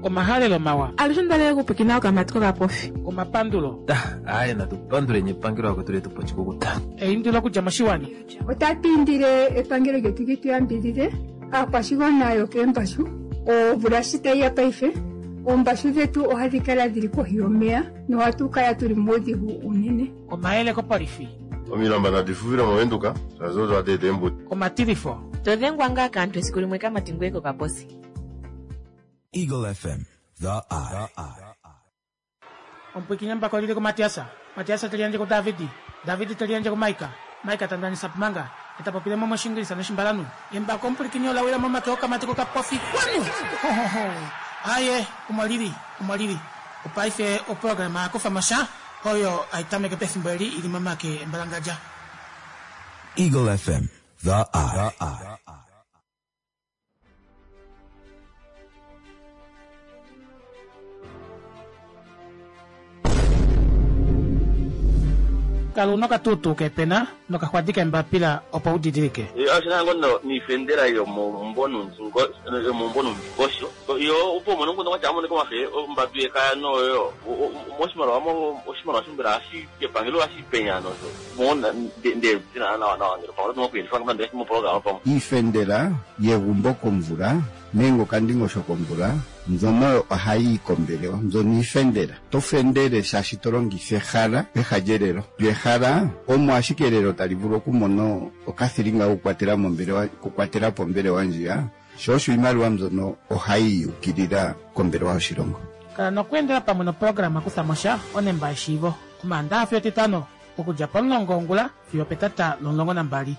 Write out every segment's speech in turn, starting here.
Omahalelo mawa. Alushe onda lela okupwiikina okamati kokapofi. Omapandulo. Aaye natu panduleni epangelo vakwetu letu pa oshikukuta. Eindilo okudja moshiwana. Otatu indile epangelo lyetu li tu yambidhidhe aakwashigwana yokeembashu. Omvula shi tayi ya paife, oombashu dhetu ohadhi kala dhili kohi yomeya nohatu kala tuli muudhigu uunene. Omayele kopolifi. Omilamba nadi fufile mOvenduka, shaashi odo hadi eta eembuto. Omatilifo. To dhengwa ngaa kaantu esiku limwe kamati ngoye kokaposi. Eagle FM, the eye. Omupwiikini embako lili kuMatias, Matias te liyandje kuDavid, David te liyandje kuMaika, Maika ta ndanisa pmanga, e ta popile mo mOshiingilisa nOshimbalanhu. Embako omupwilikini ola wila momake okamati kokapofi. Kwanu! Ho, ho, ho! Aaye, omo lili, omo lili. Opaife oprograma ya kufa mo sha, oyo hai tameke pefimbo eli i li momake embalangadja. Eagle FM, the eye. Kala una okatuutuu keepena nokaxwadi keembapila opo u didilike. Oshina ngo no niifendela yomomumbo nuundingosho yo opo umone omukundu gwatya amonike omafe ombambi yekaya noyo moshimaliwa mo oshimaliwa sho mbela ohashi kepangelo ohashi penya nosho mo nde tina nawa nawa ngele pamwe oto okuyelifa nande moprograma pamwe. Iifendela yegumbo komvula nenge okandingosho komvula mbyono oyo ohayi yi kombelewa. Mbyono iifendela. To fendele shaashi to longitha ehala peha lyelelo. Lyo ehala omo ashike elelo tali vulu okumona okathilinga kokukwatela mombelewa, okukwatela po ombelewa ndjiya. Sho osho iimaliwa mbyono ohayi yukilila kombelewa yoshilongo. Kala nokweendela pamwe noprograma Kutha mo sha, onemba yeshiivo, Omaandaha fiyo Etitano, okudja pomulongo wongula fiyo opetata lomulongo nambali.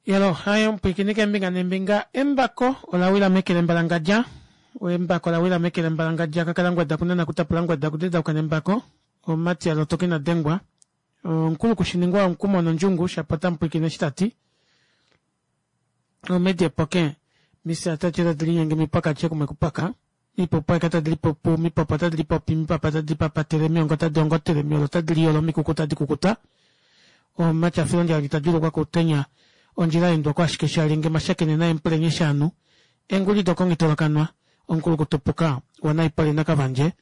Yalo, haye omupwiikini keembinga neembinga, embako ola wila meke lembalangadja. Embako ola wila meke lembalangadja, kakala ngweda kunana kutapula ngweda kudedauka nembako. Omumati a lotoka ina dengwa. Omukulu kushiningwa omukumo nondjungu, shapo ota mupwiikine eshi ta ti. Omedi epoke, misa tati otadi linyenge mipwakatye kumwe kupaka. Mipupu aika tadi lipupu, mipopo otadi lipopi, mipapa tadi lipapatele, miongo otadi ongotele, miolo otadi liyolo, mikuku otadi kukuta. Omumati a fila ondjala ita djuulukwa koutenya, ondjila ya endwa ko ashike shalyenge mashakene naempulenye shaanhu, enguli dokongitolokanwa, omukulukutupuka wanaipole nakavandje.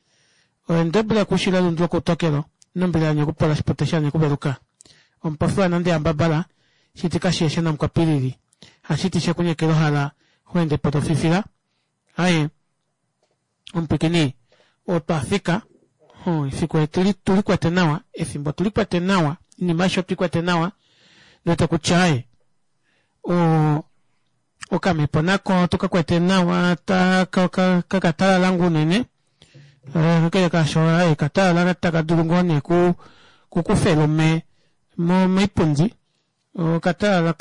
Oendebule kushila elundu lokoutokelo, nombili anye okupola shipute shanye okuveluka. Omupofi wanande yambabala, shiti kashieshe namukwapilili, hashiti shekunyekela ohala, ho ende po to fifila. Aye, omupwikini, otwa fika. Efiku etu tu li kwete nawa, efimbo tu li kwete nawa, inima aishe otu i kwete nawa. Ndete kutya aye, o, okamhepo nako otu ka kwete nawa, ta, ka, ka, ka katalala ngoo unene. Kakele kaasho, aye, katalala taka dulu ngoo nee ku, kukufa elume mo, moipundi. Okatalala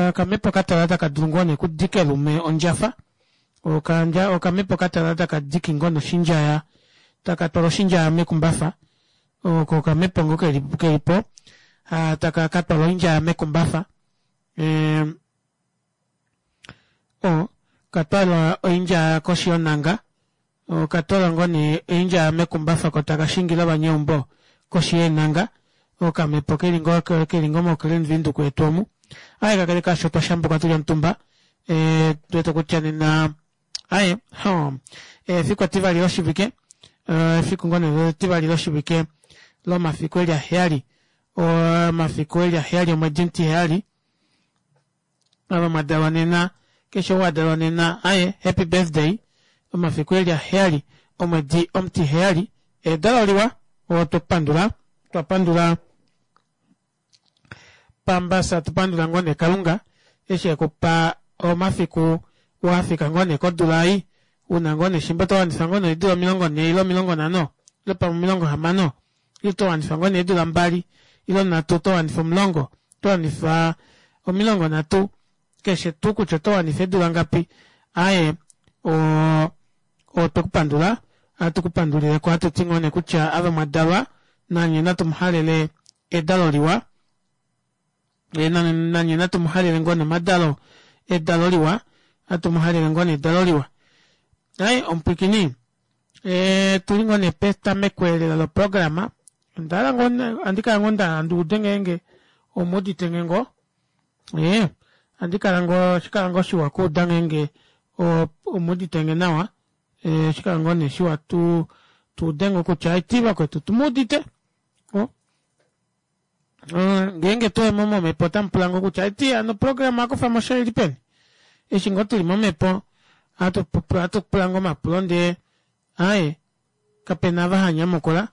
okamhepo katalala taka dulu ngoo nee kudika elume ondjafa. Okandja okamhepo katalala taka diki ngoo noshindjaya taka twala oshindjaya mekumbafa. Oko okamhepo ngoo keli keli po taka ka twala oindjaya mekumbafa. O ka twala oindjaya koshi yonanga. Oka twala ngoo nee oindjaya mekumbafa ko taka shingile ovanyeumbo koshi yeenanga. Okamhepo keli ngoo keli ngoo moKlein Windhoek yetu omu. Aye kakele kaasho otwa shambuka tuli omutumba. Eh, tu wete kutya nena aye ho efiku etivali loshivike efiku ngoo nee etivali loshivike lomafiku eli aheyali omafiku eli aheyali omwedi omutiheyali ava mwa dalwa nena keshe ou a dalwa nena aye happy birthday omafiku eli aheyali omwedi omutiheyali edalo liwa otwe pandula twa pandula pambasa tu pandula ngoo nee kalunga eshi ekupa omafiku wafika ngoo nee kodula ei una ngoo nee shimba oto wanifa ngoo nee eedula 40 ile 50 ile pamwe 60 ile oto wanifa ngoo nee eedula 2 ile 3 oto wanifa 10 oto wanifa 30 keshe tuu kutya oto wanifa eedula ngapi aaye o otwe ku pandula ohatu ku pandulileko ohatu ti ngoo nee kutya ava mwa dalwa nanye natu mu halele edalo liwa nanye natu mu halele ngoo nomadalo edalo liwa hatu mu halele ngoo nedalo liwa ai omupwikini e, tuli ngoo nee petameko elela loprograma onda hala ngoo andi kala ngoo nda hala ndi ude ngeenge omu udite nge ngoo e, Ohandi kala ngoo ohashi kala ngoo shiwa okuuda ngeenge omuudite nge nawa ohashi kala ngoo nee shiwa tu tuude ngoo kutya aiti vakwetu otumuudite ngeenge twayemo momhepo otamupula ngoo kutya aiti hano oprograma yakufamosha oili peni eshi ngoo tuli momhepo ohatu pula ngoo omapulo ndee aaye kapena ava hanyamukula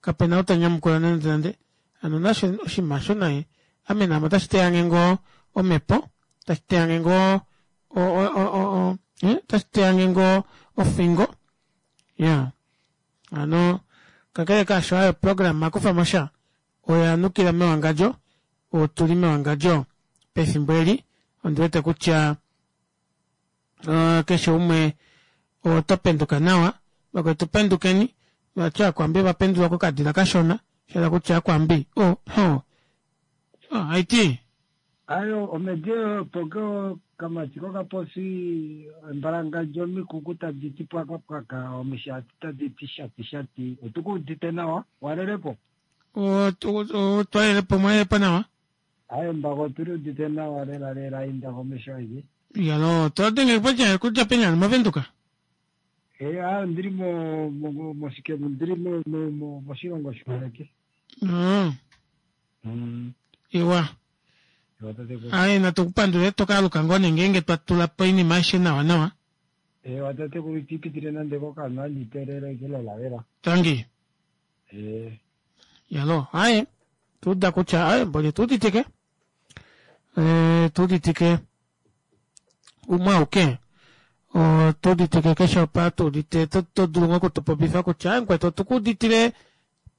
kapena ou tanyamukula nande nande hano nasho oshinima osho naye ame naame otashi teyange ngoo omhepo tashi teyange ngoo otashi teyange ngoo ofingo iyaa hano kakele kaasho aaye oprograma akufamosha oya nukila mewangadjo otuli mewangadjo pefimbo eli ondiwete kutya keshe umwe oto penduka nawa vakwetu pendukeni vati aakwambi ovapendulwa kokadila kashona shahala kutya aakwambi oh, oh. Oh, haiti Ayo omedi opo kamati kokapofi embalangadjo omikuku tadi ti pwakapwaka omishati tadi ti shati shati otukuudite nawa walelepo twalelepo mwalelepo nawa Aye mbako otuli udite nawa lela lela inda komesho aike. Iyaloo, to denge kudja kudja peni hano moVenduka? Eh, ah, ndili mo mo moshike ndili mo mo mo moshilongo shoheke. Iwa. Iwa tatekulu. Aye natu ku pandule to ka aluka ngoo nee ngeenge twa tula po oinima aishe nawa nawa. Ewa tatekulu iti pitile nande kokanhu andi teelele lela lela. Tangi. Eh. Yalo, aye tuuda kutya aye mboli tuuditike eh, tuuditike umwe auke otuuditike keshe opa tuudite to dulu ngoo okutupopifa kutya aye mukwetu otukuuditile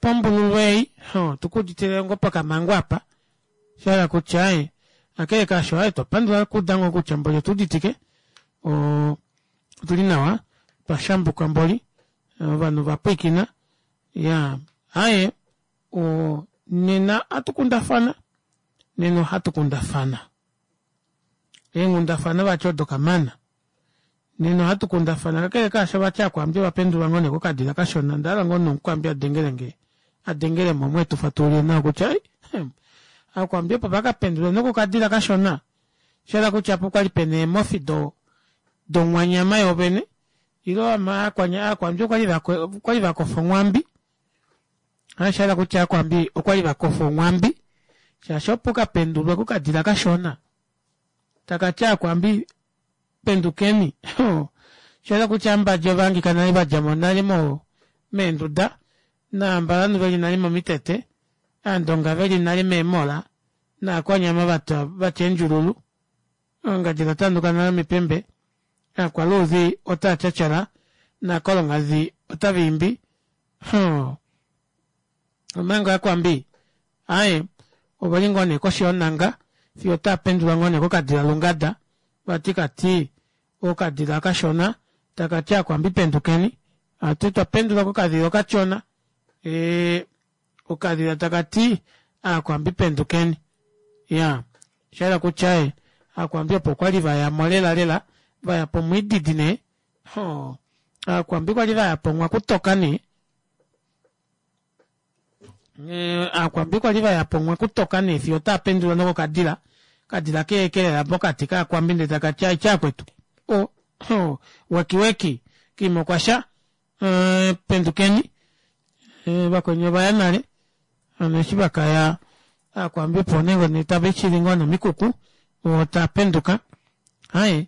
pombululu ei otukuuditile ngoo pokamango apa shahala kutya aye akele kaasho aye twapandula okuuda ngoo kutya mboli otuuditike otuli nawa twashambuka mboli ovanhu vapwiikina Ya, aye, o, nena ohatu kundafana, nena ohatu kundafana. Eenghundafana vati odo kamana. Nena ohatu kundafana, kakele kaasho vati Aakwambi ova pendulwa ngoo nee kokadila kashona, onda hala ngoo nee Omukwambi a dengele nge, a dengele mo omo e tu fatululile nawa kutya, ai, hem, Aakwambi opo va ka pendulwe nokokadila kashona, sha hala kutya opo kwali pena eemofi do, dongwanyama yoovene, Ilo aakwambi okwali va kofa onghwambi. Osha hala kutya aakwambi okwali va kofa onghwambi shaashi opo ka pendulwe kokadila kashona taka ti aakwambi pendukeni. Osha hala kutya ambadja ova hangika nale va dja mo nale mo meenduda naambalanhu veli nale momitete, aandonga veli nale meemola naakwanyama vatwa vatya eendjululu. Oongadji dha tanduka nale omipembe, aakwaluudhi otaa tyatyala, naakolongadhi otava imbi. Hoo! Omanga aakwambi, aaye, ove li ngoo nee koshi yonhanga fiyo otaa pendulwa ngoo nee kokadila lungada, vati ka ti okadila okashona taka ti aakwambi pendukeni, ati twa pendulwa kokadhila okashona, ee, Okadhila taka ti, Aakwambi pendukeni. Ya, osha yela kutya e, Aakwambi opo kwa li va ya mo lela lela, va ya pomwiididi nee. Hoo, Aakwambi kwa li va ya po mwakutoka nee. E, Aakwambi kwa li va ya po mwakutoka nee fiyo otaa pendulwa nokokadila. Okadila ke kelela pokati kAakwambi ndele taka ti, Aitya akwetu. O, hoo, weki weki, kiima okwa sha. E, pendukeni. Eh, vakweni ovaya nale hano eshi vakaya aakwambi opo nee ngoo nee tava ishili ngoo nomikuku vo taa penduka aye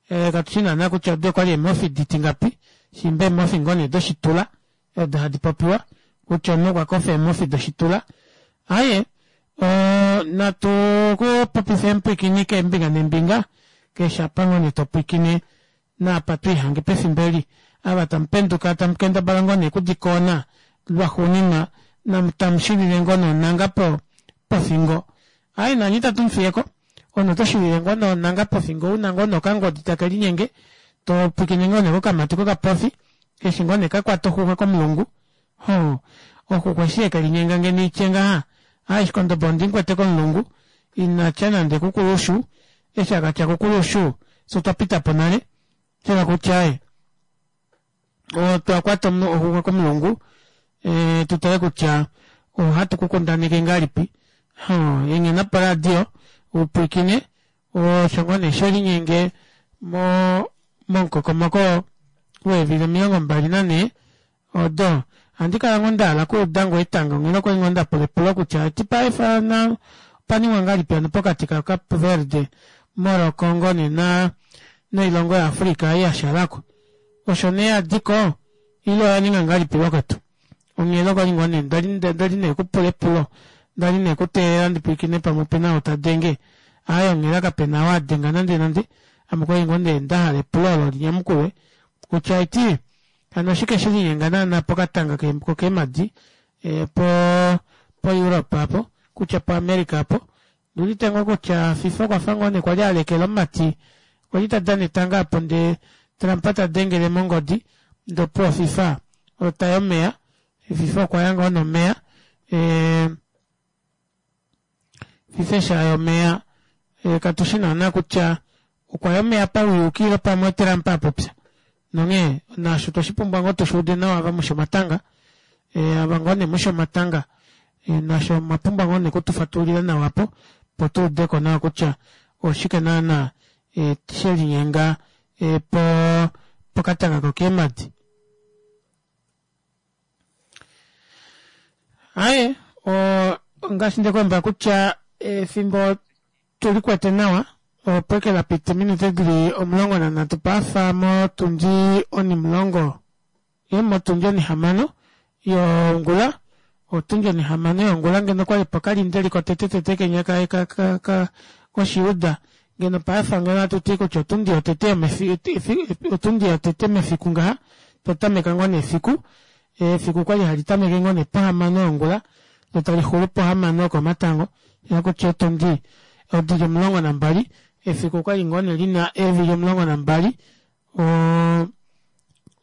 eh, katu shi naana kutya odo okwali eemofi diti ngapi shimba eemofi ngoo nee doshitula odo hadi popiwa kutya omunhu okwa kofa eemofi doshitula aye natu ku popife emupwikini keembinga neembinga keshe apa ngoo nee topwikine Naapa twiihange pefimbo eli, ava tamu penduka tamu kendabala ngoo nee okudikoona lwaxuuninwa namu tamu shilile ngoo nonhanga po pofingo. Aaye nanye itatu mu fiyeko, omunhu oto shilile ngoo nonhanga pofingo una ngoo nee okangodi take linyenge to pwikine ngoo nee kokamati kokapofi eshi ngoo nee ka kwata oxuxwa komulungu. Hoo, oxuxwa eshi yeke linyenga ngeno itye ngaha, aaye shikondobo ondi mukwete komulungu, ina tya nande kukulushu, eshi aka tya kukulushu fye otwa pita po nale, sha kutya aaye otwa kwata omunhu oxuxwa komulungu, e, tu tale kutya ohatu ku kundaneke ngahelipi. Hoo, enghena poradio u pwilikine. Osho ngoo nee shelinyenge mo momukokomoko weevili 24 odo. Ohandi kala ngoo ndahala okuuda ngoo etango onghela okwali ngoo ndapula epulo kutya eti paife na opaningwa ngahelipi hano pokati ka Cape Verde, Morocco ngoo nee na noilongo ya Africa ei yashalako. Osho nee yadiko ile oya ninga ngahelipi vakwetu? Onghela okwali ngoo nee ndali ndali nee kupula epulo ndali nee kuteelela ndipwilikine pamwe opena ou tadenge. Aaye onghela kapena ou adenga nande nande ame okwali ngoo nee ndahala epulo olo linyamukulwe kutya eti hano oshike shelinyenga naana pokatanga kokeemadi po po Europe apo kutya po America apo. Ondiudite ngoo kutya FIFA okwafa ngoo nee kwali alekela omumati kwali tadana etanga apo ndee Trump tadengele mongodi ndee opuwo FIFA otayi omeya. FIFA okwaya ngoo nomeya FIFA eshi aya omeya katushi naana kutya okwaya omeya pauyuuki ile pamwe oTrump apopya. Nonghee naasho otweshi pumbwa ngoo tushi ude nawa ava mushi omatanga ava ngoo nee mushi omatanga nasho omwa pumbwa ngoo nee okutufatululila nawa apo opo tuudeko nawa kutya oshike naana shelinyenga po pokatanga kokeemadi. Aaye ongaashi ndekulombwela kutya efimbo tulikwete nawa opo eke lapita ominute dili 13 pafa motundi onimulongo motundi onihamano yongula otundi onihamano yongula ngeno okwali opo kalindeli kotete tete kenya koshiuda ngeno pafa ngeno ohatuti kutya otundi yotete otundi yotete mefiku ngaha twatameka ngoo nee efiku efiku okwali hali tameke ngoo nee pohamano yongula lo talixulu pohamano yokomatango kutya otundi odili 12 efiku okwali ngoo nee lina eevili 12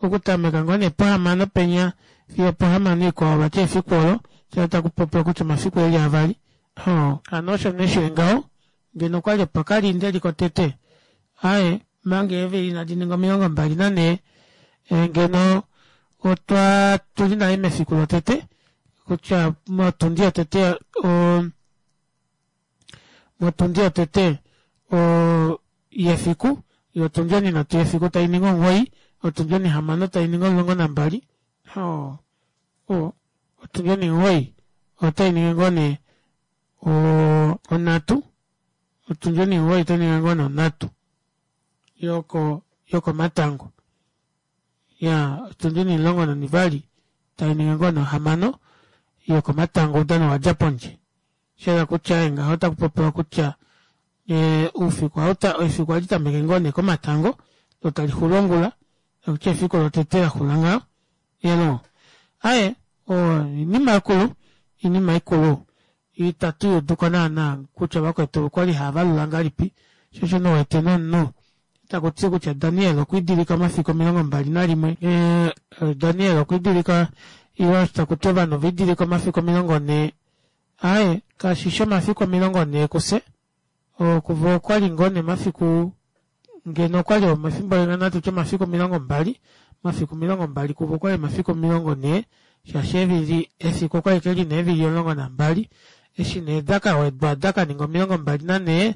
okutameka ngoo nee pohamano penya fiyo pohamano ikwao vati efiku olo shoo takupopiwa kutya omafiku eli avali hano osho nee shili ngaho ngeno okwali opo kalindeli kotete aaye manga eevili inadi ninga 24 ngeno otwa tuli nale mefiku lotete kutya motundi yotete motundi yotete yefiku yotundi oninhatu yefiku tainingi 9 otundi onihamano tainingi 12 otundi onimugoyi otainingi ngoo nee onhatu otundi onimugoyi otainingi ngoo nee onhatu yoko yokomatango ya otundi onimulongo nonivali tainingi ngoo nee ohamano yokomatango oudano wadja pondje shayela kutya ngaho otakupopiwa kutya oufiku efiku ohali tameke ngoo nee komatango lo talixulu ongula kutya efiku lotete laxula ngaho elo aaye oinima ikulu oinima ikulu itatu yuuduko naana kutya vakwetu okwali haavalula ngahelipi sho osho nee uwete nomunhu takuti kutya Daniel okwiidilika omafiku 21 Daniel okwiidilika ile takuti ovanhu ovaidilika omafiku 40 aaye kashishi omafiku 40 kufye kuvo okwali ngoo nee omafiku ngeno okwali omafimbo limwe natu tye omafiku 20 omafiku 20 kuvo okwali omafiku 40 shaashi eevili efiku okwali ke lina eevili 12 eshi nee dakawedwa dakaninga 24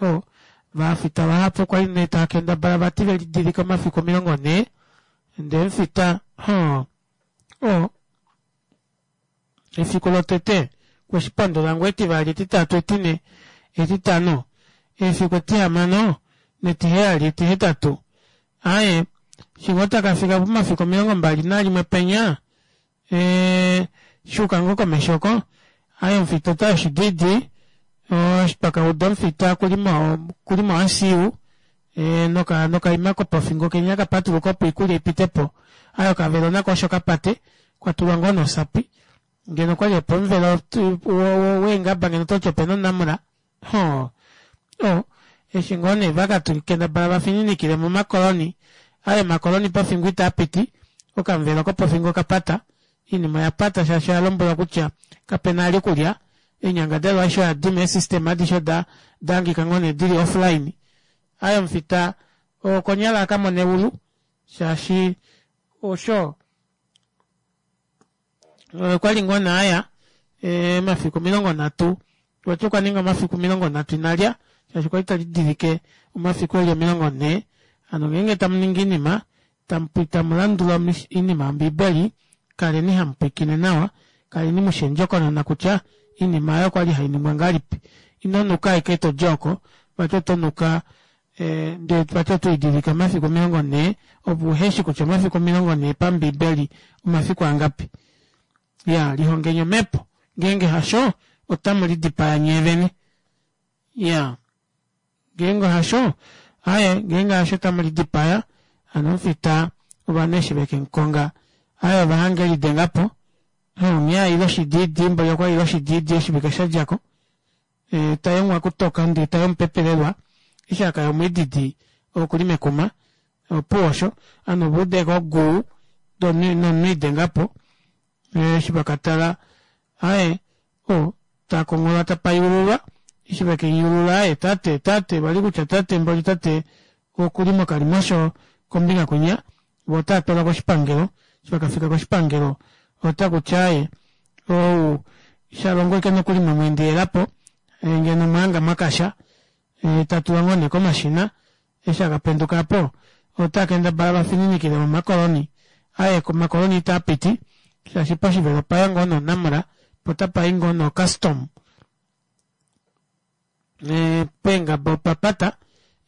o vafita vahapu okwali nee taakendabala vati velidilike omafiku 40 ndee mufita o efiku lotete kweshipondola ngoo etivali etitatu etine etitano efiku etihamano netiheyali etihetatu aaye shingo takafika pomafiku 21 penya shuuka ngoo komesho oko aaye omufita ota oshididi eshi twakauda omufita okuli mo ICU nokaima kopofingo kenya kapatuluka opo oikulya ipitepo aaye okavelo nako osho kapate kwatulwa ngoo nosapi ngeno okwali opo omuvelo weengaba ngeno ototi opena onamula o eshi ngoo nee vakakendabala vafininikile momakoloni aaye omakoloni pofingo itaapiti okamuvelo kopofingo okapata oinima oyapata shaashi oyalombwelwa kutya kapena vali okulya eenyangadalwa aishe oyadima eesystem adishe oda dahangika ngoo nee dili offline aaye omufita okonyala akamone eulu shaashi osho okwali ngoo nee aya omafiku 30 vati okwa ninga omafiku 30 inalya. Shaashi okwali talidilike omafiku eli 40. Hano ngeenge tamuningi oinima tamu landula oinima yombiibeli kaleni hamupwiikine nawa, kaleni mushi endjokonona kutya oinima aayo okwali hainingwa ngahelipi. Ino nuka ashike todi oko vati oto nuka ndee vati oto lidilike omafiku 40 ove uheshi kutya omafiku 40 pambiibeli omafiku angapi. Iyaa lihongeni omepo ngeenge hasho otamu lidipaya nyeevene. Iyaa ngeenge hasho aaye ngeenge hasho otamu lidipaya hano omufita ovanhu eshi vekemukonga aaye ovahanga elidengapo onghee aile oshidiidi mboli okwali aile oshidiidi oshivike shadjako tayi omwakutoka ndee tayi omupepelelwa eshi akaya omwiididi okuli mekuma opuwo osho ovanhu ovauda ashike oguu ndee nomunhu elidengapo eshi vakatala aaye oo takonghola tapa yeululwa eshi vekemuyuulula aaye tate tate vali kutya tate mboli tate okuli mokalimosho kombinga kwinya voo otaatwalwa koshipangelo eshi vakafika koshipangelo otakuti aaye ou shalongo ashike nokuli mwamweendelelapo ngeno omwahanga mwakasha tatulwa ngoo nee komashina eshi akapenduka aapo otaakendabala vafininikile momakoloni aaye omakoloni itaapiti shaashi poshivelo opaya ngoo nee onamra poo otapai ngoo nee ocustom peengaba opapata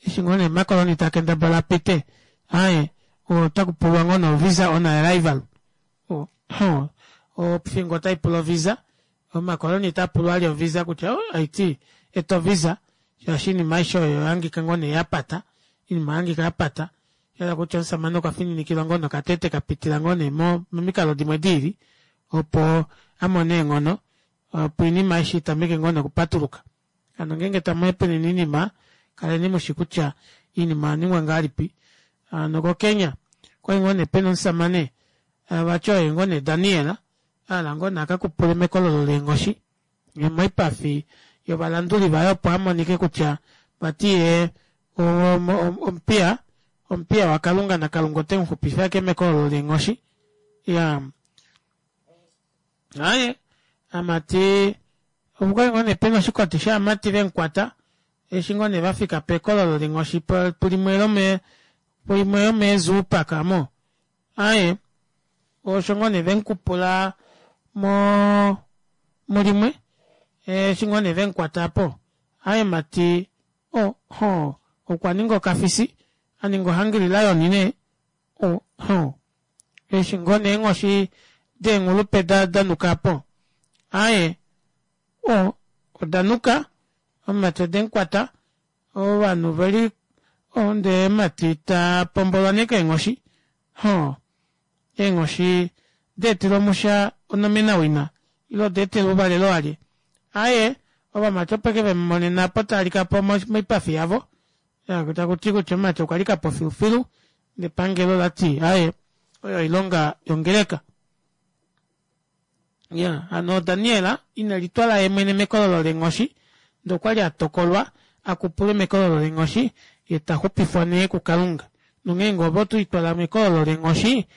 eshi ngoo nee omakoloni taakendabala apite aaye otakupulwa ngoo nee ovisa on arrival ofingo otaipula ovisa omakoloni otaapulwa vali ovisa kutya haiti eta ovisa shaashi oinima aishe oyo oyahangika ngoo nee yapata oinima oyahangika yapata shahala kutya omushamane okwa fininikilwa ngoo nokatete kapitila ngoo nee momikalo dimwe diili opo amone eenghono opo oinima aishe itameke ngoo nee okupatuluka. Hano ngeenge tamu hepenene oinima kaleni mushi kutya oinima oyaningwa ngahelipi. Hano koKenya okwali ngoo nee pena omushamane vati oye ngoo nee Daniel ahala ngoo nee akakupule mekololo leenghoshi moipafi yovalanduli vaye opo amonike kutya vati yee omupiya omupiya wakalunga nakalunga otemuxupifa ashike mekololo leenghoshi. Iyaa Aaye, amati okwali ngoo nee pena oshikoti shaamati vemukwata eshi ngoo nee vafika pekololo lenghoshi pulimwe lome puimwe yomee zoo park amo. Aaye, osho ngoo nee vemukupula mo mulimwe eshi ngoo nee vemukwata apo. Aaye mati o hoo okwa ninga okafisi aninga ohungry lion nee o hoo. Eshi ngoo nee eenghoshi deenghulupe da danuka po, aaye, o, oda nuka, omumati ode mukwata, ovanhu veli, o, ndee omumati ta pombolwa nee keenghoshi, hoo, eenghoshi daetelwa omusha onomenawina, ile oda etelwa ouvalelo walye, aaye, ovamati opo eke vemumonena apo talika po moipafi yavo, Taku ti kutya omumati okwa lika po filufilu nepangelo ola ti aaye oyo oilonga yongeleka. Ya hano Daniel ine litwala ye mwene mekololo leenghoshi ndee okwa li a tokolwa a kupulwe mekololo leenghoshi ye ta xupifwa nee kuKalunga. Nonghee ngee ove oto litwala mekololo leenghoshi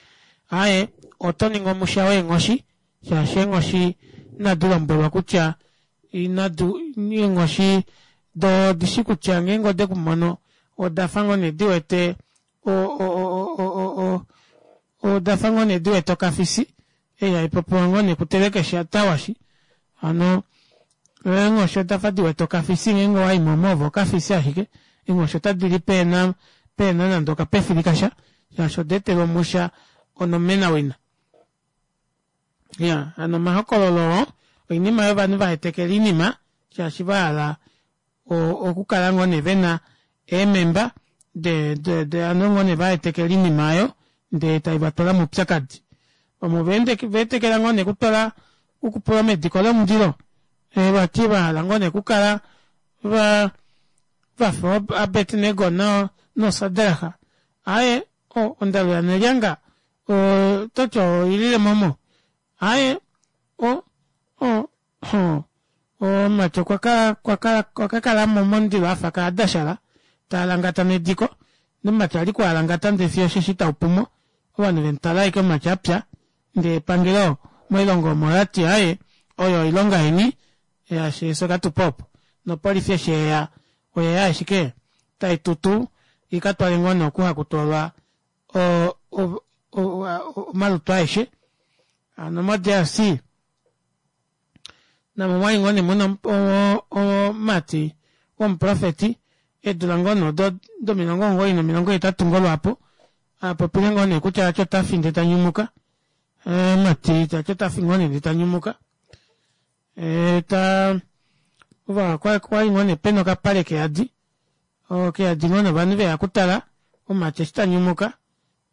aaye oto ningi omusha weenghoshi shaashi eenghoshi inadi lombwelwa kutya inadi eenghoshi doo odishi kutya ngeenge ode ku mono odafa ngoo nee di wete odafa ngoo nee di wete okafisi ei haipopiwa ngoo nee kutelekesha tawashi hano eenghoshi odafa di wete okafisi ngeenge owaimo omo ove okafisi ashike eenghoshi otadi li peena peena nande okapefili kasha shaashi oda etelwa omusha onomenawina. Ya hano omahokololo oo oinima yovanhu vahetekela oinima shaashi vahala okukala ngoo nee vena eememba de de de hano ngoo nee vahetekela oinima aayo ndee taivatwala moupyakadi. Vamwe ovaetekela ngoo nee okutwala okupula mediko lomundilo vati vahala ngoo nee okukala va vafa Abednego no noSadrach aaye ondalu yanelyanga Ototi oilile momo? Aaye, o, o, o, omumati okwa kala, okwa kala, okwa ka kala mo momundilo afa kaadashala, ta alangata mediko, nomumati ali kualangata ndee fiyo osheshi tau pumo. Ovanhu vemutala ashike omumati apya, ndee epangelo moilongo omo olati aaye, oyo oilonga yeni, shaashi efyo katupa opo. Nopolifi eshi yeya. Oyeya ashike tai tutu ika twale ngoo nee oku haku twalwa omalutu aeshe. Hano mo DRC namo omwali ngoo nee muna omumati womuprofeti eedula ngoo nee odo domilongo 98 ngoo lwaapo apopile ngoo nee kutya vati otafi ndee tanyumuka omumati tati otafi ngoo nee ndee tanyumuka ta okwali ngoo nee pena okapale keyadi keyadi ngoo nee ovanhu veya okutala omumati eshi tanyumuka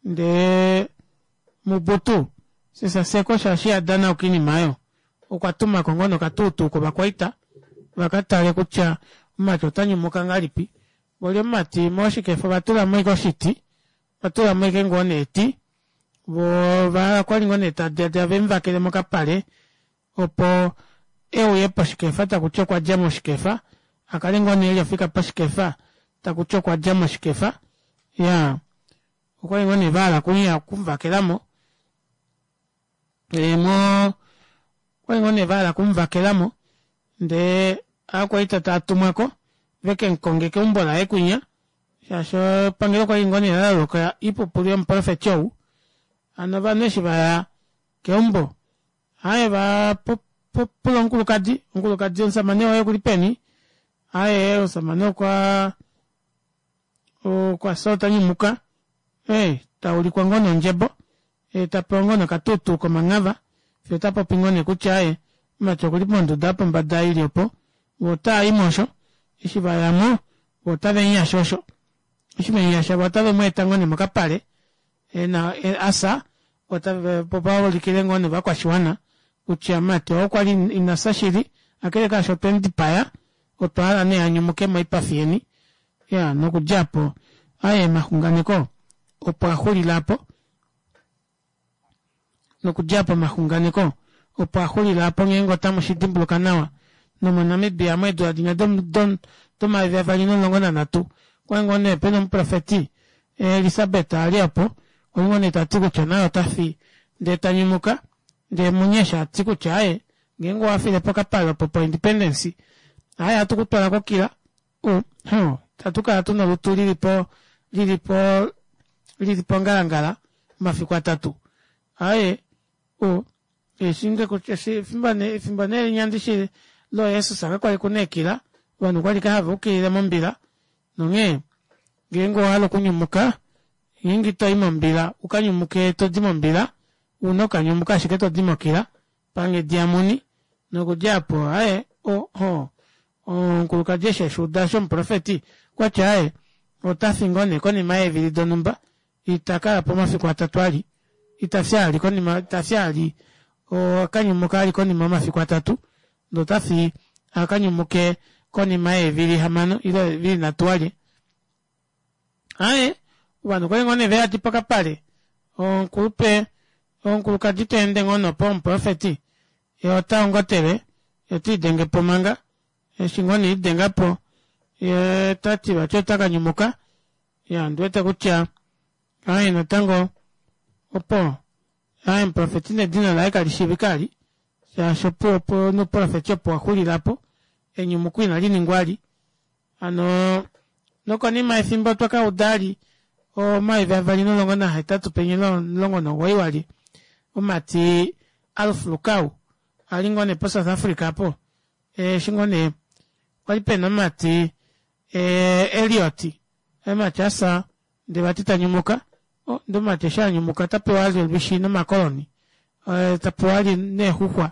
ndee Mobutu Sese Seko shaashi iha danauka oinima aayo okwa tumako ngoo nee okatuutuu kovakwaita vakatale kutya omumati ota nyumuka ngahelipi. Voli omumati moshikefa ovatulamo ashike oshiti, ovatulamo ashike ngoo nee eti voo okwali ngoo nee tadiladila vemuvakele mokapale opo euye poshikefa takuti okwadja moshikefa akale ngoo nee eli ofika poshikefa takuti okwadja moshikefa iyaa okwali ngoo nee vahala okuya okumuvakelamo mo okwali ngoo nee vahala okumuvakelamo ndee ovakwaita taatumwako vekemukonge keumbo laye kwinya shaashi epangelo kwali ngoo nee laloloka oipupulu yomuprofeti ou hano ovanhu eshi vaya keumbo Aaye va pula omukulukadi, omukulukadi omusamane woye okuli peni? Aaye omusamane okwa okwa fya ota nyumuka. Ee, ta ulikwa ngoo nondjebo, ee ta pewa ngoo nokatuutuu komanghava, fiyo ota popi ngoo nee kutya aaye mumati okuli monduda yopombada ili opo, vo otava i mo osho. Eshi va ya mo, vo otave mu yashe osho. Eshi ve mu yasha vo otave mu eta ngoo nee mokapale, ena asa opo vaulikile ngoo novakwashiwana kutya mumati oo okwali ina fya shili kakele kaasho otwe mu dipaya otwa hala nee a nyumuke moipafi yeni ya nokudja apo aye omaxunganeko opo a xulila apo nokudja apo omaxunganeko opo a xulila apo ngeenge otamu shi dimbuluka nawa nomoNamibia meedula dinya do 2013 okwali ngoo nee pena omuprofeti Elisabet a li opo, okwa li ngoo nee ta ti kutya naye ota fi ndee ta nyumuka, ndee Munyesha a ti kutya aaye ngeenge owa file pokapale opo poIndependence aaye ohatu ku twala kokila u huh itatu kala tuna olutu lili po lili po lili pongalangala omafiku atatu aaye u eshi nge kutya efimbo nee efimbo nee linya ndishi looJesus kakwali kuna eekila ovanhu okwali ashike hava ukilile mombila Nonghee, ngeenge owa hala okunyumuka, ngeenge ito i mombila u ka nyumuke to di mombila, u na okukanyumuka ashike to di mokila, panghedi yamuni. Nokudja opo, aye, o, o, omukulukadi eshi eshi uda shomuprofeti, okwa ti, Aye, ota fi ngoo nee konima yeevili donhumba. Ita kala po omafiku atatu ali. Ita fya ali konima, ita fya ali, oka nyumuka ali konima yomafiku atatu. Ndee ota fi a ka nyumuke konima yeevili hamano ile eevili nhatu walye. Aaye, ovanhu okwali ngoo nee veyadi pokapale. Omukulupe, omukulukadi ta ende ngoo nopo omuprofeti, ye ota ongotele, ye ota idenge po manga. Eshi ngoo nee idenga po, ye ta ti vati ota ka nyumuka. Ya, ondi wete kutya aaye natango opo Aye omuprofeti nedina laye kali shiivika ali, shaashi opo opo nouprofeti opo wa xulila po, enyumuko inali ningwa ali. Hano nokonima yefimbo otwa ka uda ali 2018 penye 19 wali omumati Alf Lukau ali ngoo nee poSouth Africa apo eshi ngoo nee kwali pena omumati Elliot omumati asa Ndee vati ta nyumuka, oh, ndee omumati eshi a nyumuka ota pewa ali olwishi nomakoloni, eh, ta pewa ali neexuxwa.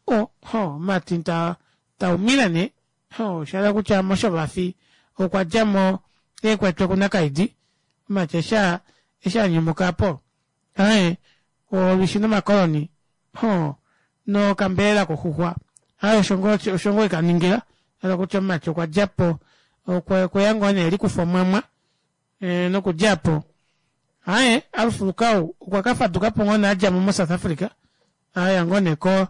Oh, ho, omumati ta, ta umile nee. Ho, sha hala kutya moshovafi okwa dja mo eekwetwe kunakaidi. Omumati eshi a, eshi a nyumuka apo, ae, olwishi nomakoloni, ho, nokambelela koxuxwa. Ae, osho ngoo, osho ngoo eka ningila. Sha hala kutya omumati okwa dja po, okwe, okwe ya ngoo nee e likufa omwamwa. E, nokudja po aye Alf Lukau okwa ka faduka po ngoo nee a dja mo moSouth Africa aya ngoo nee ko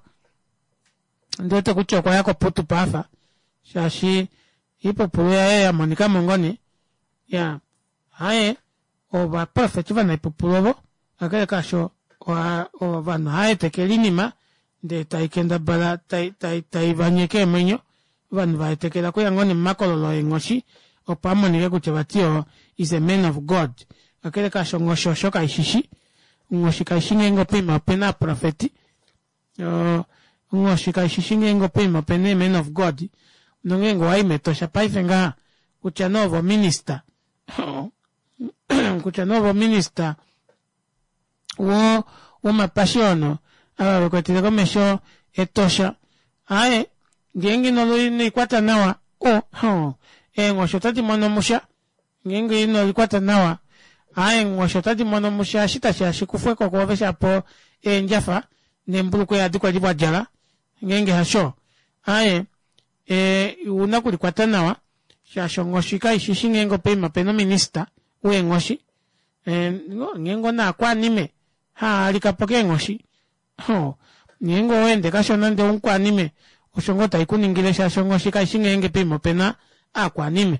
ndi wete kutya okwa ya koPutu paafa shaashi iipupulu yaye ya monika mo ngoo nee ya aye ovaprofeti ovanaipupulu ovo kakele kaasho ovanhu ohava etekele oinima ndee tai kendabala tai, tai, tai va nyeke eemwenyo. Ovanhu vaetekela okuya ngoo nee momakololo eenghoshi opo amonike kutya vati oo is a man of God. Kakele kaasho onghoshi osho kaishishi. Onghoshi kaishi ngeenge poima opena aaprofeti. Onghoshi kaishishi ngeenge poima opena ee man of God. Nongeenge owayi mEtosha paife ngaha kutya nee ove ominister kutya nee ove ominister wo womapashiono ava vekwetele komesho Etosha aaye ngeenge ino likwata nawa o oh, eenghoshi otadi mono musha ngeenge ino likwata nawa aaye eenghoshi otadi mono musha eshi tashi shi kufwe ko kwoove shapo eendjafa neembulukweya adi kwali wa djala ngeenge hasho aaye e, ouna okulikwata nawa shaashi onghoshi kaishishi ngeenge poima opena ominista weenghoshi e, ngeenge onaakwanime haalika po keenghoshi ngeenge oweende kashona ndee omukwanime osho ngoo tai kuningile shaashi onghoshi kaishi ngeenge poima opena aakwanime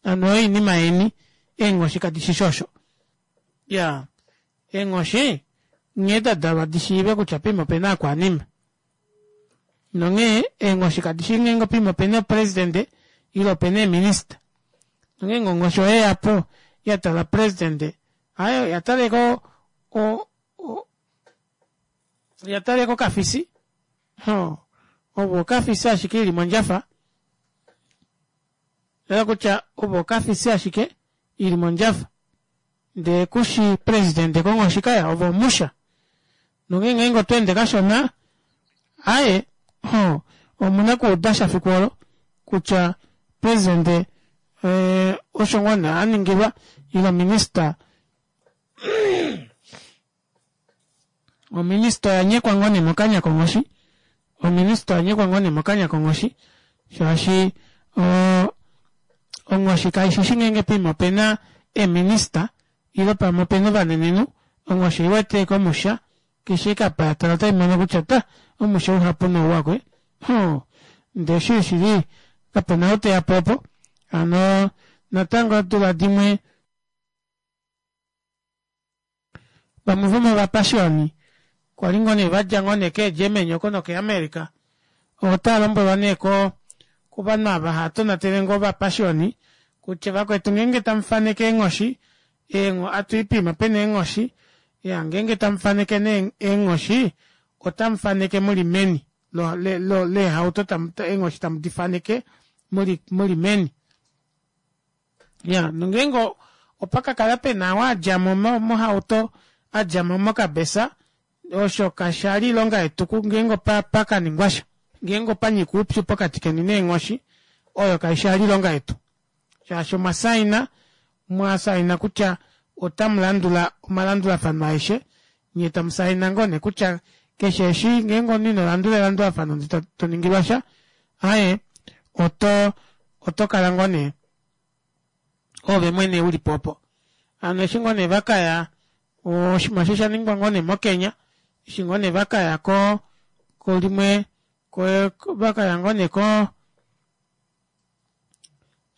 hano oyo oinima yeni eenghoshi kadi shishi osho ya eenghoshi nghee da dalwa di shiive kutya poima opena aakwanime nonghee eenghoshi kadi shii ngeenge poima opena opresidente ile opena eeminista nongeenge onghoshi oyeya po ya tala presidente aye oya taleko o, o, oya taleko okafisi ho ovo okafisi ashike ili mondjafa ela kutya ovo okafisi ashike ili mondjafa ndee kushi presidente konghoshi kaya ove omusha nongeenge ngeenge oto ende kashona aye ho omuna kuuda sha fiku olo kutya presidente eh, osho ngoo nee a ningilwa ile ominista ominista oya nyekwa ngoo nee mokanya konghoshi ominista oya nyekwa ngoo nee mokanya konghoshi shaashi onghoshi kaishi shi ngeenge poima opena eeminista ile pamwe opena ovanenenhu onghoshi oiwete komusha keshe ekapa ya tala otai mono kutya ta omusha uhapu nouwa kwe hoo ndee shili shili kapena ou teya po opo hano natango eedula dimwe Vamwe vomovapashioni kwa li ngoo nee va dja ngoo nee keeGermany oko nokeAmerica otava lombwelwa nee ko kovanhu ava hava tonatele ngoo ovapashioni kutya vakwetu ngeenge tamu faneke eenghoshi eengo atu i poima pena eenghoshi ya ngeenge tamu faneke nee eenghoshi otamu faneke muli meni leehauto eenghoshi tamu di faneke muli muli meni Ya, nongeenge opa ka kala pe na oo a dja mo mohauto, a dja mo mokabesa, osho kasha li oilonga yetu ngeenge opa pa ka ningwa sha. Ngeenge opa nyika oupyu pokati keni neenghoshi, oyo kai sha li oilonga yetu. Shaashi omwa saina, mwa saina kutya otamu landula omalandulafano aeshe, nye tamu saina ngoo nee kutya keshe eshi ngeenge omunhu ino landula elandulafano ndee to ningilwa sha, aaye, oto, oto kala ngoo nee ove mwene u li po opo. Hano eshi ngoo nee vakaya oshinima osho osha ningwa ngoo nee moKenya, eshi ngoo nee vakaya ko kolimwe ko vakaya ngoo nee ko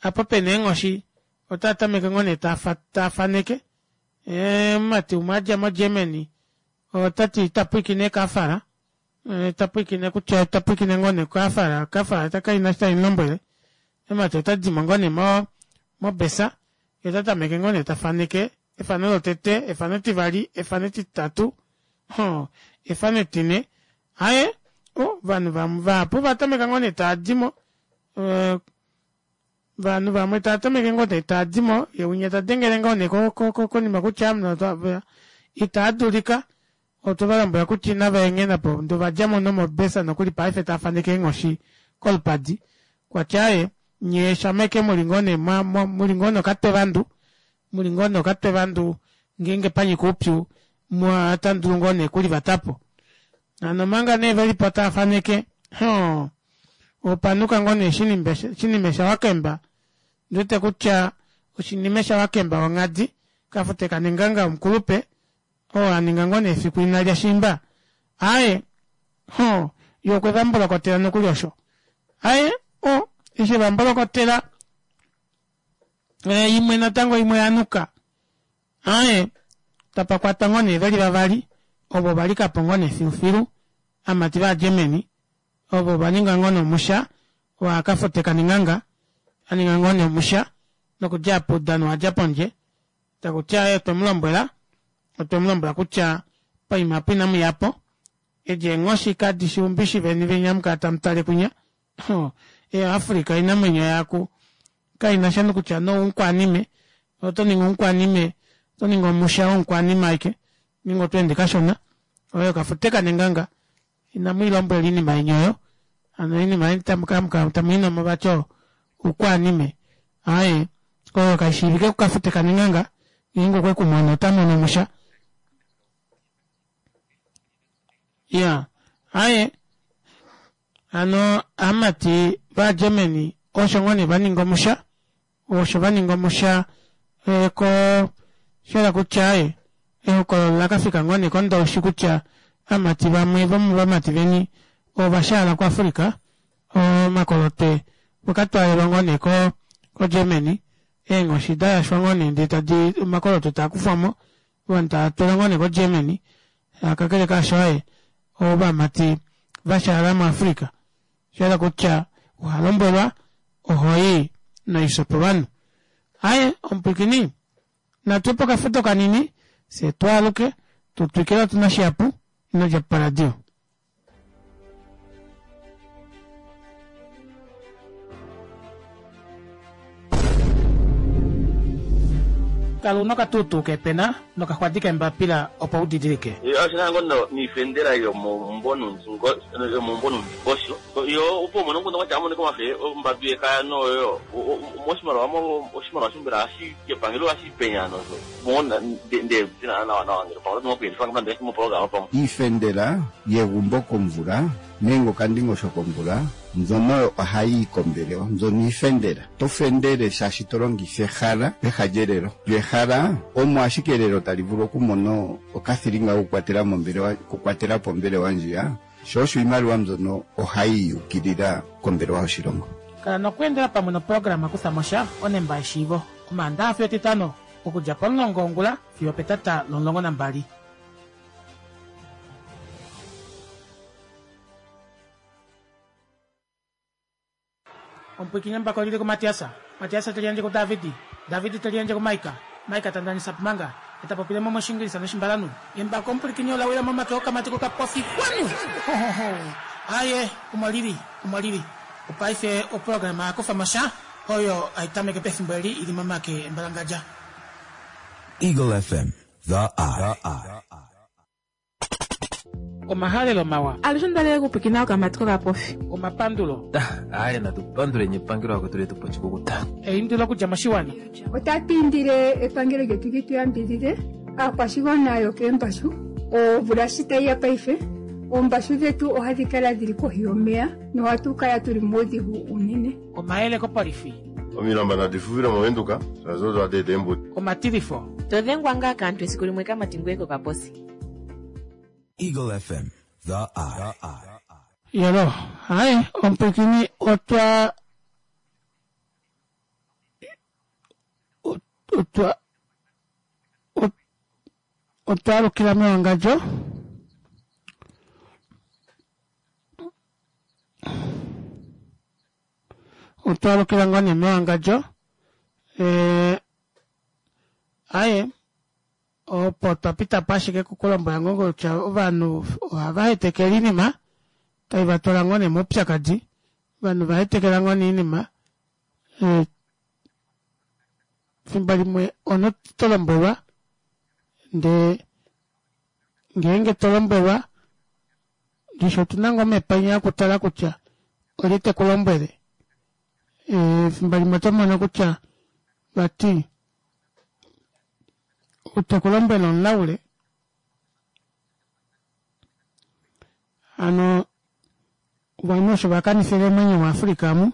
apo pena eenghoshi otava tameke ngoo nee tava faneke omumati umwe adja moGermany otati ita pwiikine kafala ta pwiikine kutya ta pwiikine ngoo nee kafala kafala ta kaina eshi tayi mulombwele omumati ota dimo ngoo nee mo mobesa ye ota tameke ngoo nee ta faneke efano lotete efano etivali efano etitatu hoo efano etine aye ovanhu vamwe vahapu ova tameka ngoo nee tava dimo Ovanhu vamwe tava tameke ngoo nee tava di mo, ye winya ta dengele ngoo nee konima kutya itaa dulika, otwe va lombwela kutya inava enghena po, ndee ova dja mo nomobesa nokuli paife tava faneke eenghoshi kolupadi. Kwa tya aaye, nyee shama ashike muli ngoo nee muli ngoo nokatwevandu, muli ngoo nee okatwevandu ngeenge pa nyika oupyu, otamu dulu ngoo nee okulivata po. Hano omanga nee ve li po tava faneke, hoo, Opanuka ngoo nee shinime shawakemba, ndi wete kutya oshinime shawakemba wonghadi, kafute kanenganga womukulupe, oo a ninga ngoo nee efiku ina lya shiimba. Aaye, hoo, ye okwe va mbolokotela nokuli osho. Aaye, o, eshi e va mbolokotela, imwe natango imwe ya nuka. Aaye, tapa kwatwa ngoo nee ve li vavali, ovo va lika po ngoo nee filufilu, aamati vaaGermany. Ovo ova ninga ngoo nomusha. Owa kafute kanenganga aninga ngoo nee omusha nokudja apo oudano wadja pondje. Takuti aaye otwemulombwela otwemulombwela kutya poima apo inamuyapo edi eenghoshi kadishi umbishi veni venya hamukala tamutale kwinya. Africa oinamwenyo yaku kainasha nokutya noumukwanime oto ningi omukwanime oto ningi omusha womukwanime aike ningi otweende kashona. Oyo kafute kanenganga inamwiilombwela oinima yeni oyo. Hano oinima yeni tamukala tamwiinomo vati oukwanime aaye oyo kaishiivike kukafute kanenganga ngeenge okwe kumono ota mono omusha. Ya aaye hano aamati vaGermany osho ngoo nee vaninga omusha osho vaninga omusha ko shela kutya aye ehokololo lakafika ngoo nee kondoushi kutya aamati vamwe vomovamati veni ovashaala kuAfrica omakolote okatwalelwa ngoo nee koGermany eenghoshi dayashwa ngoo nee ndee tadi omakolote taakufwamo ovanhu tava twalwa ngoo nee koGermany kakele kaasho aye ovamati vashaala muAfrica shayela kutya ohalombwelwa ohoyi noisho povanhu. Aye omupwiikini natu pokafuto kanini fye twaaluke tutwikile otuna shihapu inodja poradio. Kala una okatuutuu kepena nokaxwadi kembapila opo udidilike. Oshina ngoo niifendela yomomumbo nuundingosho yo opo umone omukundu kwatya amonike omafe ombadu yekaya noyo moshimaliwa oshimaliwa shombela hashi kepangelo hashi penya nosho mona nde tina nawa nawa ngele pamwe otu na moprograma pamwe. Iifendela yegumbo komvula nenge okandingosho komvula mbyono ohayi yi kombelewa mbyono iifendela. To fendele shaashi to longitha ehala peha lyelelo. Lyo ehala omo ashike elelo tali vulu okumona okathilinga kokukwatela mombelewa okukwatela po ombelewa ndjiya sho osho iimaliwa mbyono ohayi yukilila kombelewa yoshilongo. Kala nokweendela pamwe noprograma kutha mosha onemba yeshiivo omaandaxa fiyo etitano okudja pomulongo wongula fiyo petata lo12. Omupwiikini embako lili kuMatiasa Matiasa teli yandje kuDavidi Davidi teli yandje kuMaika Maika tandanisa pumanga eta popilemo moshingilisa noshimbalanu. Embako omupwilikini ola wila momake okamati kokapofi kwanu. Aye omo lili omo lili opaife oprograma yakufa mosha oyo aitameke pefimbo eli ili momake embalangadja. Eagle FM, the eye. Omahalelo mawa. Alushe ondalele okupwikina okamati kokapofi. Omapandulo. Aaye natupanduleni epangelo akwetu letu pochikukuta. Eindilo okudja moshiwana. Otatu indile epangelo lyetu li tu yambidhidhe aakwashigwana yokeembashu omvula shi tayi ya paife oombashu dhetu ohadhi kala dhili kohi yomeya nohatu kala tuli muudhigu unene. Omayele kopolifi. Omilamba nadi fuvile movenduka shaashi odo hadi eta eembudi. Omatilifo. Todhengwa ngaa kaantu esiku limwe kamati ngoye kokaposi. Eagle FM, the eye. Yolo, hayi omupwiikini otwa otwa otwaalukila mewangadjo. Otwaalukila ngoo nee mewangadjo. Aye opo twapita po ashike kukulombwela ngoo kutya ovanhu ohava hetekele oinima tai vatwala ngoo nee moupyakadi. Ovanhu vahetekela ngoo nee oinima fimbo limwe ono tolombwelwa ndee ngeenge tolombwelwa ndishi otuna ngoo omepanya okutala kutya olye tekulombwele. Fimbo limwe otomono kutya vati tekulombwele omulaule. Hano ovanhu osho vakanifile omwenyo muAfrica amu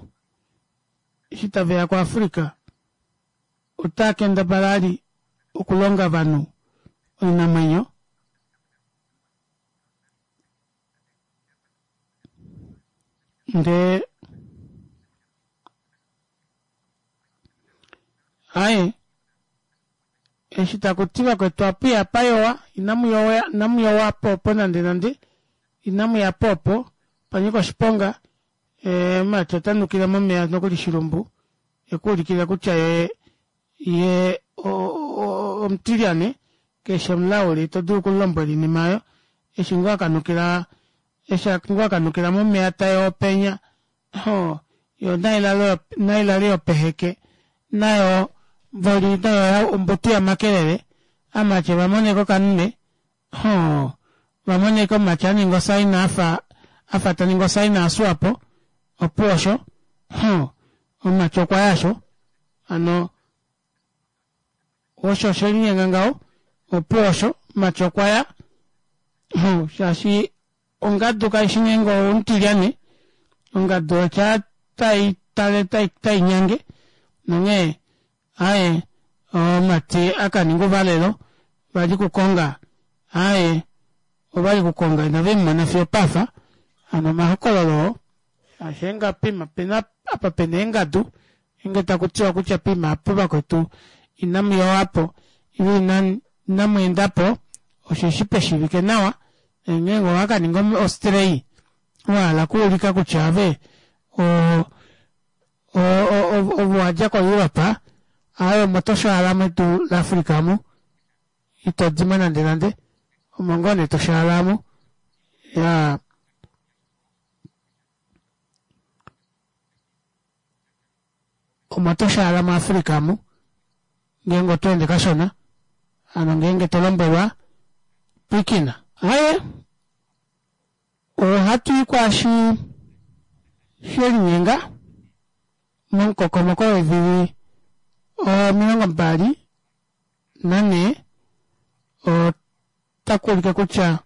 eshi taveya kuAfrica otaa kendabala ali okulonga ovanhu oinamwenyo ndee aye eshi takuti vakwetu apu payowa inamuyowa popo nande nande inamuya popo panyika oshiponga. Mati ota nukile momeya nokuli shilumbu ekuulikile kutya ye ye omutilyane keshe omulauli ito dulu okulombwela oinima oyo eshi ngoo akanukila eshi ngoo akanukila momeya tayoopenya ho yo nailale yopeheke nayo mboli nayo ombutu yamakelele amatye vamoneko okamume ho vamoneko omatye aninga osaina afa afa taningi osaina yaSwapo opuwo osho ho omumati okwa yasho hano osho oshelinyenga ngaho opuwo osho omumati okwa ya ho shaashi ongadu kaishi ngeenge omutilyane ongadu otya tai tale tai tai nyange nonghee aaye omumati akaninga ouvalelo vali kukonga aaye ovali kukonga inave mumona fiyo opafa hano omahokololo oo shaashi eenga poima pena apa pena eengadu ngeenge takutiwa kutya poima apa vakwetu inamu yowapo ile inamu endapo osheshi peshivike nawa ngeenge owakaninga ostray wahala okuulika kutya ove ove wadja koEurope aaye omo toshaala medu laAfrica omu ito dimo nande nande omo ngoo nee toshaala omu yaa omo toshaala muAfrica omu ngeenge oto ende kashona hano ngeenge to lombwelwa pwiikina aaye ohatu i kwaashi shelinyenga momukokomoko weevili 24 otaku ulike kutya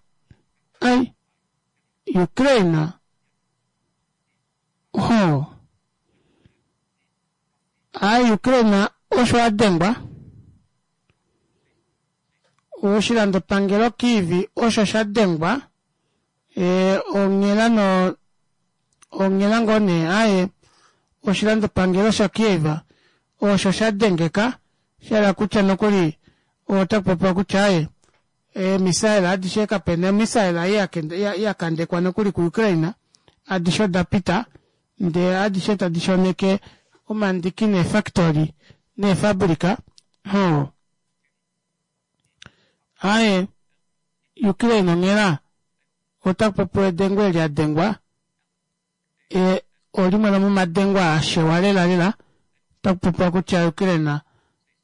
ai Ukraine ho ai Ukraine osho a dengwa oshilandopangelo Kyiv osho sha dengwa e, onghela no onghela ngoo nee aye oshilandopangelo shaKiev osho sha dengeka sha kutya nokuli otaku popiwa kutya aye eemisaela adishe kapena emisaela ya kandekwa nokuli kuUkraine adishe oda pita ndee adishe tadi shoneke omandiki neefactory neefabrika ho aye Ukraine onghela otaku popiwa edengo eli adengwa e, olimwe lomomadengo a shewa lela lela otaku popiwa kutya Ukraine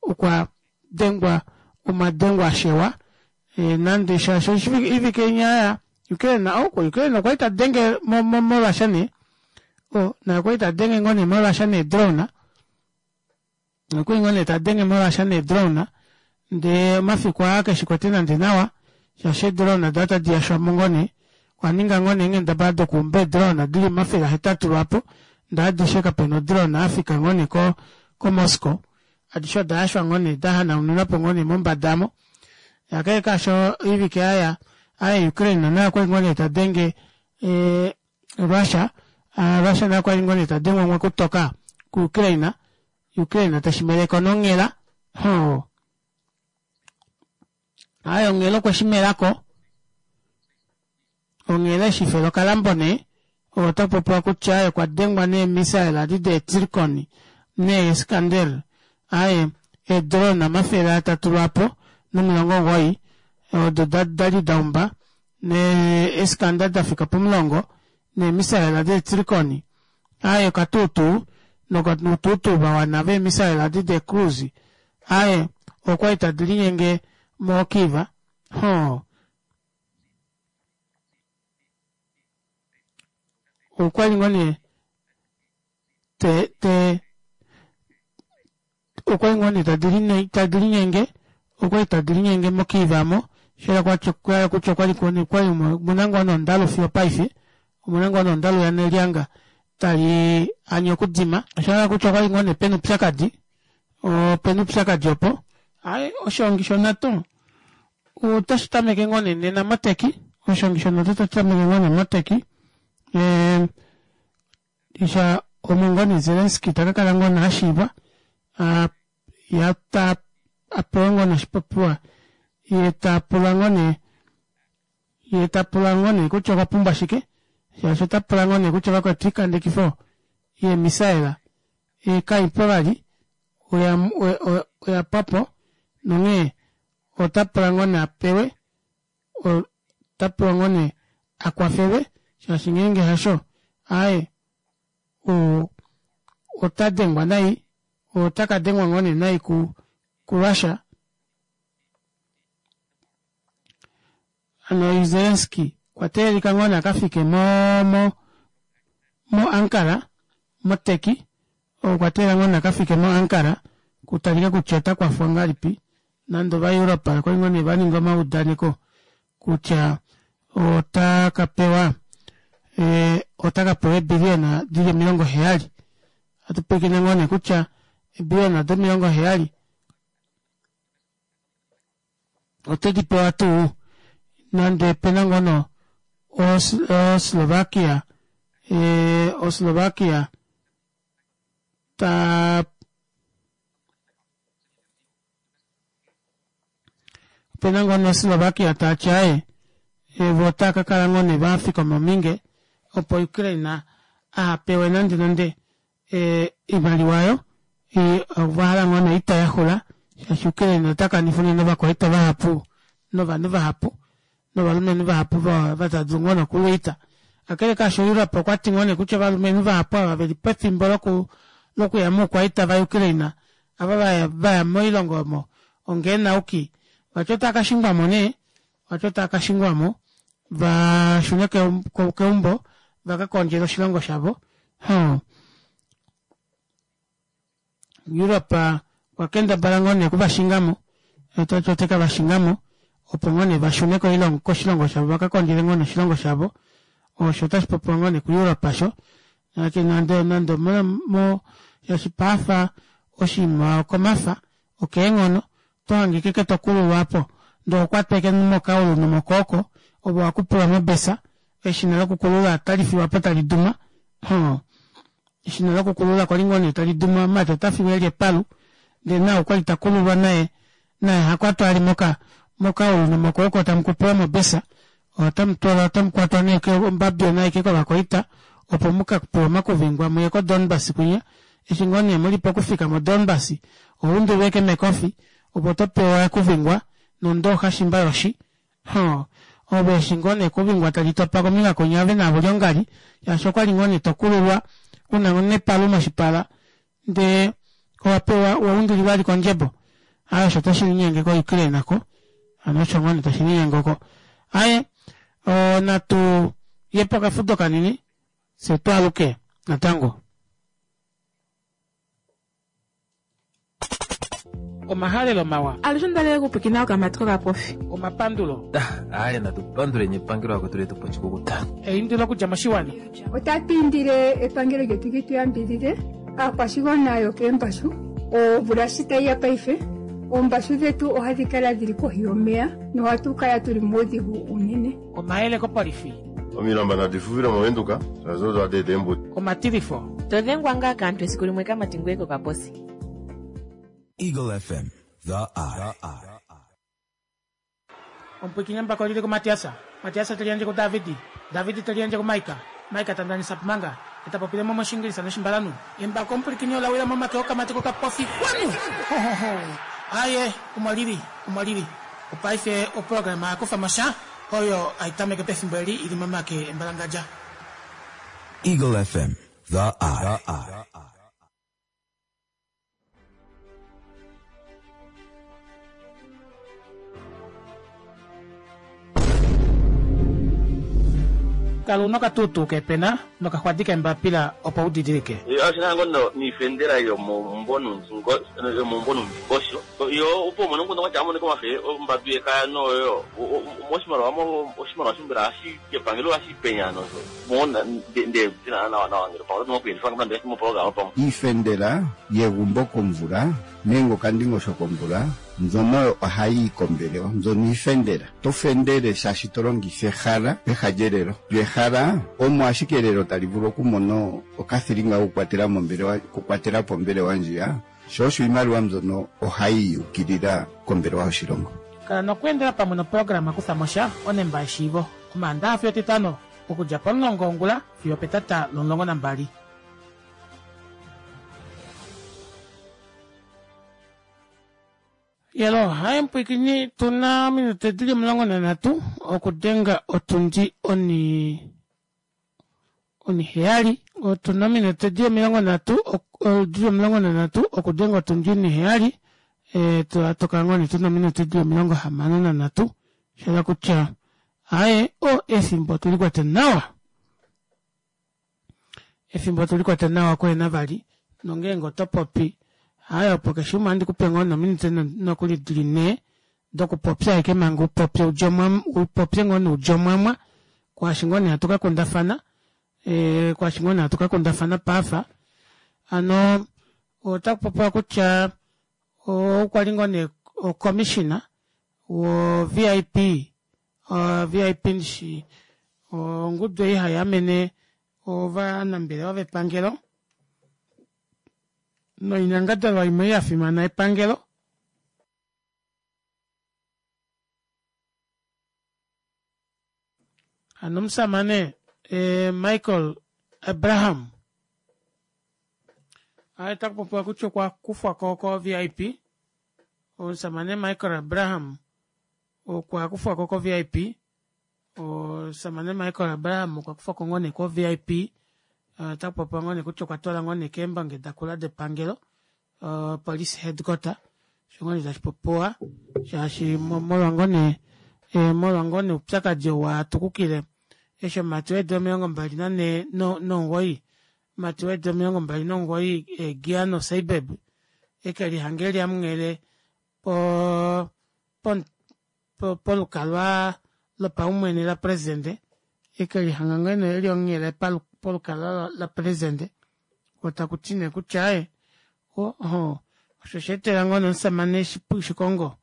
okwa dengwa omadengo a shewa e, nande shaashi oivike inya Ukraine oko Ukraine okwa li ta denge moRussia nee o naye okwa li ta denge ngoo nee moRussia needrone Okwali ngoo nee ta denge moRussia needrone ndee omafiku aa keshi kwete nande nawa shaashi eedrone oda tadi yashwamo ngoo nee. Okwa ninga ngoo nee eenghendabala dokuumba eedrone dili 800 lwaapo ndee adishe kapena odrone yafika ngoo nee ko koMoscow. Adishe oda yashwa ngoo nee dahanaunilwapo ngoo nee mombada aamo. Kakele kaasho oivike yaya aye Ukraine naye okwali ngoo nee tadenge Russia, Russia naye okwali ngoo nee tadengwa umwe kutoka kuUkraine Ukraine tashi meleko nonghela ho aye onghela okwe shi melako onghela eshi fela okalambo nee ota popiwa kutya aye okwa dengwa neemisaela adi deeTzircon neeIskander aye eedrone 300 lwaapo no90 odo dali daumba neeIskander dafika pomulongo neemisaela deeTzircon aye okatuutuu nokutuutuu va wana veemisaela adi deecruise aye okwali tadi linyenge moKyiv ho okwali ngoo nee te te okwali ngoo nee tadi linyenge okwali tadi linyenge moKyiv amo shela kutya okwali kwali omuna ngoo nondalu fiyo paife omuna ngoo nondalu yanelyanga tali anye okudima osha kutya okwali ngoo nee pena upyakadi opena upyakadi opo aye oshihongi shoNATO otashi tameke ngoo nee nena moTurkey oshihongi shoNATO otashi tameke ngoo nee moTurkey isha omo ngoo nee Zelensky ta ka kala ngoo nee ashiiva ya ta apewe ngoo nee oshipopiwa ye ta pula ngoo nee ye ta pula ngoo nee kutya okwa pumbwa shike. Shaashi ota pula ngoo nee kutya vakwetu oikandekifo yeemisaela kaipo vali oya pwa po nonghee ota pula ngoo nee a pewe ota pewa ngoo nee a kwafelwe shaashi ngeenge hasho aaye ota dengwa nai ota ka dengwa ngoo nee nai ku kuRussia. Hano Zelensky okwa teelelika ngoo nee a ka fike mo mo mo Ankara mo Turkey okwa teelela ngoo nee a ka fike mo Ankara kutalike kutya ota kwafwa ngahelipi nande ovaEurope okwali ngoo nee va ninga omaudaneko kutya ota ka pewa ota ka pewa eebiliyona dili 70. Ohatu pwilikine ngoo nee kutya eebiliyona do 70 ote di pewa tuu nande pena ngono oSlovakia oSlovakia ta opena ngono Slovakia ta ti aye vo otava ka kala ngoo nee va fikama ominge opo Ukraine aha pewe nande nande oimaliwa oyo ova hala ngoo nee oita yaxula shaashi Ukraine ota kanifa unene ovakwaita vahapu novanhu vahapu novalumenhu vahapu va tava dulu ngoo nee okulwa oita. Kakele kaasho Europe okwa ti ngoo nee kutya ovalumenhu vahapu ava veli pefimbo lokuya moukwaita vaUkraine ava vaya moilongo omo ongeenauki vati otava ka shingwa mo nee vati otava ka shingwa mo va shune keumbo va ka kondjele oshilongo shavo. Hoo. Europe okwa kendabala ngoo nee okuvashinga mo, ta ti ote ka va shinga mo opo ngoo nee va shune koshilongo shavo va ka kondjele ngoo nee oshilongo shavo. Osho otashi popiwa ngoo nee kuEurope osho. Nake nande nande mo shaashi paafa oshinima okomafa okeenghono oto hange ashike to kululwa apo ndee oho kwatwa ashike mokaulu nomokooko ove owa kupulwa mobesa eshina lokukulula otali fiwa po tali duma. Hoo. Eshina lokukulula kwali ngoo nee tali duma omumati ota fiwa eli epalu ndee nao okwali ta kululwa naye naye ha kwatwa ali moka mokaulu nomokwooko tamu kupulwa mobesa otamu twalwa otamu kwatwa nee ombabyona aike kovakwaita opo mu ka pewe omakuvingwa muye ko Donbas kwinya eshi ngoo nee muli pokufika mo Donbas oho undulwa ashike mekofi opo to pewa ekuvingwa nondooxa shimba yoshi Hoo, ove eshi ngoo nee kuvingwa tali topa kombinga kwinya ove naavo lyongali shaashi okwali ngoo nee to kululwa una nepalu moshipala ndee owa pewa wa undulilwa ali kondjebo. Aaye osho tashi linyenge ko Ukraine oko. Hano osho ngoo nee tashi linyenge oko. Aaye, natu ye pokafudo kanini fye twaaluke natango. Omahalelo mawa. Alushe onda li okupwiikina okamati kokapofi. Omapandulo. Aye natu panduleni epangelo akwetu letu po oshikukuta. Eindilo okudja moshiwana. Otatu indile epangelo lyetu li tu yambidhidhe aakwashigwana yokeembashu. Omvula shi tayi ya paife, oombashu dhetu ohadhi kala dhili kohi yomeya nohatu kala tuli muudhigu uunene. Omayele kopolifi. Omilamba nadi fufile mOvenduka, shaashi odo hadi eta eembudi. Omatilifo. To dhengwa ngaa kaantu esiku limwe kamati ngoye kokaposi. Eagle FM, The Eye. Omupwiikini mbaka olili kuMatiasa, Matiasa te liyandje kuDavidi, Davidi te liyandje kuMaika, Maika ta ndanisa Pumanga, e ta popile mo mOshingilisa nOshimbalanhu. Embako omupwilikini ola wila momake okamati kokapofi. Wanu! Hohoho! Aaye, omo lili, omo lili. Opaife oprograma ya kufa mo sha, oyo hai tameke pefimbo eli i li momake embalangadja. Eagle FM, The Eye. Kala una okatuutuu keepena nokaxwadi keembapila opo u didilike. Oshi na ngo niifendela yomomumvo yomomumvo nuundingosho yo opo umone omukundu gwatya amonike omafe ombambi yekaya noyo oshimaliwa oshimaliwa shombela ohashi epangelo ohashi penya nosho Iifendela yegumbo komvula nenge okandingosho komvula mbyono oyo ohayi yi kombelewa. Mbyono iifendela. To fendele shaashi to longitha ehala peha lyelelo. Lyo ehala omo ashike elelo tali vulu okumona okathilinga kokukwatela mombelewa, okukwatela po ombelewa ndjiya. Sho osho iimaliwa mbyono ohayi yi ukilila kombelewa yoshilongo. Kala nokweendela pamwe noprograma Kutha mo sha, Onemba yeshiivo. Omaandaha fiyo Etitano. Okudja pomulongo wongula fiyo opetata lomulongo nambali. Yelo, haye mpwikini tu na ominute di li 13 okudenga otundi oni oniheyali. Otu na ominute di 30 di li 13 okudenga otundi oniheyali. E, toka ngoo nee tu na ominute di li 63. Sha kutya aye o efimbo otuli kwete nawa. Efimbo otuli kwete nawa kuhena vali. Nongeenge oto popi aye opo keshe umwe ohandi kupe ngoo nominute nokuli dili nhee dokupopya ashike manga upopye upopye ngoo noudjomwamwa kwaashi ngoo nee hatu ka kundafana e, kwaashi ngoo nee hatu ka kundafana paafa hano otaku popiwa kutya okwa li ngoo nee ocommissioner wo VIP VIP ndishi ongudu ei hai amene ovanambelewa vepangelo noinyangadalwa imwe ya fimana yepangelo. Hano omusamane eh, Michael Abraham aye taku popiwa kutya okwa kufwa ko ko VIP. Omusamane Michael Abraham okwa kufwa ko ko VIP. Omusamane Michael Abraham okwa kufwa ko ngoo nee ko VIP. Otaku popiwa ngoo nee kutya okwa twala ngoo nee keembange dakula depangelo police headquarter osho ngoo nee tashi popiwa shaashi molwa ngoo nee molwa ngoo nee oupyakadi ou wa tukukile eshi omumati weedula 29 omumati weedula 29 Giano Seibeb eke lihange eli amunghele po polukalwa lopaumwene lapresidente eke lihanga ngoo nee eli onghele polukalwa lapresidente ko taku ti nee kutya aye oho osho sha etela ngoo nee omusamane Shikongo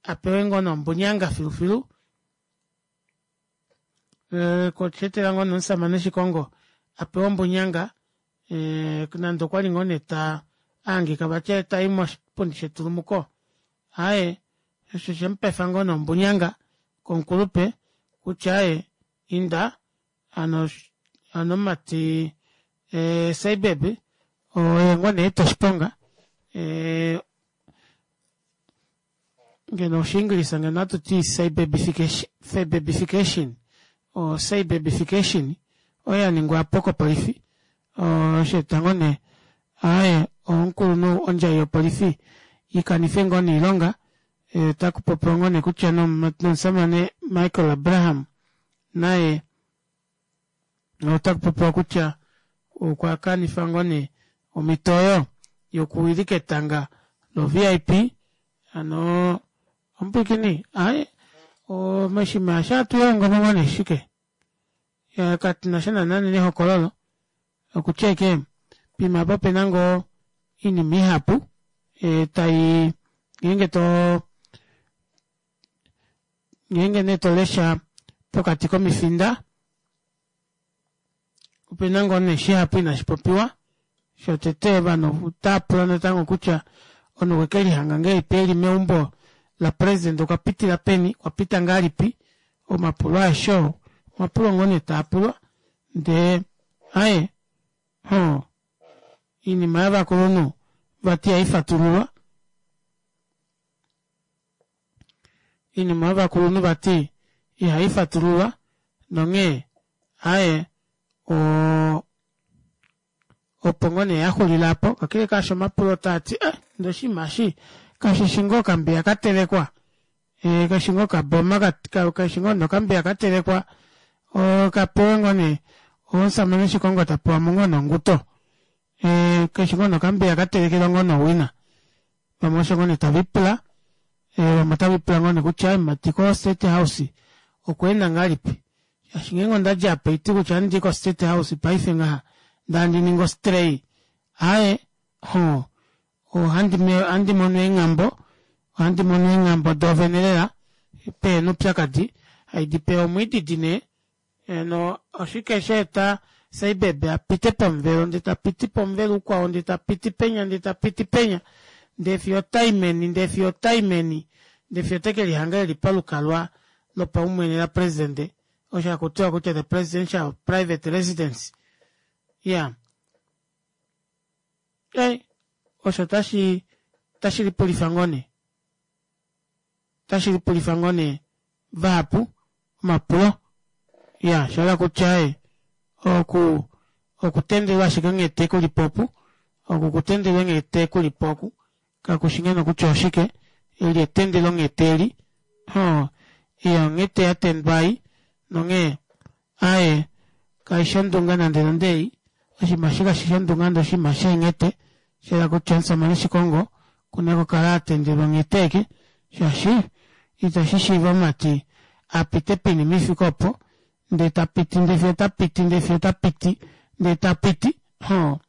a pewe ngoo nee ombunyanga filufilu ko sha etela ngoo nee omusamane Shikongo a pewe ombunyanga nande okwa li ngoo nee ta ahangika vati tai moshipundi shetulumuko aye osho she mu pefa ngoo nee ombunyanga komukulupe kutya aye inda hano hano omumati eh, Seibeb oye ngoo nee eta oshiponga eh, ngeno Oshiingilisa ngeno hatu ti Seibebification o Seibebification oyo ya ningwa po kopolifi osho eta ngoo nee aye omukulunhu ondjai yopolifi ikanife ngoo nee oilonga otaku popiwa ngoo nee kutya nomusamane Michael Abraham naye otaku popiwa kutya okwa kanifa ngoo nee omhito oyo yokuwilika etanga lo-VIP hano omupwiikini aye moshinima eshi ohatu lihongo mo ngoo nee shike katu na sha naana nehokololo okutya ashike poima apa ope na ngoo oinima ihapu tai ngeenge to ngeenge nee to lesha pokati komifinda ope na ngoo nee shihapu inashi popiwa shotete ovanhu otava pula natango kutya omunhu okwe ke lihanga ngahelipi eli meumbo lapresident okwa pitila peni okwa pita ngahelipi omapulo aeshe oo omapulo ngoo nee taa pulwa ndee aye hoo oinima yovakulunhu vati ihai fatululwa Iinima yovakulunhu vati ihai fatululwa nonghee aye o opo ngoo nee ya xulila apo. Kakele kaasho omapulo otaa ti eh ndee oshinima eshi kashi shi ngoo okambiya ka telekwa? Eh kashi ngoo okaboma kashi ngoo nee okambiya ka telekwa ka pewe ngoo nee omusamane Shikongo ta pewa mo ngoo nee onguto? Eh kashi ngoo nee okambiya ka telekelwa ngoo nee owina? Vamwe osho ngoo nee tave lipula, vamwe otave lipula ngoo nee kutya mumati ko State House okwa enda ngahelipi shaashi ngeenge onda dja apa oiti kutya ohandi i ko State House paife ngaha ndee handi ningi ostray aaye hoo ohandi mono eenghambo ohandi mono eenghambo doovene lela pehena oupyakadi haidi pewa omwiididi nee Heno, oshike sha eta Seibeb a pite pomuvelo, ndee ta piti pomuvelo ukwao, ndee ta piti penya, ndee ta piti penya, ndee fiyo ota i meni, ndee fiyo ota i meni, ndee fiyo ote ke lihanga e li palukalwa lopaumwene lapresidente? Osho hakutiwa kutya the presidential private residence. Ya. Ei, osho tashi tashi lipulifa ngoo nee. Tashi lipulifa ngoo nee vahapu omapulo. Ya, sha kutya e oku okutendelwa ashike nghete kuli po opu, oku kutendelwa nghete kuli po oku, kakushi ngeno kutya oshike, eli etendelo nghete eli, ho, iya onghete ya tendwa ei, nonghee, aaye, kaishi ondunga nande nande ei, oshinima eshi kashi shi ondunga nande oshinima sheenghete, shayela kutya omusamane Shikongo okuna okukala a tendelwa onghete eke, shaashi itashi shiiva omumati a pite poinima ifike opo, ndee ta piti ndee fiyo ta piti ndee fiyo ta piti ndee ta piti hoo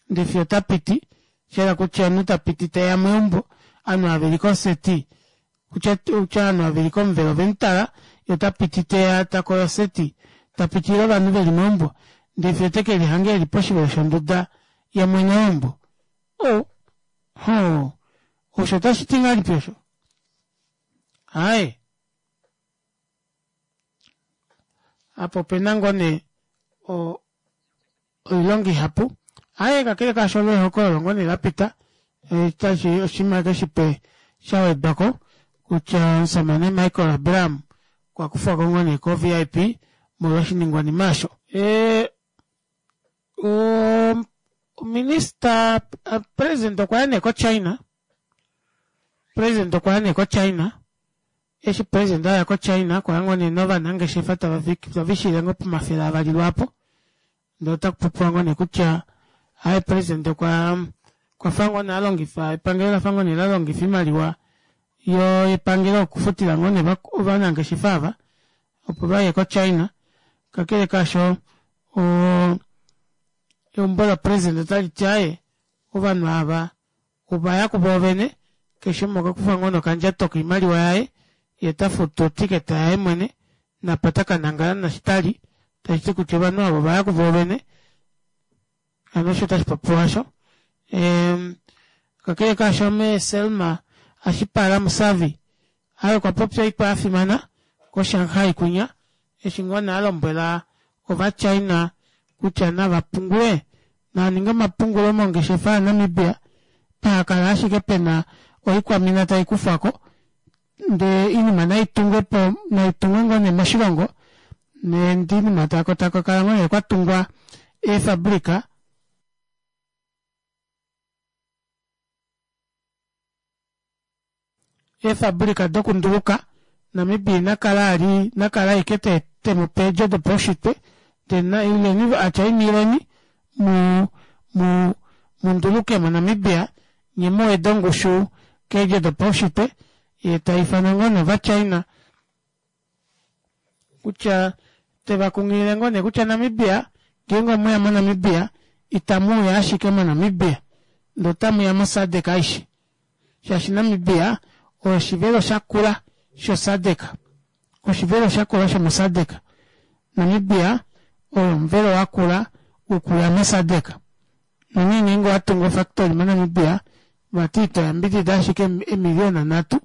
ndee fiyo ta piti shayela kutya omunhu ta piti teya meumbo ovanhu ava veli koseti kutya kutya ovanhu ava veli komuvelo ovemutala ye ota piti teya ta koya oseti ta pitilile ovanhu veli meumbo ndee fiyo teke lihange eli poshivelo shonduda yamwene weumbo oh hoo osho otashi ti ngahelipi osho aaye Apa opena ngoo nee oilonga ihapu. Aaye kakele kaasho olo ehokololo ngoo nee lapita tashi oshinima eke shipe sha wedwako kutya omusamane Michael Abraham okwa kufwako ngoo nee ko VIP molwa oshiningwanima osho. Ominista president okwa ya nee ko China, president okwa ya nee ko China Eshi president aya ko China okwa ya ngoo nee novanangeshefa tava vishile ngoo pomafele avali lwaapo ndee ota kupopiwa ngoo nee kutya aye president okwa kwafa ngoo nee alongifa epangelo lafa ngoo nee lalongifa oimaliwa yo yepangelo okufutila ngoo nee ovanangeshefa ava opo vaye ko China kakele kaasho eumbo la president otali ti aye ovanhu ava Ova ya kuvoovene, keshe umwe okwa kufa ngoo nokandjato koimaliwa yaye, ye ta futu otiketa yaye mwene, napa ta ka nangala nashi ta li, tashi ti kutya ovanhu ava ova ya kuvoovene, hano osho tashi popiwa osho. Eem, kakele kaasho mee Selma Ashipala Musavyi aye okwa popya oitwa ya fimana koShanghai kwinya, eshi ngoo nee a lombwela Ovachina kutya nava pungule, nava ninge omapungulo mongeshefa yaNamibia, paha kala ashike pe na oikwamina tai kufwa ko, ndee oinima nai tungwe po, nai tungwe ngoo nee moshilongo, ndee oinima taku kala ngoo nee kwa tungwa eefabrika. Eefabulika dokunduluka, Namibia ina kala a li na kala ashike te te mu pe eedjo dopaushitwe, ndele na ileni a tya inileni mu mu mu nduluke moNamibia nye mu wede ongushu keedjo dopaushitwe, ye ta ifana ngoo nee Ovachina kutya te va kunghilile ngoo nee kutya Namibia ngeenge omweya moNamibia itamu uya ashike moNamibia ndee otamu ya moSADC aishe shaashi Namibia oyo oshivelo shakula shoSADC oshivelo shakula shomoSADC Namibia oyo omuvelo wakula wokuya moSADC nonghee ngeenge owa tungu ofactory moNamibia vati ito yambidida ashike eemiliona nhatu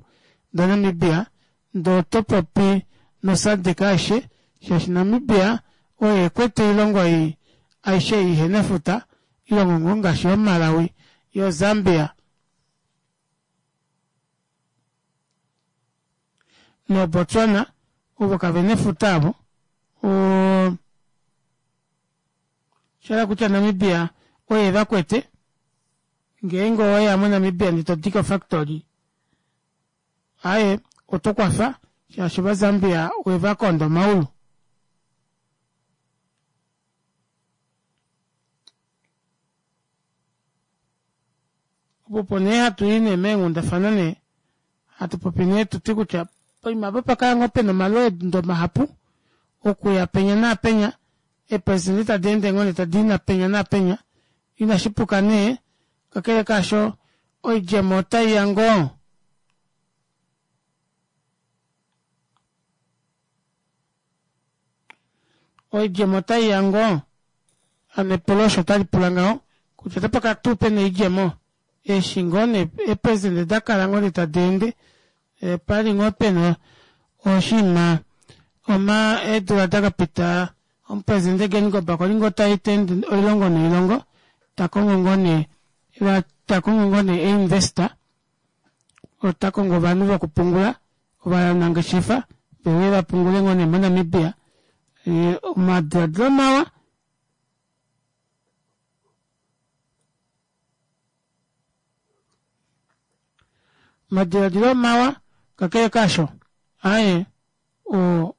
daNamibia Ndee oto popi no SADC aishe shaashi Namibia oye ekwete oilongo ei aishe ei ihena efuta, oilongo ngoo ngaashi yoo Malawi, yoo Zambia, noo Botswana ovo kavena efuta avo. Oo shahala kutya Namibia oye evakwete, ngeenge oweya mo Namibia ndee todike ofactory Aaye, oto kwafa shaashi Ovazambia we va konda omaulu. Opo opo nee hatu i nee meenghundafana nee hatu popi nee tu ti kutya poima apa opa kala ngoo pena omalweendo mahapu okuya penya naapenya, eepresidente tadi ende ngoo nee tadi i napenya naapenya, inashi puka nee Kakele kaasho, oidjemo otai ya ngoo? Oidjemo otai ya ngoo? Hano epulo osho tali pula ngaho kutya otapa kala tuu pena oidjemo eshi ngoo nee eepresidente da kala ngoo nee tadi ende, opa li ngoo pena oshinima. Oma eedula da ka pita omupresidente Geingob okwa li ngoo ta ende oilongo noilongo ta kongo ngoo nee ta kongo ngoo nee einvesta ota kongo ovanhu vokupungula ovanangeshefa veuye va pungule ngoo nee moNamibia. Omadiladilo mawa Omadiladilo omawa, kakele kaasho, aaye, o,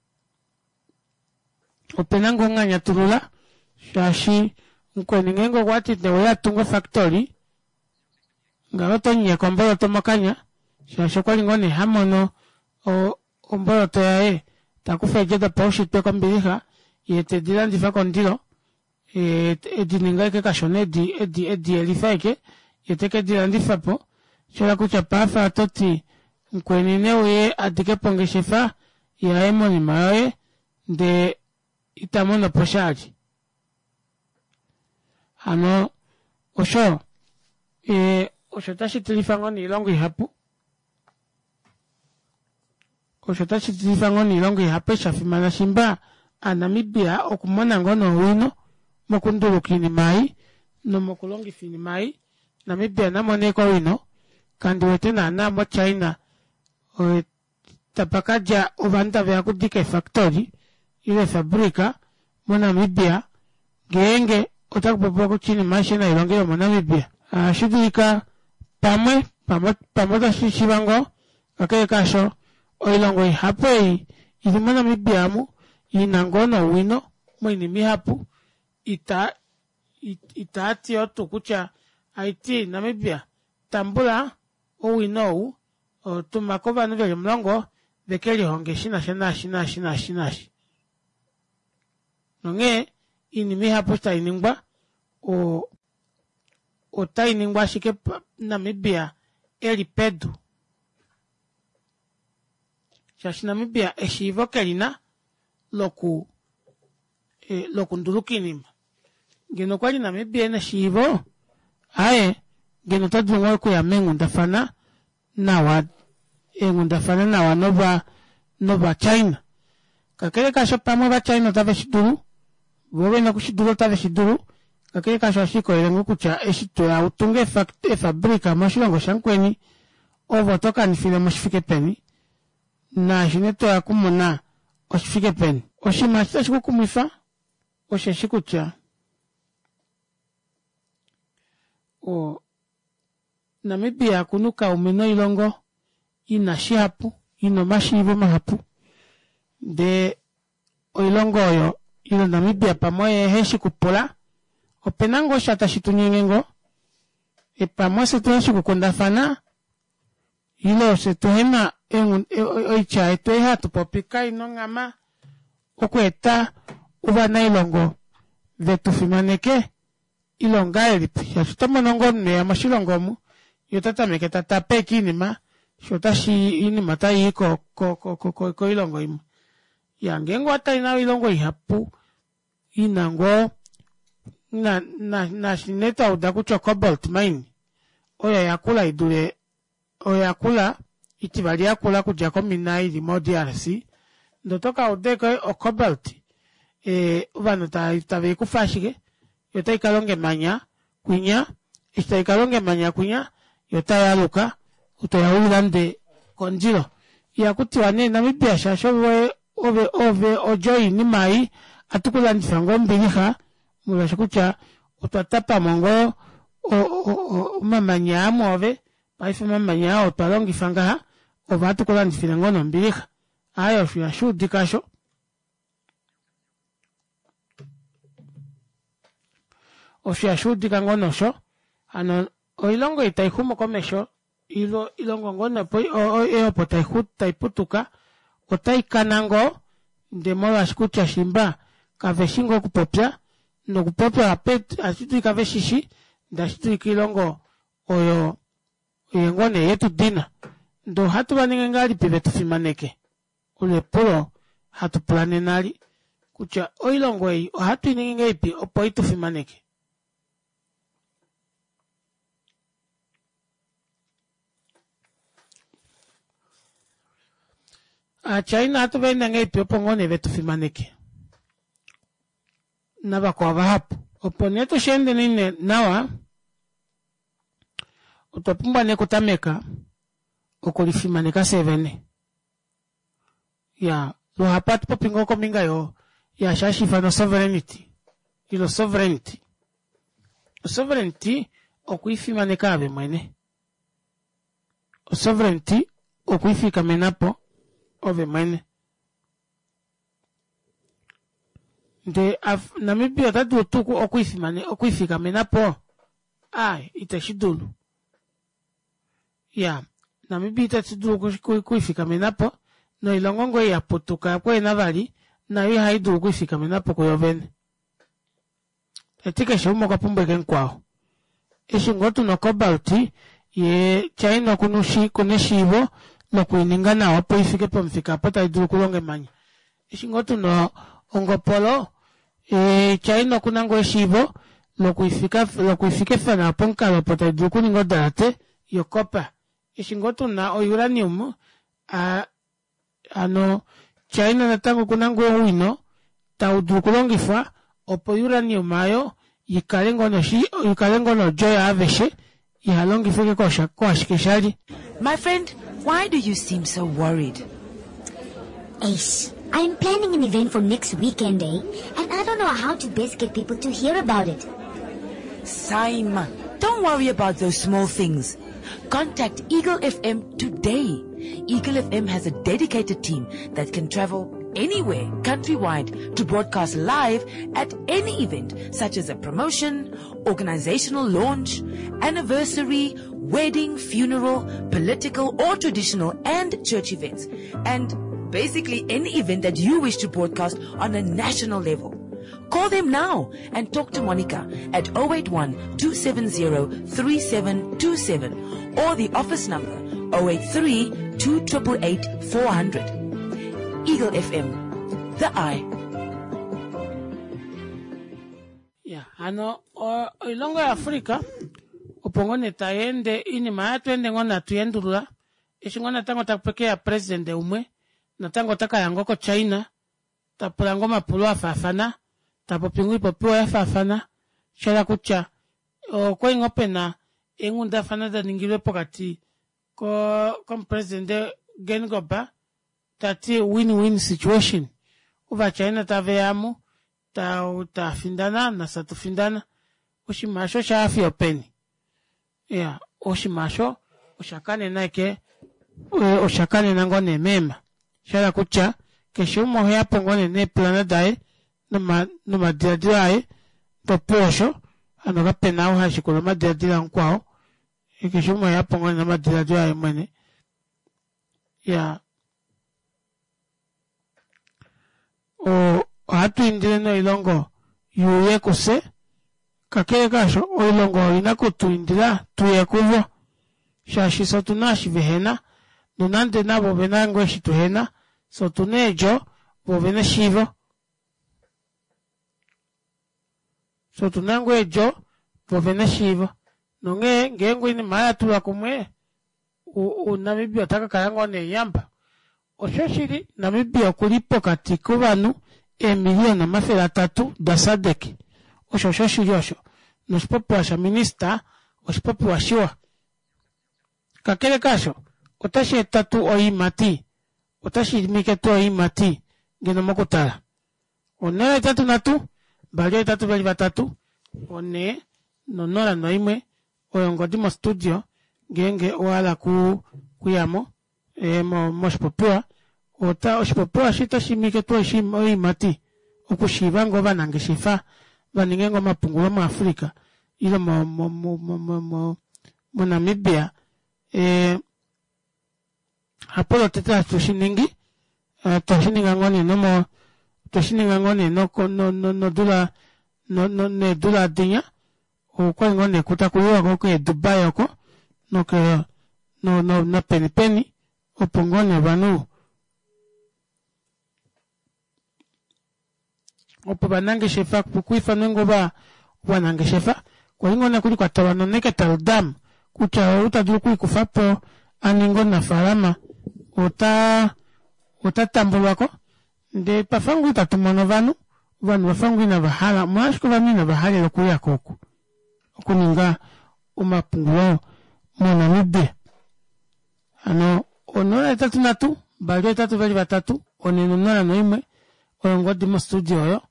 ope na ngoo nganyatulula, shaashi mukweni ngeenge okwa ti ne uye a tunge ofactory, ngaho oto mu nyeka omboloto mokanya, shaashi okwa li ngoo nee ha mono o, omboloto yaye ta kufa eedjo dopaushitwe kombilixa, ye te di landifa kondilo, edi ninga eke kashona edi edi edi yelifa eke ye teke di landifa po shola kutya paafa oto ti mukweni ne uye a dike po ongeshefa yaye monima yoye ndee ita mono po sha ali hano osho e, osho tashi tilifa ngoo niilongo ihapu Osho otashi tilifa ngoo niilongo ihapu eshi sha fimana shimba Aanamibia okumona ngoo noowino mokunduluka iinima ei nomokulongifa iinima ei. Namibia na mone ashike owino, kandi wete naana moChina tapa ka dja ovanhu tave ya okudika eefactory ile eefabrika moNamibia ngeenge otaku popiwa kutya iinima aishe nai longelwe moNamibia. Ohashi dulika pamwe, pamwe otashi shiiva ngoo, kakele kaasho, oilongo ihapu ei i li moNamibia omu i na ngoo nowino moinima ihapu, ita, itaa ti yoo tuu kutya aiti Namibia tambula owino ou, tuma ko ovanhu ve li omulongo ve ke lihonge shi na sha naashi, naashi, naashi, naashi. Nonghee iinima ihapu eshi tai ningwa o, otai ningwa ashike Namibia e li pedu. Shaashi Namibia eshiivo ke li na loku e, lokunduluka iinima. Ngeno okwa li Namibia e na eshiivo, aye, ngeno ota dulu ngoo okuya meenghundafana nawa eenghundafana nawa nova nOvachina. Kakele kaasho pamwe Ovachina otave shi dulu, vo ve na oku shi dula otave shi dulu, kakele kaasho ohashi likolele ngoo kutya eshi to ya u tunge efabrika moshilongo shamukweni, ove oto kanifile mo shi fike peni, naashi nee to ya okumona oshi fike peni. Oshinima eshi tashi ku kumwifa osheshi kutya o. Namibia oku na oukaume noilongo i na shihapu, i na omashiivo mahapu ndee oilongo oyo ile Namibia pamwe oye ehe shi kupula, ope na ngoo sha tashi tu nyenge ngoo? Pamwe ofye tuhe shi kukundafana ile ofye tuhe na oitya yetu ei hatu popi kai na onghama okweeta ovanailongo ve tu fimaneke? Ile ongahelipi? Shaashi oto mono ngoo omunhu eya moshilongo omu, ye ota tameke ta tape ashike oinima, sho otashi oinima otai i ko, ko, ko, ko, ko, koilongo imwe. Ya, ngeenge owa tale nawa oilongo ihapu i na ngoo na, na, naashi nee twa uda kutya ocobalt mine oyo ya kula i dule oyo ya kula itivali ya kula okudja komina ili moDRC, ndee oto ka uda ashike ocobalt eh, ovanhu tave i kufa ashike yo otai ka longa emanya kwinya, eshi tai ka longa emanya kwinya yo otai aluka toya u i lande kondilo. Ihaku tiwa nee Namibia shaashi ove ove ove odjo yoinima ei, ohatu ku landifa ngoo ombilixa molwaashi kutya otwa tapa mo ngoo omamanya aa mwoove, paife omamanya aa otwa longifa ngaha, ove ohatu ku landifile ngoo nombilixa. Aaye osho ihashi udika osho. Osho ihashi udika ngoo nosho. Hano oilongo ei tai xumu komesho ilo ilongo ngoo nopo ei opo tai putuka otai kana ngoo ndee molwaashi kutya shimba kave shi ngoo okupopya nokupopya ohashi dulika ve shishi ndee ohashi dulika oilongo oyo oye ngoo nee yetu dina ndee ohatu va ningi ngahelipi vetu fimaneke? Olo epulo hatu pula nena li kutya oilongo ei ohatu i ningi ngahelipi opo i tu fimaneke? Aachina ohatu va ende ngahelipi opo ngoo nee vetu fimaneke navakwao vahapu? Opo nee tushi endeni nee nawa, otwa pumbwa nee okutameka okulifimaneka fyee vene. Ya, luhapu ohatu popi ngoo kombinga yo yaashi hashi ifanwa sovereignty ile sovereignty. Osovereignty okwiifimaneka ove mwene. Osovereignty okwiifikamena po ove mwene. Ndee Namibia ota dulu tuu okwiifikamena po? Aaye, iteshi dulu. Ya, Namibia itashi dulu okwiifikamena po, noilongo ngoo ei ya putuka ya kwena vali nayo ihai dulu okwiifikamena po kuyo vene. Tati keshe umwe okwa pumbwa eke mukwao. Eshi ngoo tuna ocobalt, ye China okuna okuna eshiivo lokuininga nawa opo ifike pomufika opo tai dulu okulonga emanya. Eshi ngoo tuna ongopolo, ye China okuna ngoo eshiivo lokuifika lokuifikefa nawa pomukalo opo tai dulu okuninga odalate yocopper. Eshi ngoo tuna ouranium, a Hano China natango okuna ngoo owino tau dulu okulongifwa opo uranium ayo yikale ngoo noshi yikale ngoo nodjo yaaveshe iha longifwe ke kosha koashike shali. My friend, why do you seem so worried? Eish, I'm planning an event for next weekend, eh? And I don't know how to best get people to hear about it. Saima, don't worry about those small things. Contact Eagle FM today. Eagle FM has a dedicated team that can travel anywhere countrywide to broadcast live at any event such as a promotion, organizational launch, anniversary, wedding, funeral, political or traditional and church events. And basically any event that you wish to broadcast on a national level. Call them now and talk to Monica at 081 270 3727 or the office number 083 2888 400. Eagle FM, the eye. Ya, hano oilongo yaAfrica opo ngoo nee tai ende oinima oyo ende ngoo natu endulula eshi ngoo natango taku keya presidente umwe natango ota ka ya ngoo koChina ta pula ngoo omapulo a faafana, ta popi ngoo oipopiwa ya faafana, sha hala kutya okwa li ngoo pe na eenghundafana da ningilwe pokati komupresidente Geingob ta ti win-win situation, Ovachina tave ya mu ta findana nafye atu findana. Oshinima osho osha ya fiyo openi? Iya, oshinima osho osha kanena eke osha kanena ngoo nee meema. Sha hala kutya keshe umwe oheya po ngoo nee neepulana daye noma nomadiladilo aye ndee opuwo osho hano kapena ou ha shikula omadiladilo amukwao keshe umwe oheya po ngoo nee nomadiladilo aye mwene. Iya. Ohatu indile noilongo yuuye kufye, kakele kaasho oilongo oina kutu indila tuye kuvo shaashi fye otuna eshi vehena nonande navo ovena ngoo eshi tuhena, fye otuna eedjo vo ovena eshiivo. Fye otuna ngoo eedjo vo ovena eshiivo nonghee ngeenge oinima oyo yatulwa kumwe Namibia ota ka kala ngoo nee yamba. Oshoshili, Namibia oku li pokati kovanhu eemiliyona 300 daSADC. Osho oshoshili osho, noshipopiwa shaminista oshipopiwa shiwa. Kakele kaasho, otashi eta tuu oiimati? Otashi imike tuu oiimati ngeno mokutala? 083 2 823 4 no0 1 oyo ongodi mostudio ngeenge owa hala ku kuyamo e, mo, moshipopiwa ota oshipopiwa eshi otashi imike tuu oiimati okushiiva ngoo ovanangeshefa va ninge ngoo omapungulo muAfrica ile mo, mo, mo, mo, mo, mo, moNamibia e, hapo lotete hatu shi ningi eh, twa shi ninga ngoo nee nomo twe shi ninga ngoo nee noko- no- no- nodula no- no- needula adinya okwali ngoo nee kutaku yiwa ko keeDubai oko noke no- no- nopeni peni opo ngoo nee ovanhu opo ovanangeshefa kwiifanwe ngoo ova ovanangeshefa kwali ngoo nokuli kwa talwa noNeckertal Dam kutya ou ta dulu okwiikufa po a ninge omunafaalama ota. Ota tambulwako ndee twafa ngoo itatu mono ovanhu, ovanhu vafa ngoo inava hala, omolwashike ovanhu inava halela okuuyako oku okuninga omapungulo moNamibia. Hano 083 283 401 oyo ongodi mostudio oyo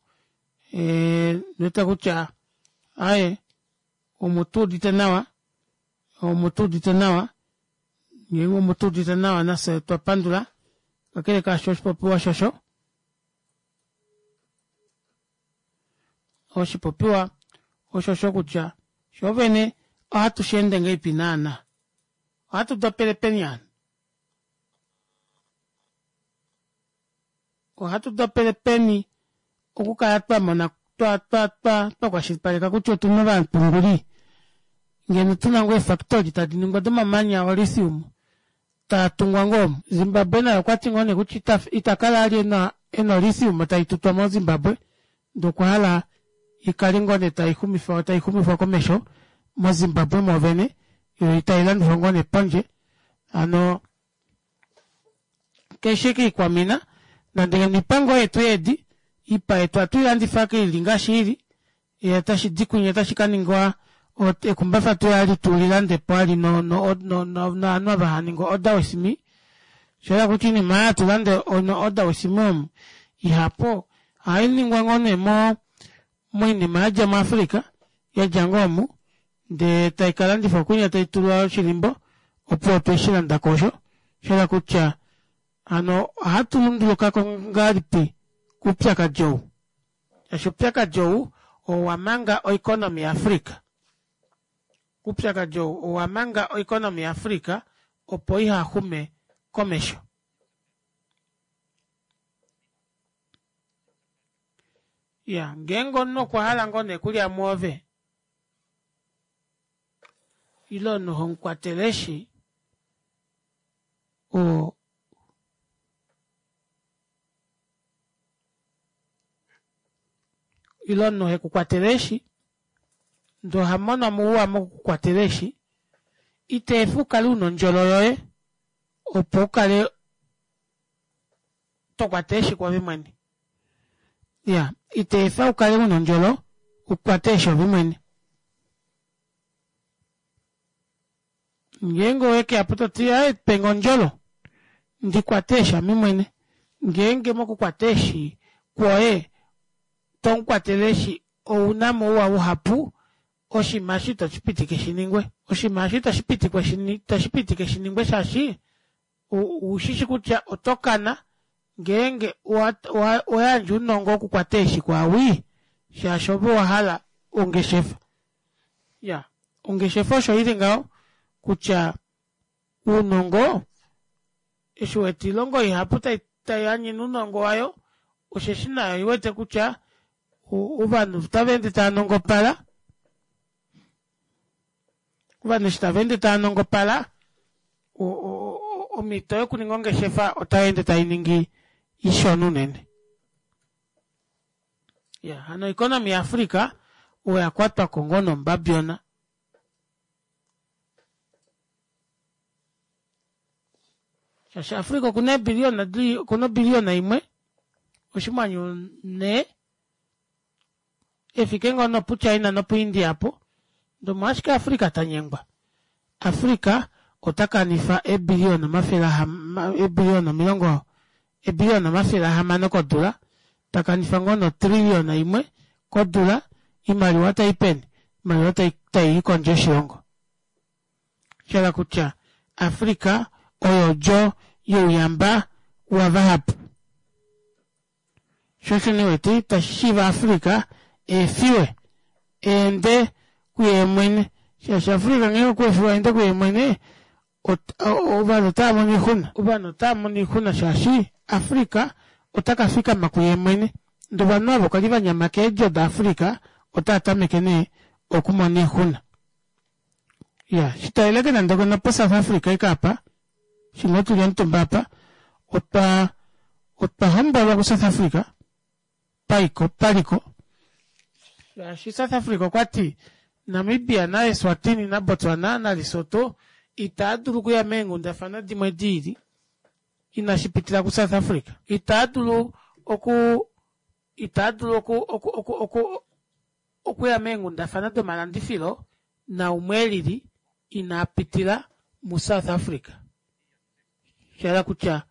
ndiwete kutya aaye omutuudite nawa omutuudite nawa ngeenge omutuudite nawa nafye otwa pandula kakele kaasho oshipopiwa shosho oshipopiwa oshosho kutya shoovene ohatu sheende ngahelipi naana ohatu dopele peni hano Ohatu dopele peni okukala twa mona twa twa twa twa kwashilipaleka kutya otu na ovapunguli ngeno tu na ngoo eefactory tadi ningwa domamanya olithium taa tungwa ngoo omu. Zimbabwe naye okwa ti ngoo nee kutya ita ita kala ali ena ena olithium tai tutwa moZimbabwe ndee okwa hala i kale ngoo nee tai xumifa tai xumifwa komesho moZimbabwe mwoovene yo itai landifwa ngoo nee pondje hano Keshe kiikwamina, nande ngeno ipa ngoo yetu yeedi, ipa yetu ohatu i landifa ili ngaashi ili, ye otashi di kwinya otashi ka ningwa ekumbafa tu ali tu lilande po ali no no no novanhu ava hava ningi order with me. Osha yela kutya oinima oyo hatu lande no order with me omu ihapu ohai ningwa ngoo nee mo moinima yadja muAfrica, yadja ngoo omu ndee tai ka landifwa kwinya tai tulwa oshilimbo opuwo otwe shi landa ko osho. Osha yela kutya hano ohatu lunduluka ko ngahelipi koupyakadi ou? Shaashi oupyakadi ou owa manga oeconomy yaAfrica. Oupyakadi ou owa manga oeconomy yaAfrica opo iha xume komesho. Ya, ngeenge omunhu okwa hala ngoo nee okulya mwoove, ile omunhu ho mu kwatele eeshi, oo ile omunhu he ku kwatele eeshi, ndee oha mono mo ouwa moku ku kwatela eeshi, ita efa u kale u na ondjolo yoye opo u kale to kwata eeshi kwoove mwene. Ya, ita efa u kale u na ondjolo u kwate eeshi ove mwene. Ngeenge owe ke ya po to ti, Ae, pe nge ondjolo ndi kwate eeshi ame mwene. Ngeenge mokukwata eeshi kwoye to mu kwatele eeshi ou na mo ouwa uhapu, oshinima eshi ito shi pitike shi ningwe. Oshinima eshi itashi pitikwa itashi pitike shi ningwe shaashi Ou shi shi kutya oto kana ngeenge owa yandja ounongo wokukwata eeshi kwaawii shaashi ove owa hala ongeshefa. Ya, ongeshefa osho ili ngaho kutya ounongo eshi wete oilongo ihapu tai tai anyene ounongo wayo osheshi nayo oi wete kutya ovanhu otava ende tava nongopala. Ovanhu eshi tava ende tava nongopala, omhito yokuninga ongeshefa otai ende tai ningi ishona unene. Ya, hano oeconomy yaAfrica oya kwatwa ko ngoo nombabyona. Shaashi Africa okuna eebiliyona di okuna obiliyona imwe oshimwanyu nhee efike ngoo nopuChina nopuIndia apo, ndee omolwashike Africa ta nyengwa? Africa ota kanifa eebiliyona omafele eebiliyona omilongo eebiliyona omafele ahamano kodula, ta kanifa ngoo notrillion imwe kodula, oimaliwa tai peni? Oimaliwa tai tai i kondje yoshilongo. Sha hala kutya Africa oyo odjo youyamba wavahapu. Sho osho nee wete itashi shiiva Africa eefiwe eende kuye mwene shaashi Africa ngeenge okwa efiwa eende kuye mwene ovanhu otava mono oixuna. Ovanhu otava mono oixuna shaashi Africa ota ka fikama kuye mwene ndee ovanhu ava kwali va nyama keedjo daAfrica otava tameke nee okumona oixuna. Iya, shitaleleke nande nopoSouth Africa ika apa Shimwe tuli omutumba apa otwa otwa hombolwa kuSouth Africa paiko paliko shaashi South Africa okwa ti Namibia naEswatini naBotswana naLesotho itaa dulu okuya meenghundafana dimwe di ili. inashi pitila kuSouth Africa. Itaa dulu oku itaa dulu oku oku oku oku okuya meenghundafana domalandifilo naumwe elili inaa pitila muSouth Africa. Sha hala kutya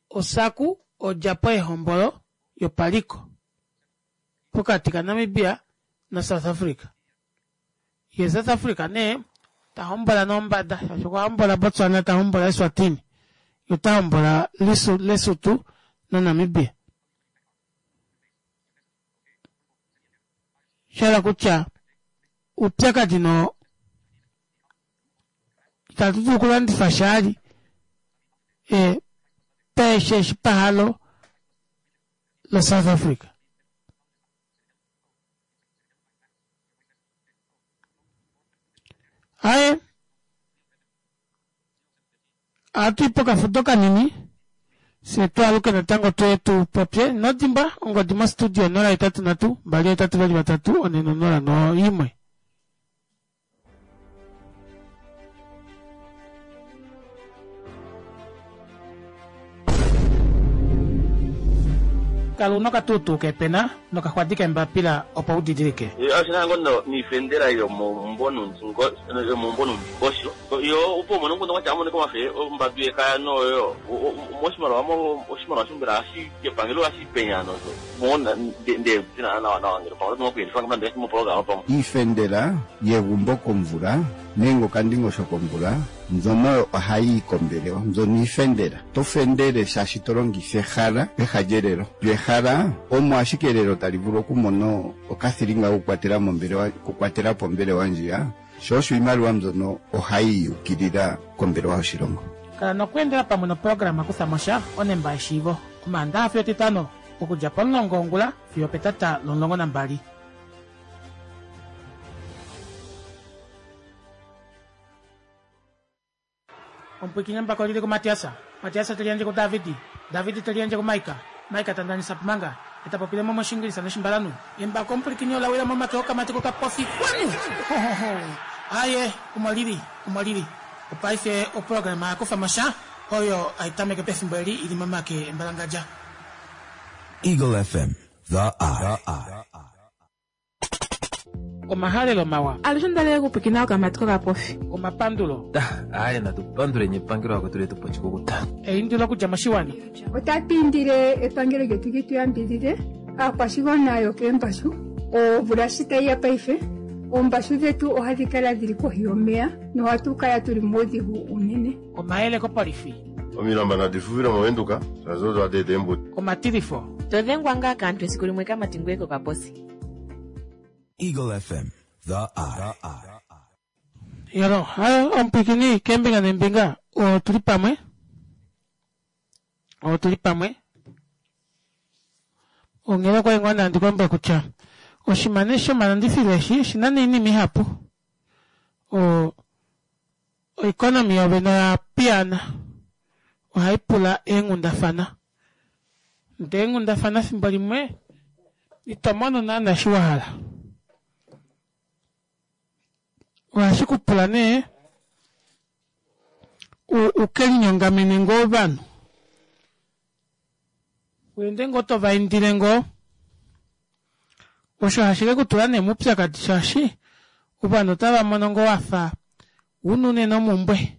oSACU odjapo yehombolo yopaliko pokati kaNamibia naSouth Africa. Ye South Africa nee ta hombola nombada shaashi okwa hombola Botswana, ta hombola Eswatini, ye ota hombola Lesotho naNamibia. Sha hala kutya oupyakadi no itatu dulu okulandifa shali e, peeshe eshi pahalo laSouth Africa. Aye, ohatu i pokafudo kanini fye twaaluke natango tuye tu popye. Ino dimbwa ongodi mostudio 083 283 401. Kala una okatuutuu keepena nokaxwadi keembapila opo u didilike. Oshi na ngoo noifendela yomoumbo noundingosho yo opo umone omukundu kwatya amonike omafe ombadu yekaya noyo moshimaliwa oshimaliwa shombela ohashi epangelo ohashi penya nosho mo nde nawa nawa ngele pamwe oto nokuyelifa moprograma pamwe. Iifendela yegumbo komvula nenge okandingosho komvula mbyono ohayi yi kombelewa mbyono iifendela. To fendele shaashi to longitha ehala peha lyelelo. Lyo ehala omo ashike elelo tali vulu okumona okathilinga kokukwatela mombelewa okukwatela po ombelewa ndjiya, sho osho iimaliwa mbyono ohayi yukilila kombelewa yoshilongo. Kala nokweendela pamwe noprograma Kutha mo sha onemba yeshiivo Omaandaxa fiyo Etitano okudja pomulongo wongula fiyo opetata lomulongo nambali. Omupwiikini embako oli li kuMatias, Matias te liyandje kuDavid, David te liyandje kuMaika, Maika ta ndanisa Pumanga, e ta popile mo mOshiingilisa nOshimbalanhu. Embako omupwilikini ola wila momake okamati kokapofi. Kwanu! Ho-ho-ho! Aaye, omo li li, omo li li. Opaife oprograma ya kufa mo sha, oyo hai tameke pefimbo eli i li momake embalangadja. Eagle FM, The Eye. Omahalelo mawa. Alushe onda lela okupwikina okamati kokapofi. Omapandulo. Aaye natu panduleni epangelo akwetu letu po oshikukuta. Eindilo okudja moshiwana. Otatu indile epangelo lyetu li tu yambidhidhe aakwashigwana yokeembashu. Omvula shi tayi ya paife, oombashu dhetu ohadhi kala dhili kohi yomeya nohatu kala tuli muudhigu uunene. Omayele kopolifi. Omilamba nadi fuvile mOvenduka, shaashi odo hadi eta eembudi. Omatilifo. To dhengwa ngaa kaantu esiku limwe kamati ngoye kokaposi. Eagle FM, The Eye. Yolo, hayo omupwikini keembinga neembinga otu li pamwe. Otu li pamwe. Onghela okwa li ngoo nandi kulombwela kutya oshimane shomalandifilo eshi oshi na noinima ihapu. O oeconomy yovene oya piyaana. Ohai pula eenghundafana. Ndee eenghundafana fimbo limwe ito mono naana eshi wa hala. Ohashi ku pula nee u ke linyongamene ngoo ovanhu. Weende ngoo to va indile ngoo. Osho hashi ke ku tula nee moupyakadi shaashi ovanhu otava mono ngoo wafa una unene omumbwe.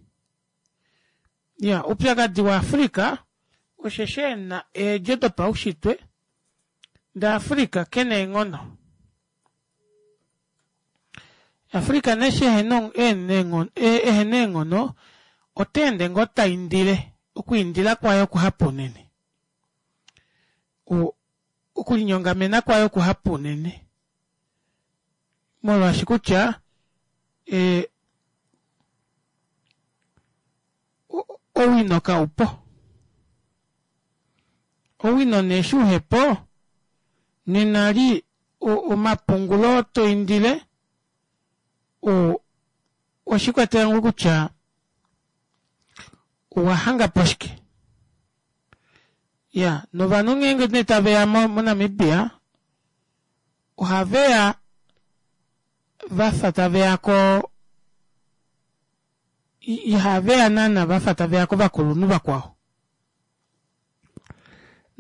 Ya, oupyakadi waAfrica osheshi e na eedjo dopaushitwe ndee Africa ke na eenghono. Africa nee eshi ehena ehena eenghono ota ende ngoo ta indile, okwiindila kwaye okuhapu unene. Okulinyongamena kwaye okuhapu unene. Molwaashi kutya e, owino kaupo. Owino nee eshi uhepo, nena li omapungulo to indile oshikwatela ngoo kutya owa hanga po shike. Ya, novanhu ngeenge nee tave ya moNamibia ohave ya va fa tave ya ko ihave ya naana va fa tave ya kovakulunhu vakwao.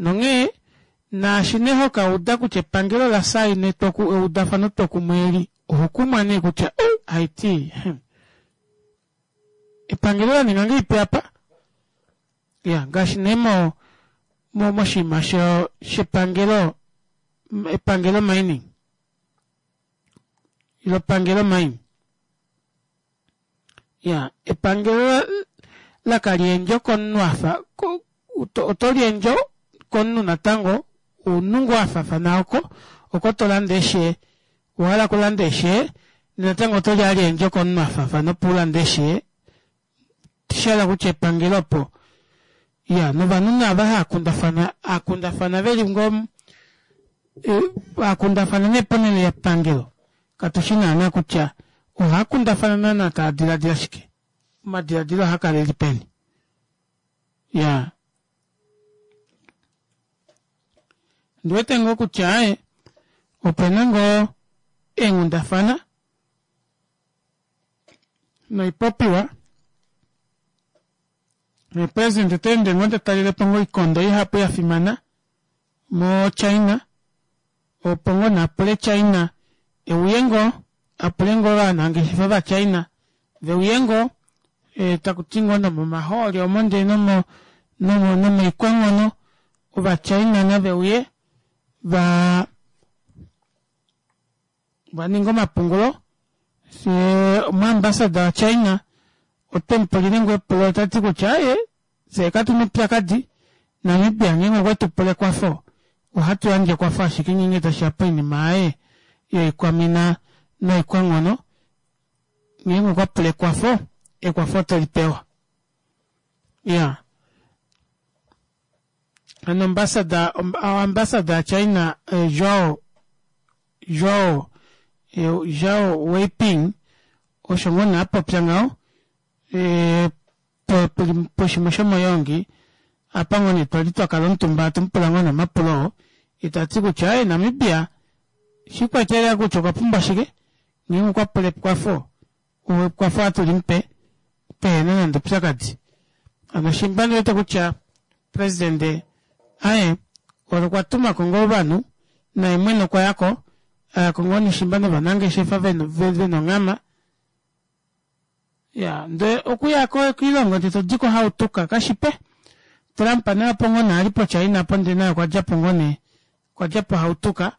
Nonghee naashi nee hoka uda kutya epangelo la saina eudafano twokumwe eli, oho kumwa nee kutya haiti epangelo la ninga ngahelipi apa? Ya, ngaashi nee mo moshinima shepangelo, epangelo mining ilo pangelo mine. Ya, epangelo lakaliendjo komunhu afa oto liendjo komunhu natango omunhu ngoo afafana oko oko to lande eeshe owahala okulanda eeshe natango oto li aliendjo komunhu afafana opo ulande eeshe shahala kutya epangelo opo ya novanhu naava haakundafana akundafana veli ngoo akundafana nee ponhele yepangelo katushi naana kutya ohaakundafana naana taa diladila shike omadiladilo ohaakala eli peni ya ndiwete ngoo kutya opena ngoo eenghundafana noipopiwa president ota ende ngoo tatalelepo ngoo oikondo ihapu yafimana mo China opo ngoo naapule China euye ngoo apule ngoo ovanangeshefa va China veuye ngoo takuti ngoo nomomahooli omo ndee nomo nomoikwanghono ova China naveuye va vaninga omapungulo fyee omuambassador wa China otemupulile ngoo epulo otati kutya aaye fyee katuna oupyakadi Namibia ngeenge okwetu pula ekwafo ohatu yandje ekwafo ashike ngeenge tashiya poinima yaye yoikwamina noikwanghono ngeenge okwa pula ekwafo ekwafo oteli pewa ya hano ambassador ambassador ya China Zhao Zhao Zhao Weiping osho ngoo nee apopya ngaho poshimwe shomoyoongi apa ngoo nee twali twakala omutumba hatu mupula ngoo nee omapulo oo etati kutya aaye Namibia shiikwatelela kutya okwa pumbwa shike ngeenge okwa pula ekwafo ekwafo ohatu limupe pehena nande oupyakadi hano shimba ndiwete kutya presidente aye okwa tumako ngoo ovanhu naye mwene okwa yako ayako ngoo neshimba novanangeshefa vena onghama ya ndee okuya koilongo ndee todiko hautuka kashipe Trump naye opo ngoo nee ali poChina apo ndee naye okwa djapo ngoo nee okwa djapo hautuka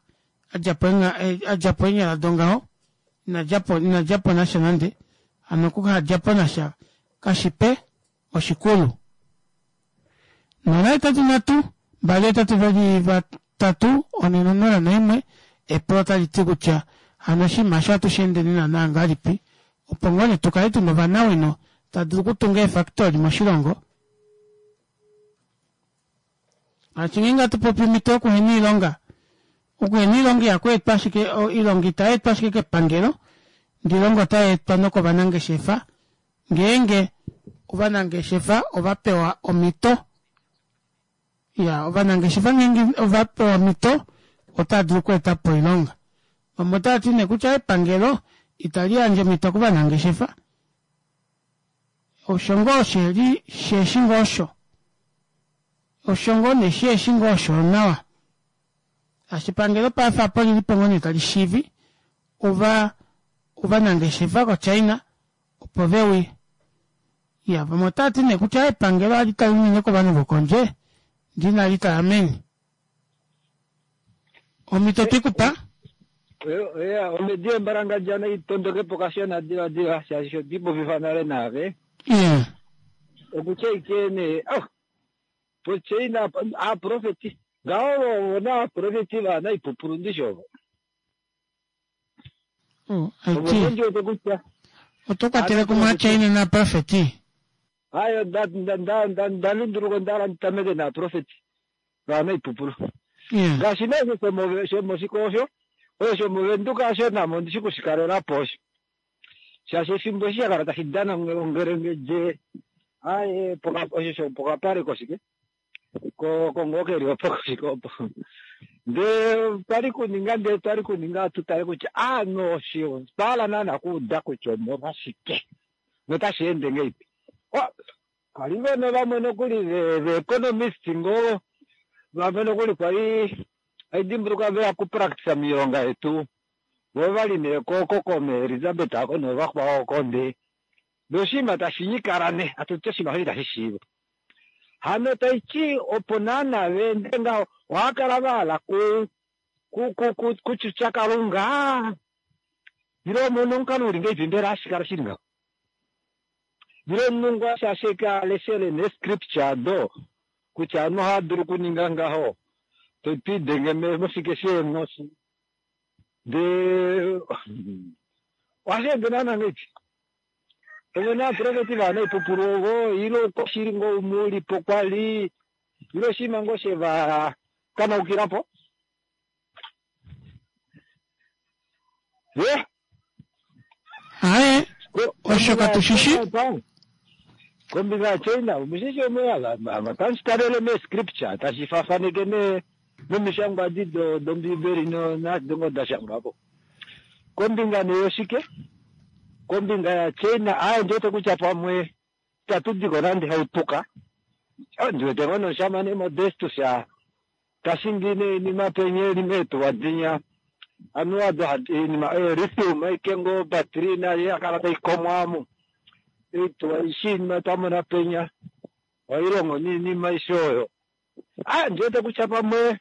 adjapo eenyala dongaho inadjapo inadjapo nasha nande hano okuhadjapo nasha kashipe oshikulu 083 2 2 3 4 0 1 epulo otali ti kutya hano oshinima osho ohatu shi endeni naana ngahelipi opo ngoo nee tukale tuna ovanawino tava dulu okutunga eefactory moshilongo shaashi ngeenge hatu popi omhito yokuhena oilonga okuhena oilonga ihaku etwa ashike oilonga itai etwa ashike kepangelo ndele oilonga otai etwa nokovanangeshefa ngeenge ovanangeshefa ova pewa omhito ya ovanangeshefa ngeenge ova pewa omhito otava dulu okweeta po oilonga vamwe otava ti nee kutya epangelo itali yandje omhito kovanangeshefa osho ngoo sheli sheshi ngoo osho osho ngoo nee sheshi ngoo osho nawa shaashi epangelo paife apa olilipo ngoo nee tali shivi ova ovanangeshefa koChina opo veuye ya vamwe otava ti nee kutya epangelo ohali tale unene kovanhu vokondje ndee inali tala meni omhito twikupa ya omhedi yembalangadja nai tondoke po kashona diladila shaashi sho twiipopifa nale naave yeah. okutya ike nee oh, poChina aaprofeti ngaho vona aaprofeti vaana ipupulu ndishi ovo Oh, aiti oto kwatele kumwe aChina naaprofeti Ayo nda lunduluka onda hala ndi tameke naaprofeti vaana oipupulu ngaashi nee shomoshiko osho oyo shomovenduka osho namo ondi shi kushikalela po osho shaashi efimbo eshi sha kala tashi dana ongelengedje aye osho shopokapale koshike kongoo keli opo koshike opo ndee twali kuninga ndee twali kuninga tu tale kutya aanhu osho otwa hala naana kuuda kutya omolwashike notashi ende ngeipi kwali vene vamwe nokuli veeconomist ngoo Vamwe nokuli kwali hai dimbuluka veya kupractisa miilonga yetu vo vali nee ko ko Elizabeth ako novakwao oko ndee ndee oshinima tashi nyikala nee hatu ti oshinima osho itashi shiiva. Hano taiti opo naana veende ngaho ohava kala vahala ku ku ku kutyutya Kalunga ile omuna omukalo uli ngahelipi mbela hashi kala shili ngaho? Ile omunhu ngoo shaashi ashike a leshele nee scripture ado kutya ovanhu ohava dulu okuninga ngaho to idenge moshike sheenghoshi ndee ohashi ende naana ngahelipi? Ove na ovaprofeti vaanaipupulu ovo ile oukwashili ngoo umwe u li po kwa li ile oshinima ngoo she va kanaukila po? Ye? Aye, osho katu shi shi. Kombinga yaChina, omushishi otashi talele meescripture, tashi faafaneke nomishangwa adi dOmbiibeli naado ngoo da shangwa po. Kombinga nee yoshike? Kombinga yaChina, aaye ndi wete kutya pamwe itatu di ko nande hautuka. Ndi wete ngoo nomushamane Modestus ta shingi noinima penya e li meetuwa dinya, anuwa odo hadi oinima oyo lithium aike ngoo obattery nayo ya kala tai komwa omu. Oituwa aishe oinima twa mona penya ohai longo noinima aishe oyo. A, ndi wete kutya pamwe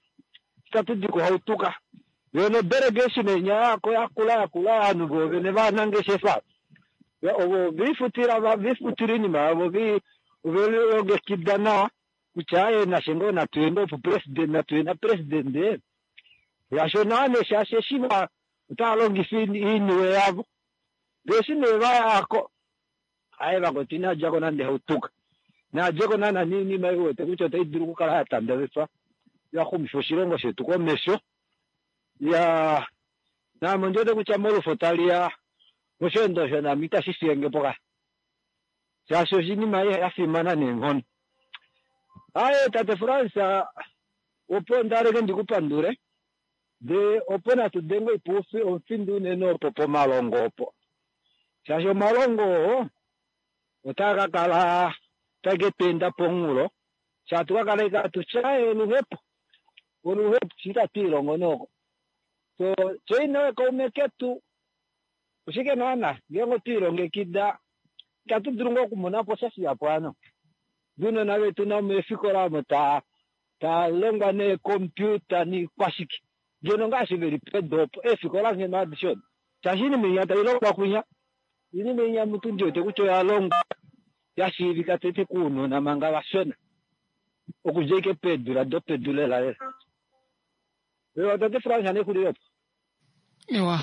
itatu di ko hautuka. Yo nodelegation inya yako yakula yakula ovanhu voovene vanangeshefa ovo ve lifutila oinima yavo ve lilongekida nawa kutya aaye nashe ngoo natu ye ngoo pupresident natu ye napresidente shaashi onawa nee shaashi eshi va otava longifa oiniwe yavo ndee eshi nee vayako aaye vakwetu inadjako nande hautuka nadjeko naana noinima ei uwete kutya otai dulu okukala ya tandavefwa ya xumifa oshilongo shetu komesho ya naame ondi wete kutya molufo tali ya mosheendo osho naame itashi fiyenge po ka shaashi oshinima ya fimana neenghono. Aaye tate Frans opo ndaleke ndi ku pandule ndee opo natu denge oipufi omufindu unene opo pomalongo opo shaashi omalongo oo otaa ka kala take tu enda pomunghulo shaa tu ka kala ashike hatu ti aaye oluhepo oluhepo shi itatu ilongo nooko so China kaume ketu oshike naana ngeenge otwe ilongekida itatu dulu ngoo okumona po sha shihapu hano ounona vetu navo meefikola omo taa taa longwa neecomputer niikwashike ngeno ngaashi veli pedu opo eefikola ngheno adishe odo shaashi oinima inya tai longwa kwinya oinima inya mutu ndi wete kutya oya longwa ya shiivika tete kounona manga vashona okudja ashike peedula dopedu lela lela. Ewa tate Frans nexulilo opo. Ewa.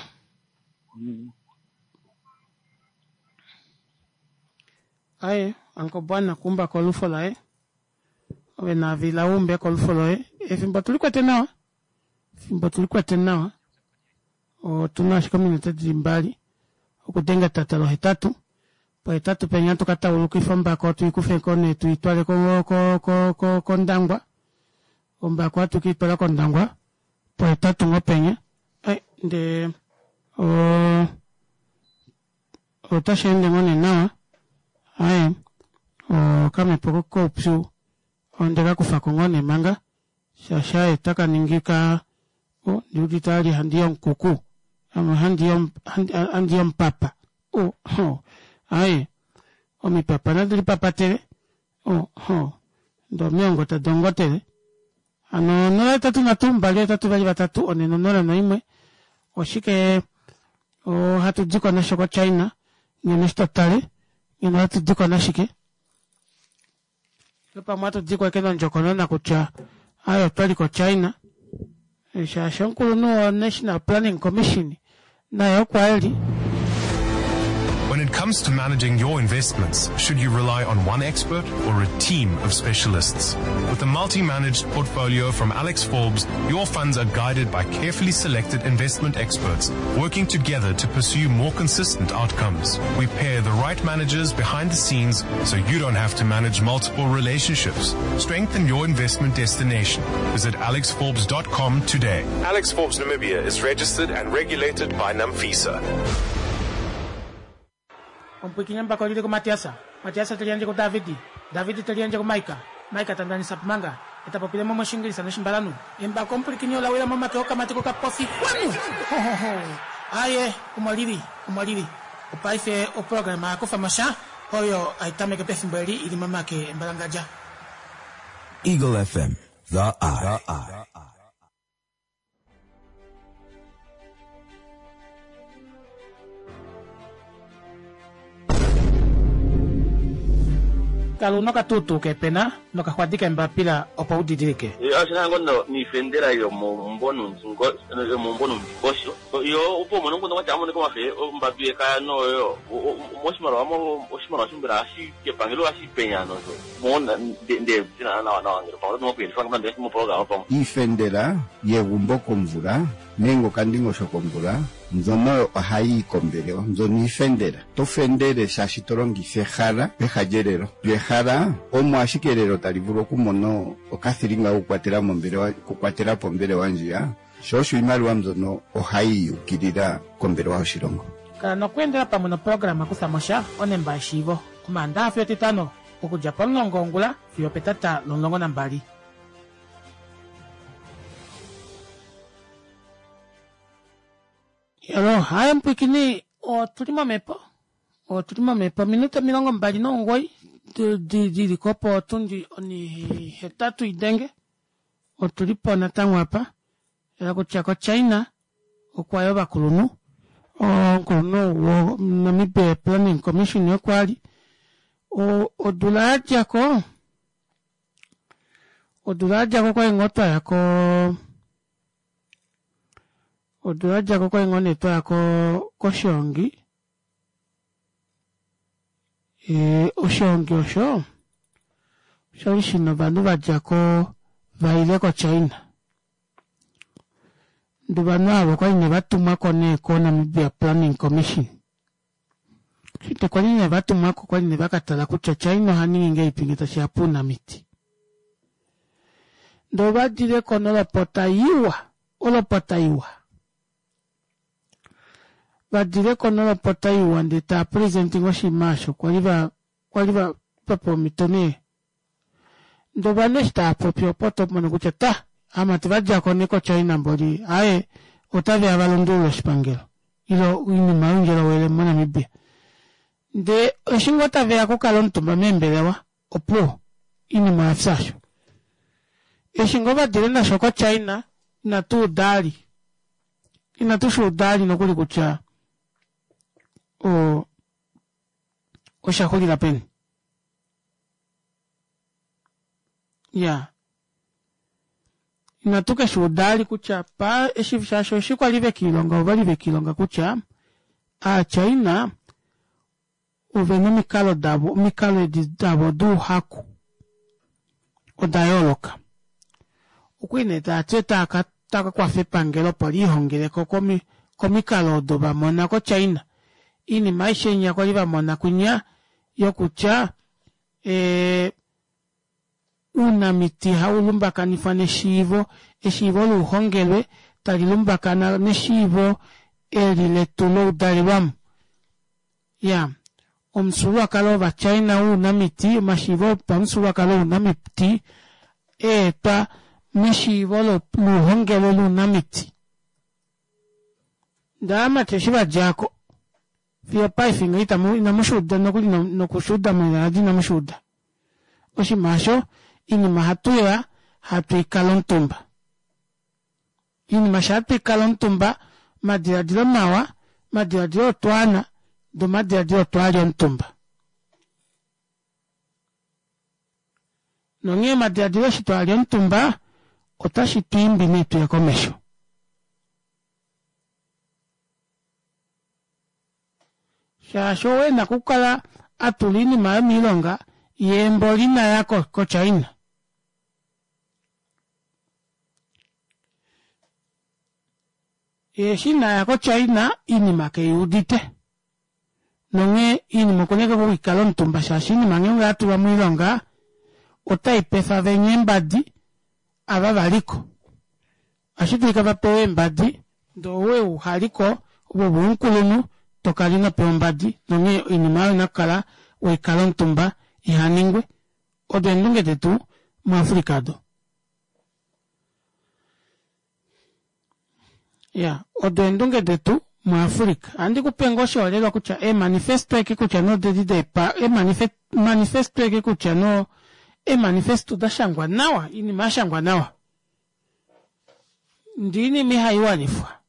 Aye, Uncle Bwana kumba kolufo laye. Ove naavila umbe kolufo loye. Efimbo tuli kwete nawa. Efimbo tuli kwete nawa. Otuna ashike ominute dili mbali. Okudenga etata lohetatu. Pohetatu penya tuka taulukifa ombako tuikufe ko nee tuitwale ko ko ko ko kOndangwa. Ombako ohatu ke i twala kOndangwa pohetatu ngoo penya. Ai ndee o otashi ende ngoo nee nawa. Aye okamhepo koupyu onde ka kufako ngoo nee manga shaashi aye otaka ningi ka o ndiudite ali handi yomukuku ame handi yomupapa o ho aye omipapa nadi lipapatele o ho ndee omiongo tadi ongotele hano 0 8 3 2 8 2 3 4 0 1 oshike ohatu diko nasho koChina ngeno eshi totale ngeno ohatu diko nashike pamwe ohatu diko eke nondjokonona kutya aye otwali koChina shaashi omukulunhu woNational Planning Commission naye okwa eli When it comes to managing your investments, should you rely on one expert or a team of specialists? With a multi-managed portfolio from Alex Forbes, your funds are guided by carefully selected investment experts working together to pursue more consistent outcomes. We pair the right managers behind the scenes so you don't have to manage multiple relationships. Strengthen your investment destination. Visit alexforbes.com today. Alex Forbes Namibia is registered and regulated by NAMFISA. Omupwiikini embako lili kuMatiasa, Matiasa te liyandje kuDavidi, Davidi te liyandje kuMaika, Maika ta ndanisa Pumanga, Eta popile mo mOshingilisa nOshimbalanhu. Embako omupwilikini ola wila momake okamati kokapofi. Xwanu! Ho, ho, ho. Aaye, omo li li. Omo li li. Opaife oprograma ya Kufa mo sha, oyo hai tameke pefimbo eli i li momake embalangadja. Eagle FM, the eye. Kala una okatuutuu keepena nokaxwadi keembapila opo u didilike. Oshina ngo no niifendela yomomumbo yomomumbo nuundingosho yo opo umone nguno kwatya amone komafe ombambi yekaya noyo moshimaliwa mo oshimaliwa shombela hashi kepangelo hashi penya nosho mo nde tina nawa nawa ngele pamwe oto kuyelifa ngamba mo program pamwe. Iifendela yegumbo komvula nenge okandingosho komvula mbyono ohayi yi kombelewa. Mbyono iifendela. To fendele shaashi to longitha ehala peha lyelelo. Lyo ehala omo ashike elelo tali vulu okumona okathilinga kokukwatela mombelewa, okukwatela po ombelewa ndjiya. Sho osho iimaliwa mbyono ohayi yi ukilila kombelewa yoshilongo. Kala nokweendela pamwe noprograma Kutha mo sha, onemba yeshiivo, Omaandaha fiyo Etitano, okudja pomulongo wongula fiyo opetata lomulongo nambali. Hello, hi mpwikini, otuli momhepo, otuli momhepo ominute 29 di li ko potundi onihetatu idenge, otuli po natango apa, ela kutya koChina okwa ya ovakulunhu, omukulunhu woNamibia Planning Commission okwa li odula ya dja ko, odula ya dja ko kwali ngoo twa ya ko Odula ya dja ko kwali ngoo nee twa ya koshiongi. Oshiongi osho oshali shina ovanhu va dja ko va ile koChina. Ndee ovanhu ava okwali nee va tumwa ko nee koNamibia Planning Commission. Shite kwali nee va tumwa ko kwali nee va ka tala kutya China oha ningi ngahelipi ngee tashi ya pounamiti. Ndee ova dile ko nolopota iwa, olopota iwa. Va dile ko nolopota iwa ndee tava presenting oshinima osho kwali va kwali va pewa omhito nee. Ndee ovanhu eshi tava popi opo oto mono kutya ta, aamati va dja ko nee koChina mboli aaye otave ya va lundulule oshipangelo ile oinima youndjolowele moNamibia. Ndee eshi ngoo tave ya okukala omutumba meembelewa opuwo oinima oya fya osho. Eshi ngoo va dile nasho koChina inatu uda ali, inatu shi uda ali nokuli kutya o osha xulila peni. Ya. Inatu ke shi uda ali kutya pa eshi shaashi eshi kwa li ve kiilonga ova li ve kiilonga kutya aaChina ove na omikalo davo omikalo edi davo douhaku oda yooloka. Okwa li nee taa ti otaa ka taa ka kwafa epangelo opo liihongele ko komikalo odo va mona koChina. Oinima aishe inya kwa li va mona kwinya yokutya ee Uunamiti hau lumbakanifwa neshiivo, eshiivo louhongelwe tali lumbakana neshiivo eli letu loudalelwamo. Ya, omufyuululwakalo wOvachina wounamiti, omashiivo opamufyuululwakalo ounamiti eetwa meshiivo louhongelwe lounamiti. Ndele aamati eshi va dja ko, fiyo opaife ngaha itamu, inamu shi uda nokuli noku shi uda moiladi inamu shi uda. Oshinima osho, oinima ohatu ya hatu i kala omutumba. Oinima sha hatu i kala omutumba, omadiladilo mawa, omadiladilo otwaana, ndee omadiladilo otwaali omutumba. Nonghee omadiladilo eshi twaali omutumba, otashi tu imbi nee tuye komesho. Shaashi owe na okukala a tula iinima oyo miilonga ye mboli ina ya koChina. Ye eshi ina ya koChina iinima keyi udite. Nonghee iinima okuna ashike okukala omutumba shaashi iinima ngeenge oya tulwa moilonga otai pefa venya eembadi ava va liko. Ohashi dulika va pewe eembadi ndee ou uha liko ove ove omukulunhu to kala ino pewa ombadi nonghee oinima oyo oina okukala weikala omutumba iha ningwe. Odo eendunge detu muAfrica odo. Ya, odo eendunge detu muAfrica. Ohandi ku pe ngoo oshiholelwa kutya eemanifesto eke kutya nee odedi deepa, eemanifesto eke kutya no eemanifesto da shangwa nawa, oinima ya shangwa nawa. Ndee oinima ihai wanifwa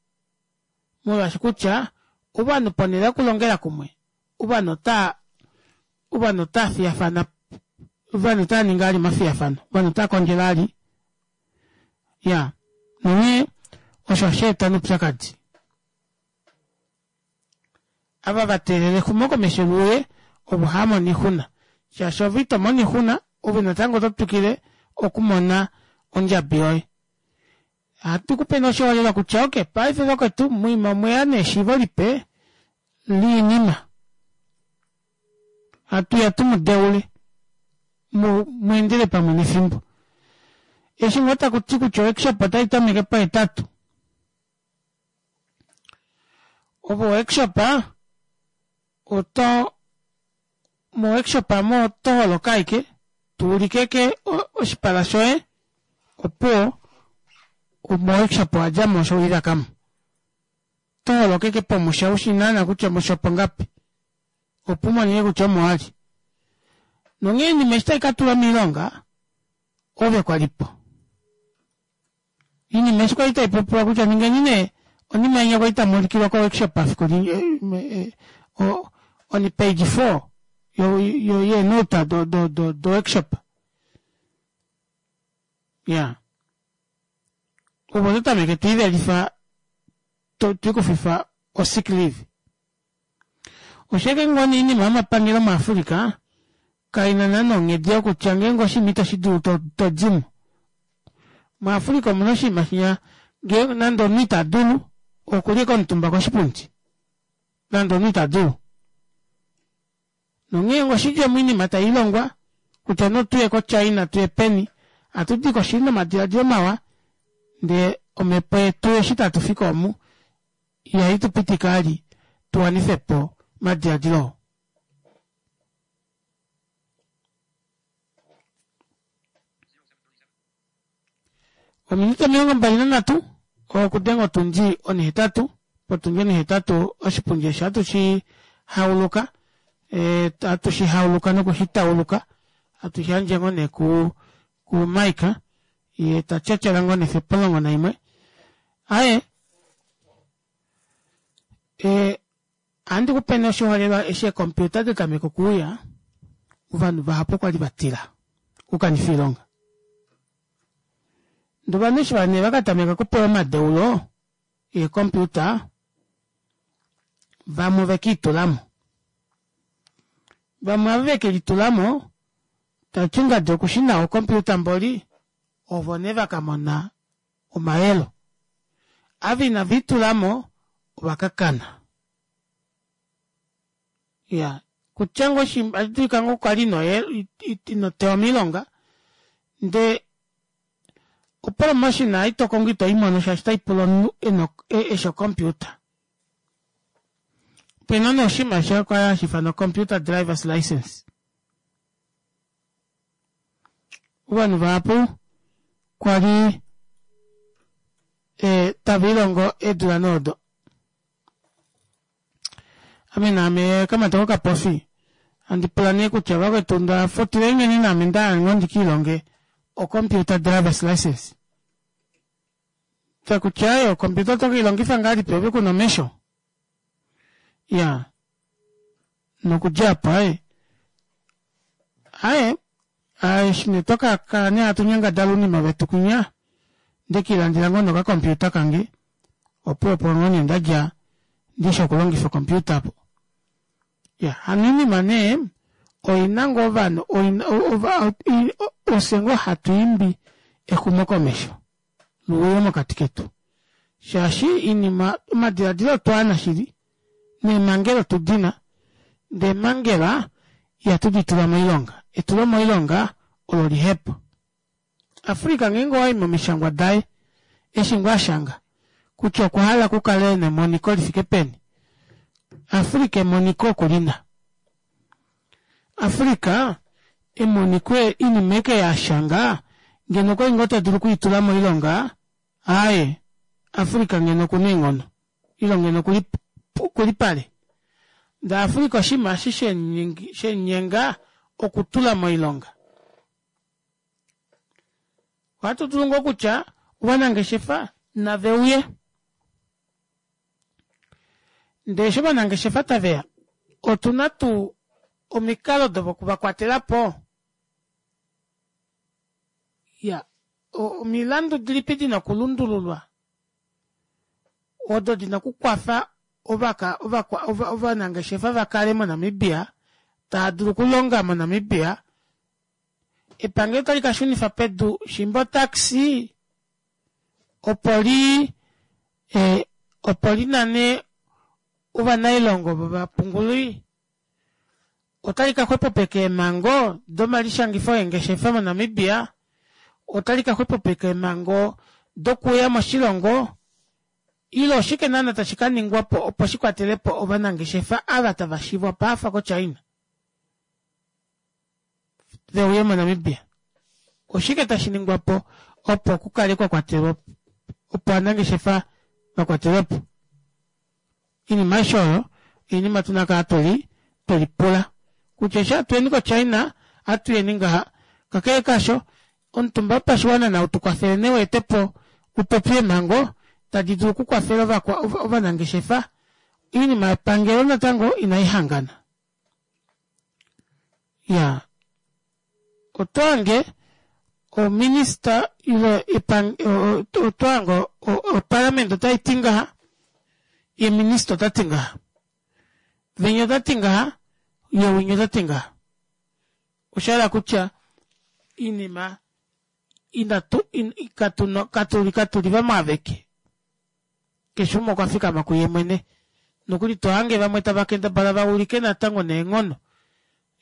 molwaashi kutya ovanhu ponhele yokulongela kumwe, ovanhu otaa ovanhu otaa fiyafana ovanhu otaa ningi ali omafiyafano, ovanhu otaa kondjele ali. Ya, nonghee osho osha eta noupyakadi. Ava va teelela exumokomesho liuye ovo hava mono oixuna, shaashi ove ito mono oixuna, ove natango oto twikile okumona ondjabi yoye. Ohatu ku pe nee oshiholelwa kutya ok, paife vakwetu moima omweya nee eshiivo lipe liinima. Hatu ya tu mu deule mu mu endele pamwe nefimbo. Eshi ngoo taku ti kutya oworkshop otai tameke pohetatu, ove oworkshop oto moworkshop amo oto holoka ashike to ulike ke oshipala shoye opuwo moworkshop owa dja mo osho welivaka mo. Oto holoka ashike pomusha ushi naana kutya omusha opongapi opo u monene kutya omo wa li. Nonghee oinima eshi tai ka tulwa moilonga ove kwa li po. Iinima eshi kwali tai popiwa kutya ningeni nee onima inya kwali tamu ulikilwa ko workshop efiku li on page 4 yo yo yeenota do do do do workshop. Ya. Opo to tameke to ivelifa to ikufifa o sick leave. Osheke ngoo nee oinima yomapangelo muAfrica kai na naana onghedi yokutya ngeenge oshinima itoshi dulu to di mo. MuAfrica omu na oshinima shinya ngee nande omunhu ita dulu okuli ashike omutumba koshipundi nande omunhu ita dulu. Nonghee oshidjemo oinima tai longwa kutya nee otuye koChina tuye peni ohatu di ko shili nomadiladilo mawa ndee omhepo yetu eshi tatu fiki omu ihai tu pitike vali tu wanife po omadiladilo oo. Ominute 23 okudenga otundi onihetatu, potundi onihetatu oshipundi eshi ohatu shi hauluka, ohatu shi hauluka noku shi tauluka, hatu shi yandje ngoo nee ku ku Mike, ye ta tyatyala ngoo nee fiyo opomulongo naimwe. Aaye, Ohandi ku pe nee oshiholelwa eshi eekompiuta da tameka okuuya, ovanhu vahapu okwa li va tila okukanifa oilonga. Ndee ovanhu eshi nee va ka tameka okupewa omadeulo eekompiuta, vamwe ove ke itula mo. Vamwe ava ve ke litula mo, tava ti ngadi oku shi nawa okompiuta mboli, ovo nee va ka mona omayelo. Ava inave itula mo ova ka kana. Iya, kutya ngoo oshi otashi dulika ngoo kwa li ino ino tewa moilonga ndee opromotion ei to kongo ito i mono shaashi otai pula omunhu ena eshi ocomputer. Opena nee oshinima sha kwali hashi ifanwa computer drivers licence. Ovanhu vahapu kwa li e, tava ilongo eedula noodo. Ame naame kamati kokapofi handi pula nee kutya vakwetu nda futile meni naame nda hala ngoo ndi ka ilonge o-computer drivers license. Takutya aye ocomputer oto ke i longifa ngahelipi ove ku na omesho? Ya nokudja apo aye aye aye eshi nee twa ka kala nee hatu nyangadala ounima vetu kwinya nde kiilandela ngoo nokakompiuta kange opo opo ngoo nee nda dja ndishi okulongifa okompiuta apo ya hano oinima nee oina ngoo ovanhu oina ofye ngoo hatu imbi exumokomesho luuye mokati ketu shaashi iinima omadiladilo otwaana shili neemhangela otu di na ndee eemhangela ihatu di tula moilonga etulo moilonga olo lihepo Africa ngeenge owayi momishangwa daye eshi ngoo ashanga kutya okwa hala kukale nemoniko lifike peni Africa emoniko okulina Africa emoniko inima eke yashanga ngeno okwali ngoo tadulu okwiitula moilonga aaye. Africa ngeno okuna eenghono ile ngeno okuli okuli pale. Ndee Africa oshinima eshi shemunyenga okutula moilonga. Ohatu dulu ngoo kutya ovanangeshefa nave uye. Ndee eshi ovanangeshefa taveya otuna tuu omikalo dokuvakwatela po? Ya, omilandu dilipi dina okulundululwa odo dina okukwafa ovanangeshefa va kale moNamibia tava dulu okulonga moNamibia? Epangelo otali ka shunifa pedu shimba otaxi opo li opo li nane ovanailongo ovo va punguli? Otali ka xwepopeka eemhango domalishangifo eengeshefa moNamibia? Otali ka xwepopeka eemhango dokuuya moshilongo? Ile oshike naana tashi ka ningwa po opo shi kwatele po ovanangeshefa ava tava shivwa paafa koChina ve uye moNamibia? Oshike tashi ningwa po opo ku kale kwa kwatelwa opo ovanangeshefa va kwatelwe po? Oinima aishe oyo oinima tuna kala tweli twelipula kutya eshi hatuyeni koChina ohatuyeni ngaha. Kakele kaasho, omutumba wopashiwana nau tu kwafele nee weete po upopye eemhango tadi dulu okukwafela ovanangeshefa. Oinima yepangelo natango inai hangana. Ya, oto hange ominista ile oto hange opaliamente otai ti ngaha, ye minista ota ti ngaha, venya ota ti ngaha, ye winya ota ti ngaha. Osha hala kutya iinima inatu katuli katuli vamwe aveke. Keshe umwe okwa fikama kuye mwene. Nokuli to hange vamwe tava kendabala va ulike natango neenghono.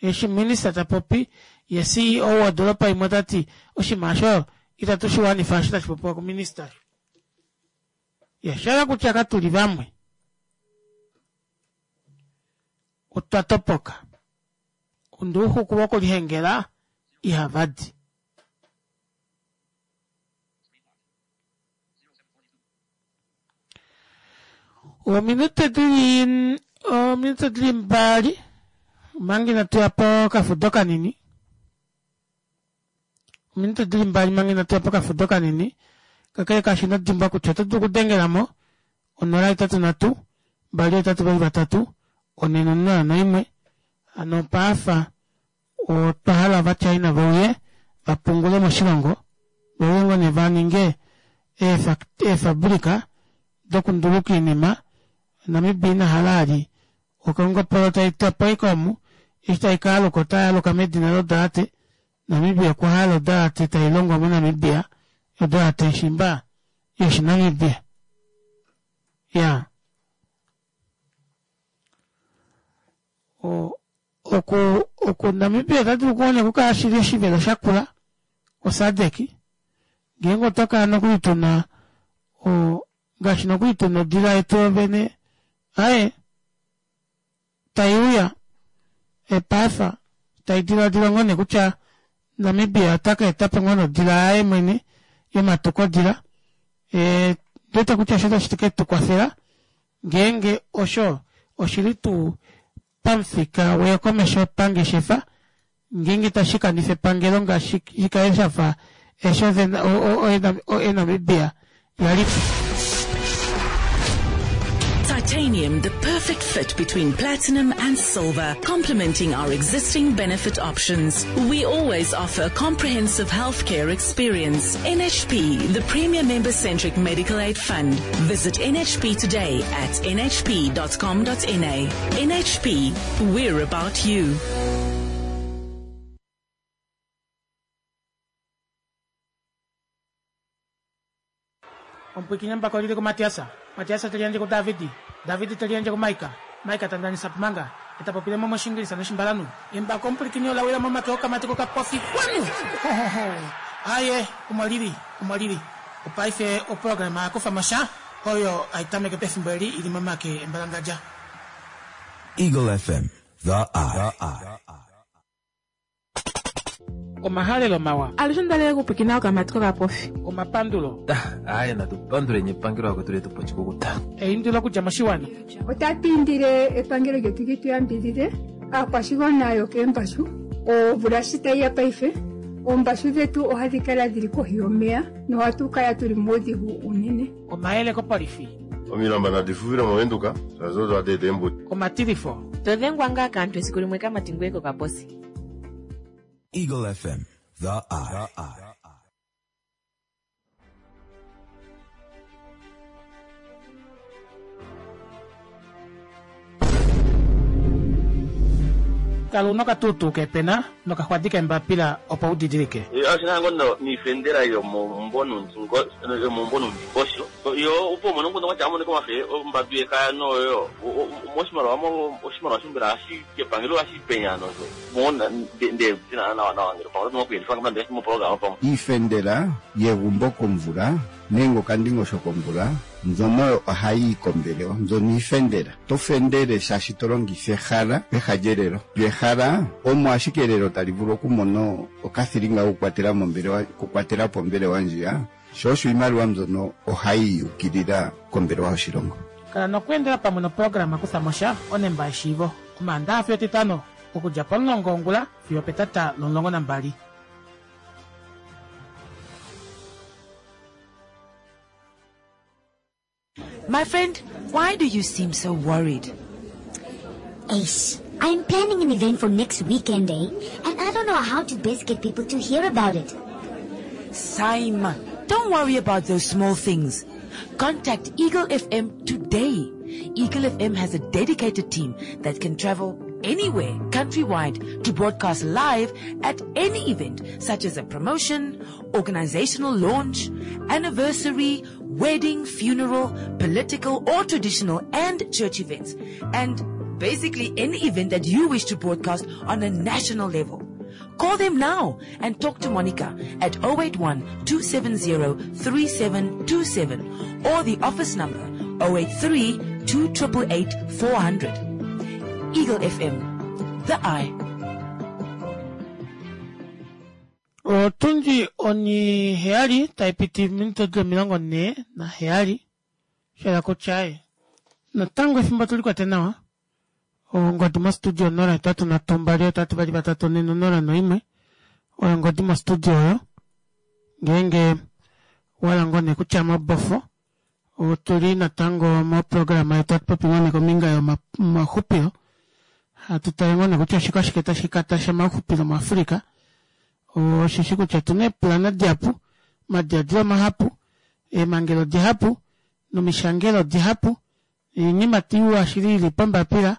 Eshi minista ta popi, ye CEO wodolopa imwe ota ti oshinima osho itatu shi wanifa eshi tashi popiwa kuminista. Ya, sha hala kutya katu li vamwe. Otwa topoka. Onduuxuku vokulihengela ihava di. Ominute dili ominute dili mbali omanga inatu ya pokafudo kanini. Ominute dili mbali manga inatu ya pokafudo kanini. Kakele kaasho ino dimbwa kutya oto dulu okudengela mo 083 283 401. Hano paafa Otwa hala Ovachina ve uye va pungule moshilongo, ve uye ngoo nee va ninge eefabulika dokunduluka oinima. Namibia ina hala ali okongopolo tai twa po ashike omu, eshi tai ka aluka otai aluka medina lodalate. Namibia okwa hala odalate tai longwa moNamibia, odalate shimba yOshinamibia. Ya. Oku oku Namibia ota dulu kuone okukala shili oshivelo shakula koSADC ngeenge otwa kala nokuli tuna o ngaashi nokuli tuna odila yetu yovene aye tai uya epaafa tai diladila ngoo nee kutya Namibia ota ka eta po ngoo nodila yaye mwene yomatukodila e, ndwete kutya osho otashi ke tu kwafela ngeenge osho oshili tuu pamufika weyokomesho pangeshefa ngeenge tashi kanifa epangelo ngaashi shi kale sha fa eesho oNamibia ya li po. Titanium, the perfect fit between platinum and silver, complementing our existing benefit options. We always offer a comprehensive healthcare experience. NHP, the premier member-centric medical aid fund. Visit NHP today at nhp.com.na. NHP, we're about you. Omupwiikini embako oli li kuMatias, Matias te liyandje kuDavid, David te liyandje kuMaika, Maika ta ndanisa Pumanga, e ta popile mo mOshiingilisa nOshimbalanhu. Embako omupwilikini ola wila momake okamati kokapofi. Kwanu! Hohoho! Aaye, omo li li, omo li li. Opaife oprograma ya kufa mo sha, oyo hai tameke pefimbo eli i li momake embalangadja. Eagle FM, the eye. Omahalelo mawa. Alushe ondalele okupwiikina okamati kokapofi. Omapandulo. Aaye natu panduleni epangelo vakwetu letu pa oshikukuta. Eindilo okudja moshiwana. Otatu indile epangelo lyetu li tu yambidhidhe aakwashigwana yokeembashu. Omvula shi tayi ya paife, oombashu dhetu ohadhi kala dhili kohi yomeya nohatu kala tuli muudhigu uunene. Omayele kopolifi. Omilamba nadi fuvile mOvenduka, shaashi odo hadi eta eembudi. Omatilifo. To dhengwa ngaa kaantu esiku limwe kamati ngoye kokaposi. Eagle FM, the eye. Kala una okatuutuu keepena nokaxwadi keembapila opo u didilike. Oshina ngo niifendela yomomumvo nuundingosho yo opo umone omukundu gwatya amonike omafe ombambi yekaya noyo moshimaliwa oshimaliwa shombela ohashi kepangelo ohashi penya nosho Iifendela yegumbo komvula nenge okandingosho komvula mbyono oyo ohayi yi kombelewa. Mbyono iifendela. To fendele shaashi to longitha ehala peha lyelelo. Lyo ehala omo ashike elelo tali vulu okumona okathilinga kokukwatela mombelewa, okukwatela po ombelewa ndjiya. Sho osho iimaliwa mbyono ohayi yi ukilila kombelewa yoshilongo. Kala nokweendela pamwe noprograma Kutha mo sha, onemba yeshiivo, Omaandaha fiyo Etitano, okudja pomulongo wongula fiyo opetata lomulongo nambali. My friend, why do you seem so worried? Ace, I'm planning an event for next weekend, eh? And I don't know how to best get people to hear about it. Saima, don't worry about those small things. Contact Eagle FM today. Eagle FM has a dedicated team that can travel anywhere countrywide to broadcast live at any event such as a promotion, organizational launch, anniversary, wedding, funeral, political or traditional and church events. And basically any event that you wish to broadcast on a national level. Call them now and talk to Monica at 081 270 3727 or the office number 083 2888 400. Eagle FM, the eye. Otundi oniheyali tai piti minute di 47 shela kutya e natango efimbo tuli kwate nawa ongodi mostudio 0 8 3 2 8 2 3 4 0 1 oyo ongodi mostudio oyo ngeenge wala ngoo nee kutya mobofo Otuli natango moprograma yetu hatu popi ngoo nee kombinga yomaxupilo hatu tale ngoo nee kutya oshike ashike tashi katasha omauxupilo muAfrica osheshi kutya otuna eepulana dihapu omadiladilo mahapu eemangelo dihapu nomishangelo dihapu oinima iwa shili ili pombapila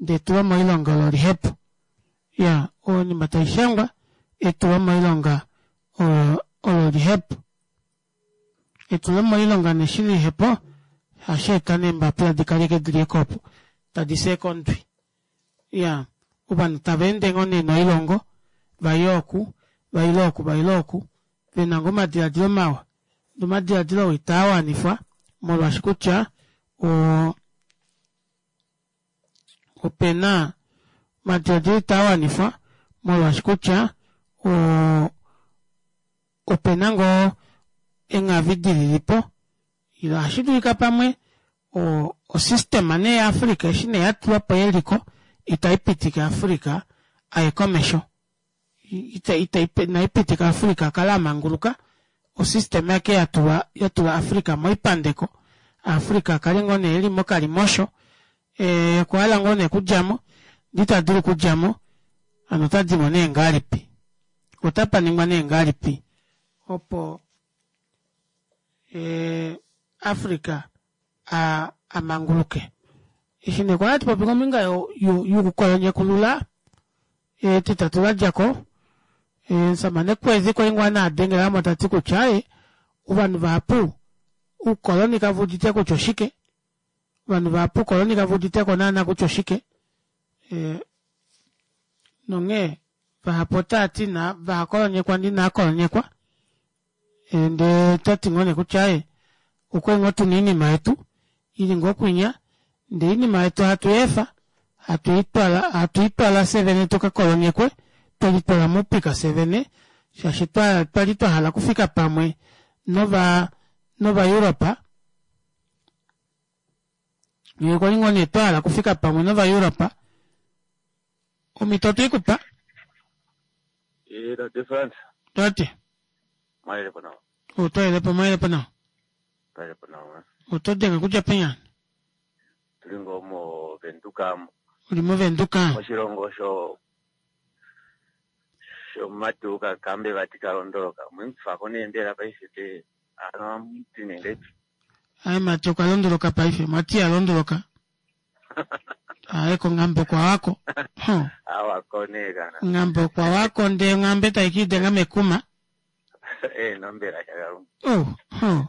ndee etulo moilonga olo lihepu ya oinima taishangwa etulo moilonga olo lihepu. Etulo moilonga ne shi lihe po hashi eta neembapila di kaleke di li ekopo tadi se kondwi. Ya, ovanhu tava ende ngoo nee noilongo, va ye oku, va ile oku, va ile oku, ve na ngoo omadiladilo mawa, ndee omadiladilo oo itaa wanifwa molwaashi kutya o, ope na omadiladilo itaa wanifwa molwaashi kutya o, Ope na ngoo enghavi di lili po? Ile ohashi dulika pamwe o, osystema nee yaAfrica eshi nee ya tulwa po yeliko itai pitike Africa a ye komesho. Ita, ita, inai pitika Africa a kale a manguluka. Osystema yake ya tulwa, ya tula Africa moipandeko. Africa a kale ngoo nee e li mokalimosho. E, okwa hala ngoo nee okudja mo, ndee ita dulu okudja mo, hano ota di mo nee ngahelipi? Otapa ningwa nee ngahelipi opo eh, Africa a, a manguluke? Eshi nee kwali hatu popi kombinga yokukolonyekulula etitatu la dja ko, omusamane Kwezi kwali ngoo a dengela mo ta ti kutya e, ovanhu vahapu oukoloni kave udite kutya oshike, ovanhu vahapu oukoloni kave udite ko naana kutya oshike. E, nonghee vahapu otava ti na vahakolonyekwa ndi inaakolonyekwa ndee ta ti ngoo nee kutya e okwe ngoo tuna oinima yetu ili ngoo kwinya ndee oinima yetu hatu yeefa hatu itwala hatu itwala fye vene tuka kolonyekwe twe litwala moupika fye vene shaashi twa twali twa hala okufika pamwe nova nOvaeuropa ngee kwali ngoo nee twa hala okufika pamwe nOvaeuropa omhito otwe i ku pa Eh, Tate Frans, tate mwalelepo nawa. otwalelepo mwalelepo nawa Twalelepo nawa. oto denge kudja penya Tuli ngoo moVenduka mo. uli moVenduka Moshilongo sho shomumati kakambe vati kalondoloka. Mwemufako nee mbela paife te ano amuti nee ngaipi. Aye mati okwa londoloka paife mati a londoloka aye konghambe okwa wako Huh. Awako nee kana. Onghambe okwa wako ndee onghambe tai ka idenga mekuma Eh, nombela shakalunga. Oh, huh.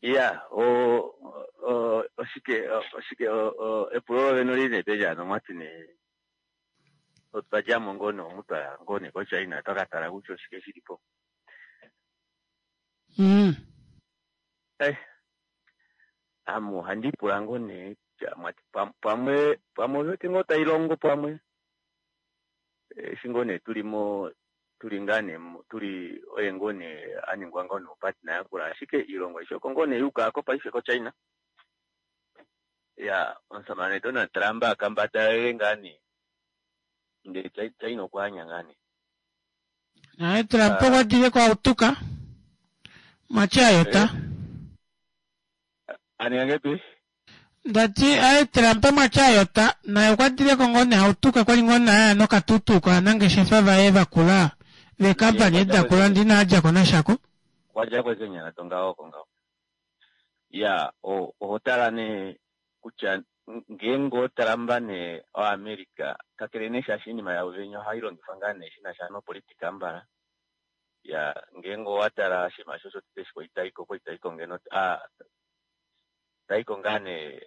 Ya, o, o, oshike, oshike, o, o, epulo lovene oli nee peni ano mwati nee, otwa dja mo ngoo nee omu twa ya ngoo nee koChina twa ka tala kutya oshike shi li po. Mm. Eh, ame ohandi ipula ngoo nee kutya mwati pamwe, pamwe ovi wete ngoo tai longo pamwe, eshi ngoo nee tuli mo, tuli ngaa nee tuli oye ngoo nee a ningwa ngoo nee opartner yakula, ashike iilongo aishe oko ngoo nee yuuka ko paife koChina. Ya, omusamane Donald Trump a kambadalele ngaa nee, ndele China okwa anya ngaa nee. Naye Trump okwa dile ko autuka mwachi ayota. A ninga ngepi? Ndati aye Trump mwachi ayota naye okwa dile ko ngoo nee autuka kwali ngoo nee aya nokatutu kovanangeshefa vaye vakula veekampani edi dakula ndee ina djako nashako. Okwa djako ashike nyala dongaho oko ngaho. Ya, oho tala nee kutya ngeenge oTrump nee oAmerica, kakele nee shaashi oinima yavo venya ohai longifwa ngaa nee shi na sha nopolitika mbala, ya ngeenge owa tala oshinima osho shotete eshi kwali taiko, okwali taiko ngeno a taiko ngaa nee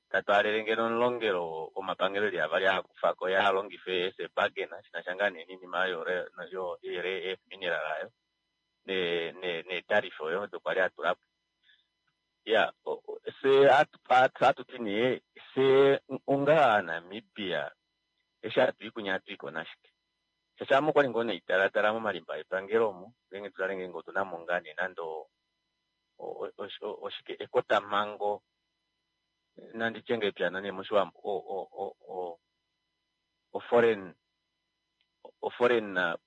ta twaalele ngeno omulongelo womapangelo eli avali a kufa ko ye a longife as a bargain shi na sha ngaa nee noinima oyo yo rare earth mineral ayo ne ne neetariff oyo odo kwali a tula po. Ya, fye hatu ti nee, fye onga Aanamibia eshi hatu i kunya ohatu i ko nashike? Shaashi ame okwali ngoo naitalatala momalimba epangelo omu, ngeenge tu tale ngeenge otu na mo ngaa nee nande oshike ekotamhango, nandi tye ngahelipi hano nee mOshiwambo, o-foreign, o-foreign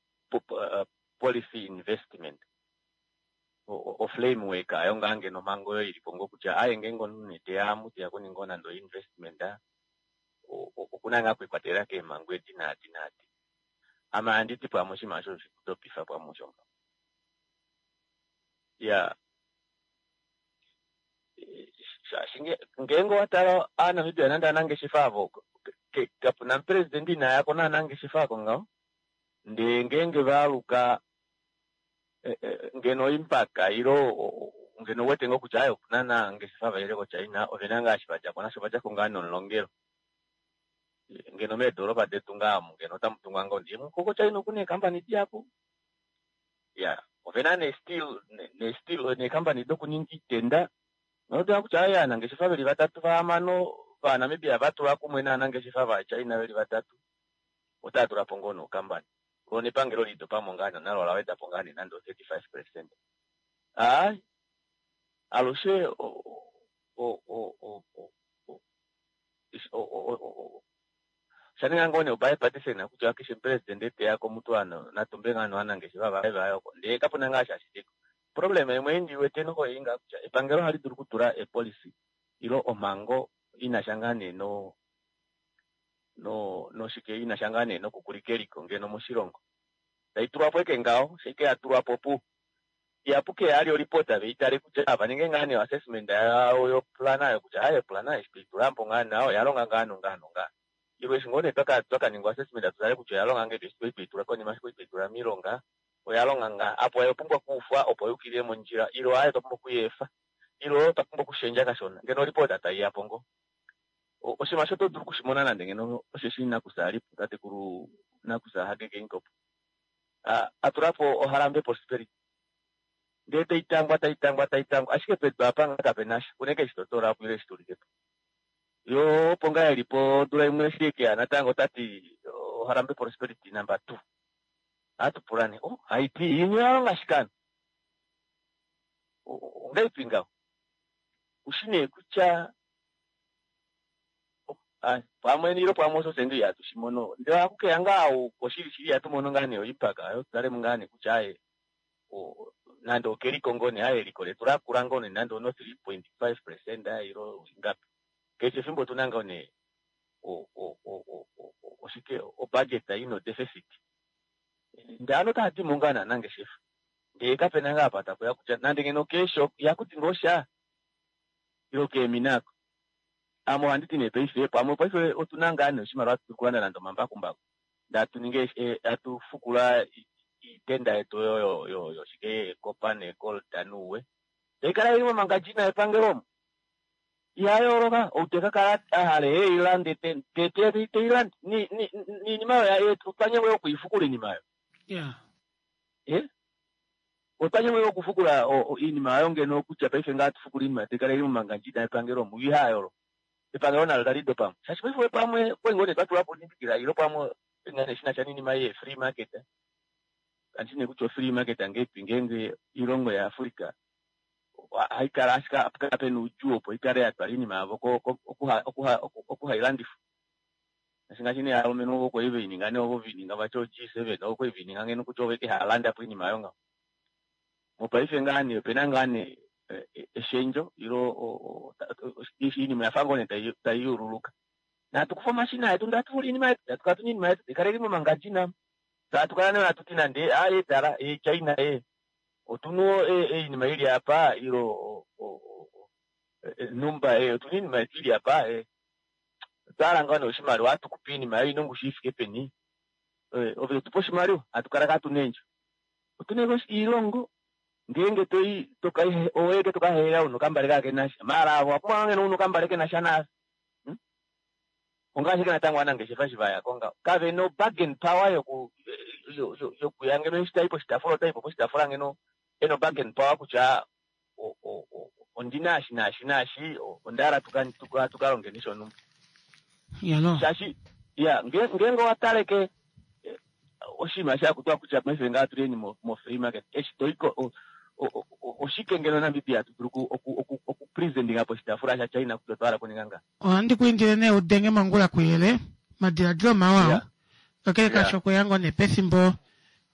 policy investment. O-framework ayo ngaa ngeno omhango oyo ili po ngoo kutya aaye ngeenge omunhu nee teya amu teya okuninga nande o-investment oku na ngaa okwiikwatelela keemhango edi naadi naadi. Ame ohandi ti pamwe oshinima osho oshe tu dopifa pamwe osho ngaho. Iyaa, shaashi ngeenge owa tala Aanamibia nande aanangeshefa avo kapu na omupresidente ina ya ko naanangeshefa ako ngaho ndee ngeenge va aluka ngeno oimpaka ilo ngeno uwete ngoo kutya aye opuna naangeshefa vaile koChina ovena ngaa eshi vadjako nasho ovadjako ngaa nomulongelo ngeno meedoropa detu ngaa omu ngeno otamu tungwa ngoo ndee ko koChina okuna eekampani dihapu ya ovena nee steel nee steel neekampani dokuninga iitenda notoona kutya aye aanangeshefa veli vatatu vahamano vaNamibia vatulwa kumwe naanangeshefa vaChina veli vatatu otava tula po ngoo nokampani Lo nepangelo lidopa mo ngaa nonalo ola weda po ngaa nee nande o 35 percent. Aai, alushe o, o, o, o, o, o, o, osha ninga ngoo nee obipartisan kutya keshe omupresidente te ya komutu ano natumbe ngaa novanangeshefa vaye vaye oko ndee kapu na ngaa sha shili ko. Problem imwe ei ndi wete noho ei ngaa kutya epangelo ohali dulu okutula epolicy ilo omhango i na sha ngaa nee no no noshike ina sha ngaa nee nokukulika eliko ngeno moshilongo. Tai tulwa po eke ngaho, sho ike ya tulwa po pu. Ihapu ke ya li olipota ve i tale kutya va ninge ngaa nee oassessment yawo yoplana oyo kutya aaye oplana eshi twei tula po ngaa nawa oya longa ngaa nongaa nongaa. Ilwe eshi ngoo nee twaka twaka ninga oassessment tu tale kutya oya longa ngahelipi eshi twali twei tula konima eshi kwali twei tula miilonga oya longa ngaa. Apo oya pumbwa okuufwa opo yuukilile mondjila ilo aaye otwa pumbwa okuyi efa ilo otwa pumbwa okushendja kashona. Ngeno olipota tai ya po ngoo. Oshinima osho oto dulu oku shi mona nande ngeno osheshi nakusa a li po, tatekulu nakusa Hage Geingob, a, a tula po oHarambee Prosperity. Ndee tai tangwa, tai tangwa, tai tangwa, ashike pedu apa ngaa kape na sha, unene eshi to toola po ile eshi to ulike po. Yo opo ngaa e li po odula imwe eshi e ke ya natango ota ti Harambee Prosperity number 2. Ohatu pula nee, oh, haiti iinima oya longa shike ano? Ongahelipi ngaho? Ushi nee kutya pamwe nilo pamwe osho fye ihatu shi mono. Ndele ohaku keya ngaa oshili shili ihatu mono ngaa nee oimpact oyo tutalemo ngaa nee kutya aye nande okeliko ngoo nee aye eliko letu lakula ngoo nee nande ono 3.5% ilo ingapi. Keshe efimbo otuna ngoo nee oshike obudget ino deficit. Ndele ano otava dimo ngaa naanangeshefa. Ndele kapena ngaa apa takuya kutya nande ngeno keesho ihaku di ngoo sha ilo keemina ako. Ame ohandi ti nee paife pamwe paife otuna ngaa nee oshimaliwa hatu dulu okulanda nande omambakumbaku ndee hatu ningi hatu fukula iitenda yetu oyo yoshike yeekopa neekolta nuuwe tai kala ili momangadjina epangelo omo. Iha yooloka ou te ka kala a hala e i lande te i lande niinima oyo otwa nyengwa okuifukula iinima oyo. Otwa nyengwa okufukula iinima oyo ngeno kutya paife ngaa tufukula iinima tai kala ili momangandjina epangelo omo iha yooloka. Epangelo nalo tali dopa mo. Shaashi paife pamwe okwali ngoo nee twa tula po onimbikila ilo pamwe ngaa nee shina sha niinima yee free market. Kandi shi nee kutya ofree market ngeipi ngeenge oilongo yaAfrica ohai kala ashike hapu kala pena oudjuu opo ikale ya twala iinima yavo okuhailandifwa. Ngaashi ngaashi nee ovalumenhu ovo kwali veininga nee ovo veininga vati o G7 ovo kwali veininga ngeno kutya ovo eke haalanda po iinima oyo ngaho. Mopaife ngaa nee opena ngaa nee eshendjo ilo iinima oyafa ngoo nee tai yululuka. Natu kufe omashina etu ndee hatu fula iinima yetu, hatu kala tuna iinima yetu taikala ili momangandjina. Hatu kala nee hatu ti nande aaye tala ee China ee otuna oinima ili apa ilo numba ee otuna iinima yetu ili apa ee otwa hala ngoo nee oshimaliwa hatu kupe iinima yoye ina ongushu ifike peni ove totupe oshimaliwa hatu kala katuna eendjo. Otuna oilongo ngeenge toi oweke tokahehela una okambale kakenasha maala avo owapumbwa ngeno una okambale kenasha naave. Ongaashi natango ovanangeshefa eshi vaya ko ngaho kavena o-bargain power yokuya ngeno eshi tai poshitaafula otaipo poshitaafula ngeno ena o-bargain power kutya ondina eshi naashi naashi onda hala tukalongeni shonhumba. Shaashi ya ngeenge owa taleke oshinima shakutwa kutya paife ngaa tuleni mo-free market eshi toiko oshike ngeno Namibia hatu dulu okupresentinga poshitaafula shaChina kutya otwa hala okuninga nga. Ohandi ku indile nee udenge mongula kuyele madiladilo mawa kakele kasho okweya ngoo nee pefimbo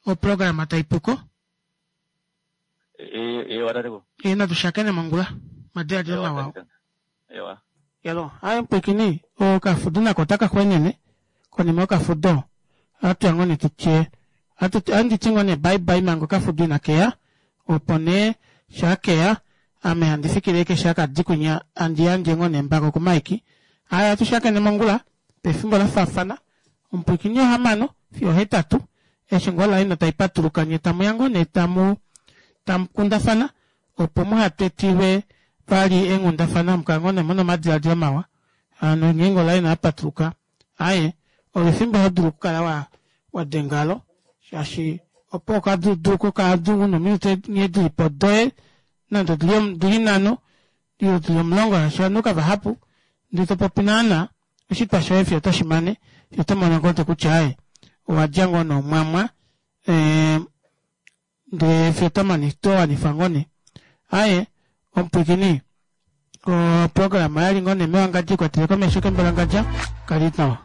oprograma taipuko. Ewa tate. Natu shakene mongula madiladilo mawa. Yalo aye mpwikini okafudo nako otaka xwenene konima yokafudo ohatuya ngoo nee tutye ohandi ti ngoo nee bye bye manga okafudo inakeya opo nee shaakeya ame handi fikile ashike shaakadi kwinya handi yandje ngoo nee embako kuMike. Aaye ohatu shakene mongula pefimbo lafaafana omupwiikini ohamano fiyo ohetatu eshi ngoo olaina taipatuluka nye tamuya ngoo nee tamu tamukundafana opo muhatetilwe vali eenghundafana mukale ngoo nee muna omadiladilo mawa hano ngeenge olaina yapatuluka aaye olo efimbo hodulu okukala wadengalo shaashi opo okadulu kokadulu nominute nghee dilipo doye nande odili nhano ile dili omulongo shaashi ovanhu kavahapu ndee topopi naana oshitwa shoye fiyo otoshimane fiyo otomono ngoo kutya aaye owadja ngoo noomwamwa ndee fiyo towanifa ngoo nee. Aaye omupwiikini oprograma oyali ngoo nee mewangadja ikwatele komesho kembalangadja kali nawa.